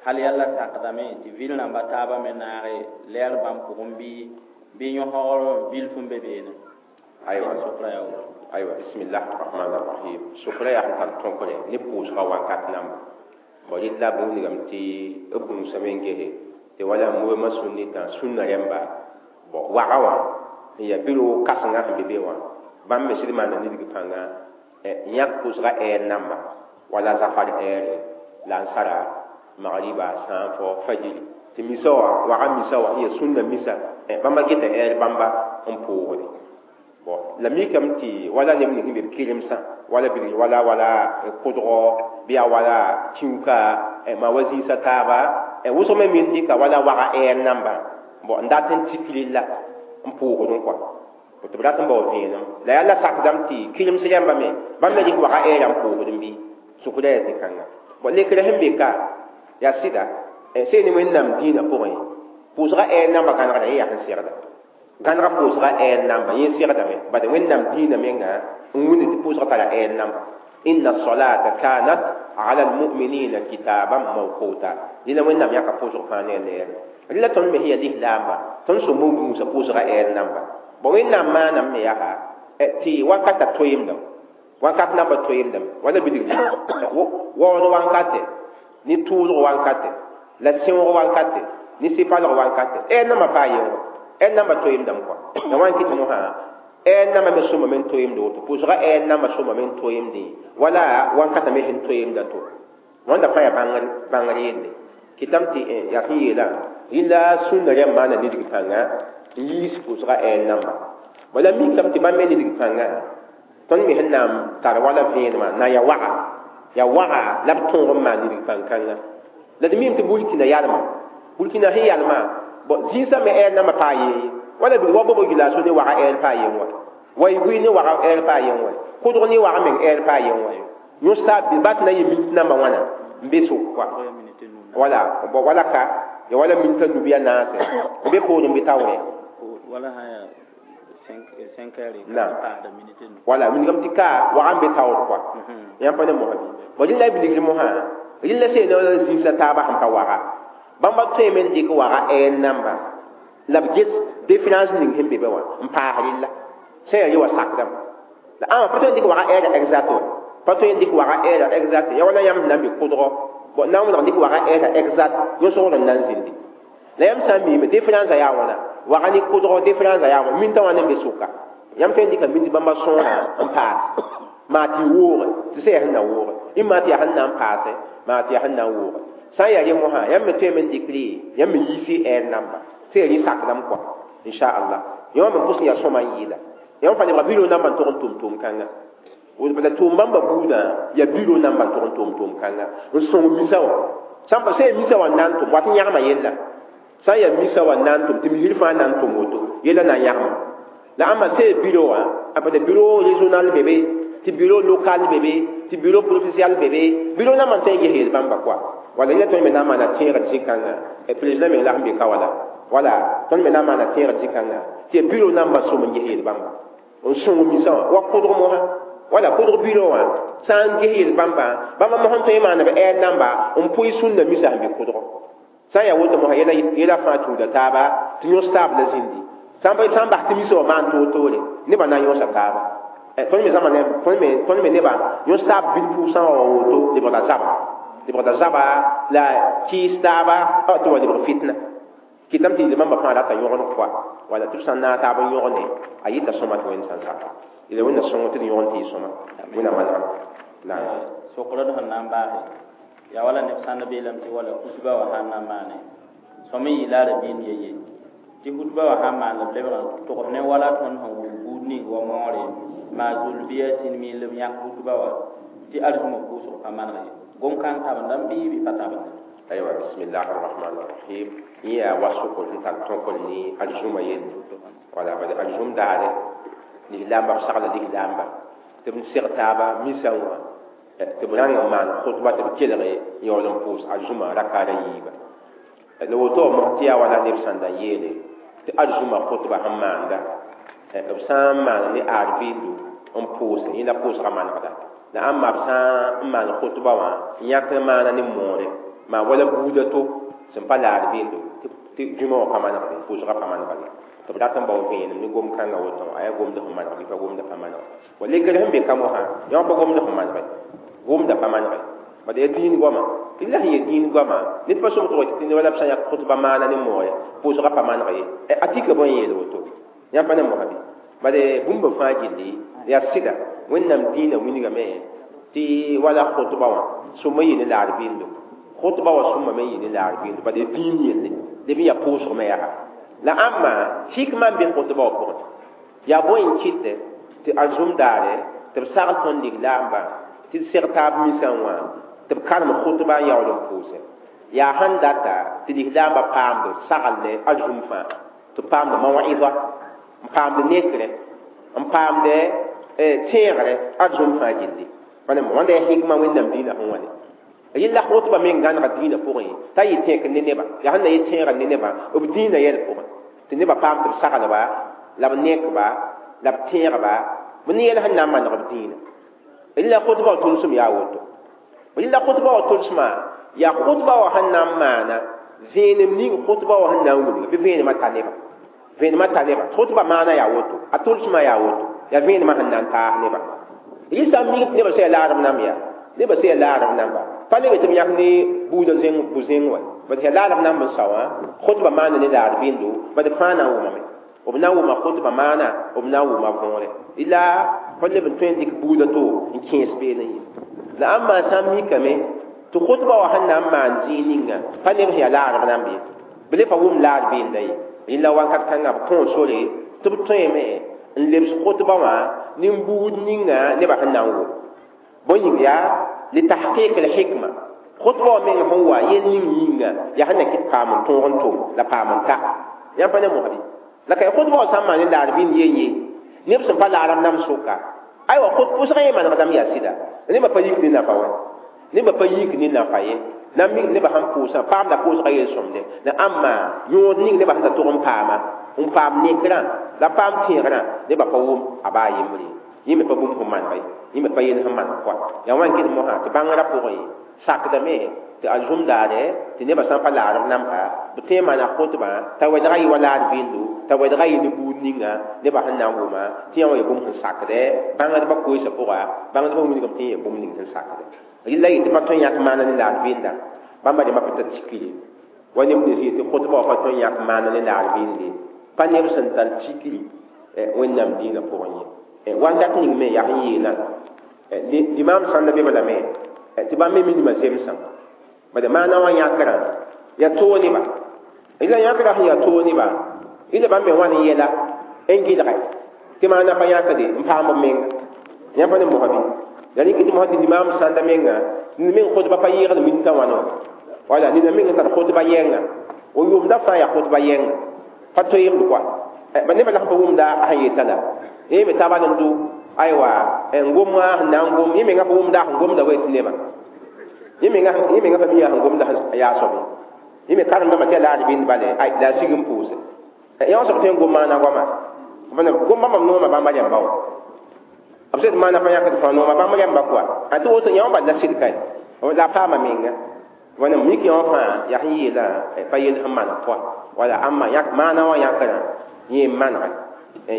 Hal yalla sakdame tɩ vil rãmba taabã me naage lɛɛr bãmb pʋgẽ bɩ yõsgr bilf n be beene. Aywa. Sokra yaa woto. Aywa bismillah arrahman arrahim. Sokra yaa sẽn tar tõkre ne pʋʋsgã wakat namba. Bõ rɩla b wilgame tɩ b gũusame n gese tɩ wala mouvement sunnitã sũnã rẽmba bõ waga wã n yaa bureau kãsenga sẽn be be wã bãmb me sɩd maana nidg pãnga yãk pʋʋsga ɛɛr namba wala zafar ɛɛre la n sara magriba sã n fo fajiri tɩ misa wã waga misa wã n yaa sũnna misa bãmba geta ɛɛr bãmba n pʋʋgde bon la mikame tɩ wala neb ning sẽn be b kelemsã wala bilg wala wala kʋdgɔ bɩ yaa wala tĩuka maa wa zĩisã taaba wʋsg me min dɩka wala waga ɛɛr namba bon n dat n tik rella n pʋʋgdẽ kɔa tɩ b rat n bao vẽenem la yaa la sakdame tɩ kerems rãmba me bãmb me dɩk waga ɛɛrã n pʋʋgdẽ bɩ sʋkda yaa zĩ-kãnga bon lekrã sẽn be ka yaa sɩda sẽn ne wẽnnaam dĩinã pʋgẽ pʋʋsga ɛɛr namba gãnegda yẽ yaa sẽn segda gãnega pʋʋsga ɛɛr namba yẽ segdame bad wẽnnaam dĩinã menga n wĩnd tɩ pʋʋsga tara ɛɛr namba inna salata kanat ala almuminina kitaban mawquta dĩnã wẽnnaam yãka pʋʋsg fãa ne a leere rɩla tõnd me sẽn yaa lislaamba tõnd sõm n gũusa pʋʋsga ɛɛr namba bon wẽnnaam maanam me yaa tɩ wakata toeemdame wakat namba toeemdame wala bilgr waood wankate ne tʋʋlg wankate la sẽoog wankate ne sɩpalg wankate ɛɛr namba paa yẽngo ɛɛr namba toeemdame kɔa la wã n kɩt mosã ɛɛr namba me sõmame n toeemd woto pʋʋsga ɛɛr namba sõmame n toeemdẽ wala wankata me sẽn toeemda to wãnda fãa yaa bãngr yelle kɩtame tɩ yaa sẽn yeelã rɩla sũnna rãmb maana nidg pãnga n yiis pʋʋsga ɛɛr namba wala mikame tɩ bãmb me nidg pãnga tõnd me sẽn na n tar wala vẽenemã na n yaa waga la b tõog n maan nidg pãn-kãnga la d mim tɩ burkina yalma burkina sẽn yalma bon zĩisã me ɛɛr namba paa yee wala bɩ wa bobo gilaaso ne waga ɛɛr paa yen wa waygui ne waga ɛɛr paa yen wa kʋdg ne waga meng ɛɛr paa yen wa yõs-taab bɩ bat na yɩ minit namba wãna n be sʋk kɔa wala bon wala ka ya wala minita nu bɩ a naase n be poorẽ bɩ taoorẽ wala wala wilgame tɩ ka waga n be taoor kɔa yãmb pa ne mosã bɩ bon rɩla bilgr mosã rɩla sẽn zĩisã taabã sẽn pa waga bãmba tõeme n dɩk waga ɛɛr namba la b ges différence ning sẽn be be wã n paas rɩlla sẽn yaa re wa sakdame la ãma pa tõe n dɩk waga ɛɛra exact wa pa tõe n dɩk waga ɛɛra exact ya wala yãmb sẽn na n be kʋdgɔ bon na n wẽneg dɩk waga ɛɛra exact yõsgr n na n zĩndi la yãmb sã n miime différence yaa wãna waga ne kʋdgɔ différence yaa wãna minta wã ne n be sʋka yãmb tõe n dɩka mint bãmba sõora n paas maa tɩ y wooge tɩ sẽn yaa sẽn na wooge ɩ maa tɩ yaa sẽn na n paase maa tɩ yaa sẽn na n wooge sã n yaa rẽ mosã yãmb me tõeme n dɩkre yãmb me yiisi ɛɛr namba sẽn yaa rẽ sakdame kɔa inchallah yã wã me pʋs n yaa sõma n yɩɩda yãmb fãa lebga bureau namba n tog n tʋm tʋʋm-kãnga la tʋʋm bãmba buudã yaa bureau namba n tog n tʋm tʋʋm-kãnga n sõng misa wã sã n pa sẽn yaa misa wã n na n tʋm wat n yãgma yella sã n yaa misa wã n na n tʋm tɩ misr fãa na n tʋm woto yella na n yãgma la ãmba sẽn yaa bureau wã a pa bureau régional be be tɩ bureau local be be tɩ bureau provincial be be bureau namba n tõe n ges yel bãmba kɔa wala yẽla tõnd me na n maana tẽegd zĩ-kãnga président meng la sẽn be ka wala wala tõnd me na n maana tẽegd zĩ-kãnga tɩ yaa bureau namba sõm n ges yel bãmba n sõng misã wã wa kʋdg mosã wala kʋdg bureau wã sã n ges yel bãmba bãmba mosã tõe n maana b ɛɛr namba n pʋɩ sũnna misã sẽn be kʋdgɔ sã n yaa woto mosã yɛla fãa tuuda taaba tɩ yõs taab la zĩndi sã n bas tɩ misã wã maan toor-toore nebã na n yõsa taaba tõnd me zãma tõnd me nebã yõs taab bil pʋʋsã wã wa woto lebgda zaba lebgda zaba la kɩɩs taaba tɩ wa lebg fitna kɩtame tɩ yel bãmba fãa rata yõgeneg pʋa wala tɩ b sã n naag taab n yõgne a yɩta sõma tɩ wẽnd sã n saka yela wẽnna sõng tɩ d yõgen tɩ yɩ sõma wẽnna manegã la sokr d sẽn na n baase yaa wala neb sãnd beelame tɩ wala hutba wã sãn na n maane sõm n yɩɩla a rabiin ye tɩ hutba wã sãn maan la b lebg n togs ne wala tõnd sẽn wʋm buud ning wa moore maa zul bɩ yaa sĩnmiin la b yãk hutba wã tɩ arzũmã pʋʋsg pa maneg ye gom-kãng tabendame bɩ bɩ pa tabende aywa bismillah arrahman arrahim yẽ yaa wa sʋkr sẽn tar tõkr ne arzũmã yelle wala bad arzũm daare lislaamba b sagla lislaamba tɩ b seg taaba misã wã tɩ b rãng n maan khʋtba tɩ b kelge yaool n pʋʋs arzũmã rakaada yiiba la woto mos tɩ yaa wala neb sãn da yeele tɩ arzũmã khʋtba sẽn maanda b sã n maan ne aar-bɩndo n pʋʋse yẽ la pʋʋsga manegda la ãmba b sã n maan khʋtba wã n yãk n maana ne moore maa wala buuda to sẽn pa laar bɩndo tɩ dũmã wã pa manegde pʋʋsga pa manegde tɩ b dat n bao vẽenem ne gom-kãngã woto a yaa gomd sẽn maneg bɩ pa gomda pa maneg wa lekr sẽn be ka mosã yã wã pa gomd sẽn manege gomda pa manege bad yaa dĩin goama tɩ la sẽn yaa dĩin goama ned pa sõm tɩ tɩ wala b sã n yak khʋtba maana ne moore pʋʋsga pa maneg ye a tika bõe yeel woto Yãmb pa ne mosã bɩ bale bũmb fãa gilli yaa sɩda wẽnnaam dĩinã wilgame tɩ wala khʋtba wã sõma yɩ ne laar bɩndo khʋtba wã sõma me yɩ ne laar bɩndo bale dĩin yelle leb n yaa pʋʋsg me yaa la ãmba hikma n be khʋtba wã pʋgẽ yaa bõe n kɩtɛ tɩ arzũm daare tɩ b sagl tõnd lislaambã tɩ d seg taab misã wã tɩ b karem khʋtba n yaool n pʋʋsɛ yaa sẽn data tɩ lislaambã paamd sagl arzũm fãa tɩ paamd mawa'ida n paamd nekrẽ n paamd tẽegre arzũm fãa gilli wãnda yaa hikma wẽnnaam dĩinã sẽn wa ne yella khʋtba meng gãnega dĩinã pʋgẽ t'a yɩ tẽek ne nebã yaa sẽn na yɩ tẽega ne nebã b dĩinã yɛl pʋgẽ tɩ nebã paam tɩ b saglba la b nekba la b tẽegba b ne yɛl sẽn na n maneg b dĩinã yella khʋtba wã tʋlsem yaa woto yella khʋtba wã tʋlsmã yaa khʋtba wã sẽn na n maana vẽenem ning khʋtba wã sẽn na n wilga bɩ vẽenemã ta nebã vẽenemã ta nebã khʋtba maana yaa woto a tʋlsmã yaa woto yaa vẽenemã sẽn na n taas nebã yɩ sã n mik tɩ nebã sã yaa laarb nam yaa nebã sã yaa laarb namba pa lebe tɩ b yãk ne buudã zẽng bu-zẽng wa bad yaa laarb namb n sao wã khʋtba maana ne laar bɩndo bad fãa na n wʋmame b na n wʋma khʋtba maana b na n wʋma võore la fo leb n tõe n dɩk buudã to n kẽes beene ye la ãmba sã n mikame tɩ khʋtba wã sẽn na n maan zĩig ninga pa neb sẽn yaa laarb namb ye b le pa wʋm laar bɩnda ye yella wakat kãngã b kõo sore tɩ b tõeme n lebs khʋtba wã nin-buud ninga nebã sẽn na n wʋm bõe yĩng yaa litahqiq al-hikma khʋtba wã meng sẽn wa yel ning yĩnga yaa sẽn na kɩt paam n tõog n tʋm la paam n ta yãmb pa ne mosbi la ka khʋtba wã sã n maan ne laar bĩnd yen ye neb sẽn pa laarb nam sʋka aywa pʋsgã yẽ manegdame yaa sɩda nebã pa yik ne nafa wa nebã pa yik ne nafa ye na mik nebã sẽn pʋʋsã paamda pʋʋsgã yel-sõmde la ãmba yõod ning nebã sẽn da tʋg n paama n paam nekrã la paam tẽegrã nebã pa wʋm a baa yembre yẽ me pa bũmb sẽn maneg ye yẽ me pa yel sẽn maneg koa yaa wã n kɩt mosã tɩ bãngrã pʋgẽ sakdame tɩ a zũm daare tɩ nebã sã n pa laarb namba b tõe n maana khʋtbã t'a wɛdga yɩ wa laar bɩndo t'a wɛdga yɩ ne buud ninga nebã sẽn na n wʋma tɩ yã wã yaa bũmb sẽn sakdɛ bãngdbã koeesã pʋga bãngdbã wilgame tɩ yẽ yaa bũmb ning sẽn sakdɛ yella yɩ tɩ pa tõe n yãk maana ne laar bɩnda bãmba rẽmbã pa tar tikre wa neb nins yetɩ khʋtbã wã pa tõe n yãk maana ne laar bɩnde pa neb sẽn tar tikri wẽnnaam dĩinã pʋgẽ ye wakat ning me yaa sẽn yeelã limaam sãnda be lame tɩ bãmb me minimã zemsã bad maana wã yãkrã yaa toog neba la yãkrã sẽn yaa toog neba ila bãmb me wãn n yɛla n gɩlgɛ tɩ maana pa yãkde n paam b menga yãmb pa ne mosã bɩ la rɩk tɩ mosã tɩ limaam sãnda menga nina meng khʋtba pa yɩɩgd minta wãna wã wala nina meng n tar khʋtba yɛnga o yʋʋmda fãa yaa khʋtba yɛnga pa toeemd koa ba nebã la sẽn pa wʋmda a sẽn yeta la yẽ me taba n do aywa n gomã sẽn na n gom yẽ menga pa wʋmda sẽn gomda wa tɩ nebã yẽ menga pa mi sẽn gomda yaa soab yẽ me karemdãmba tɩ yaa laar bɩnd bale la a sig n pʋʋse yã wã soab tõe n gom maana goama gomba mam noomã bãmba rẽmba wã b sẽd maana pa yãkd fãa noomã bãmb rẽmba koa a tɩ woto yã wã bal la sɩd kae la a paama menga wãna mik yã wã fãa yaa sẽn yeelã pa yel sẽn maneg pʋa wala ãmba maana wã yãkrã yẽ n manege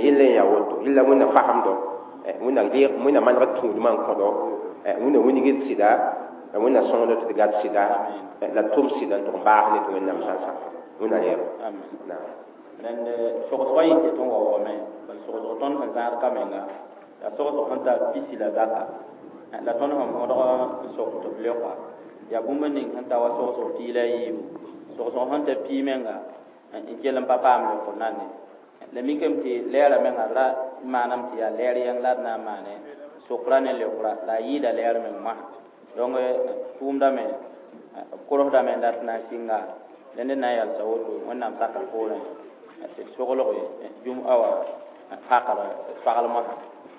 yella n yaa woto yella wẽnna fasemdo wẽnna maneg tũudmã n kõdo wẽnna wilgd sɩda wẽnna sõngdo tɩ d gat sɩda la tʋm sɩda n tʋg n baas ne tɩ wẽnnaam sã n sak wẽnna reebo rẽnd sogsgã yẽ ket n wa wame bal sogsg tõnd sẽn zãad ka menga yaa sogsg sẽn tar pisi la zaka la tõnd sẽn võodg n sok tɩ b leoka yaa bũmb ning sẽn ta wa sogsg pii la a yiibu sogsg sẽn ta pii menga n kell n pa paam leokr nane la mikame tɩ lɛɛrã menga ra maaname tɩ yaa lɛɛr yɛng la d na n maane sokra ne leokra la a yɩɩda lɛɛr meng mosã donc tʋʋmdame b korsdame n dat na n sɩnga rẽnd n na n yalsa woto wẽnnaam sakr poorẽ tɩ d soglg jũm-a wã pakr pagl mosã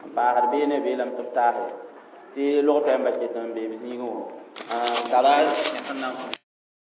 n paasd beene beelame tɩ b taase tɩ log tɛɛmbã ket n bee b zĩigẽ wã n tara sẽn na n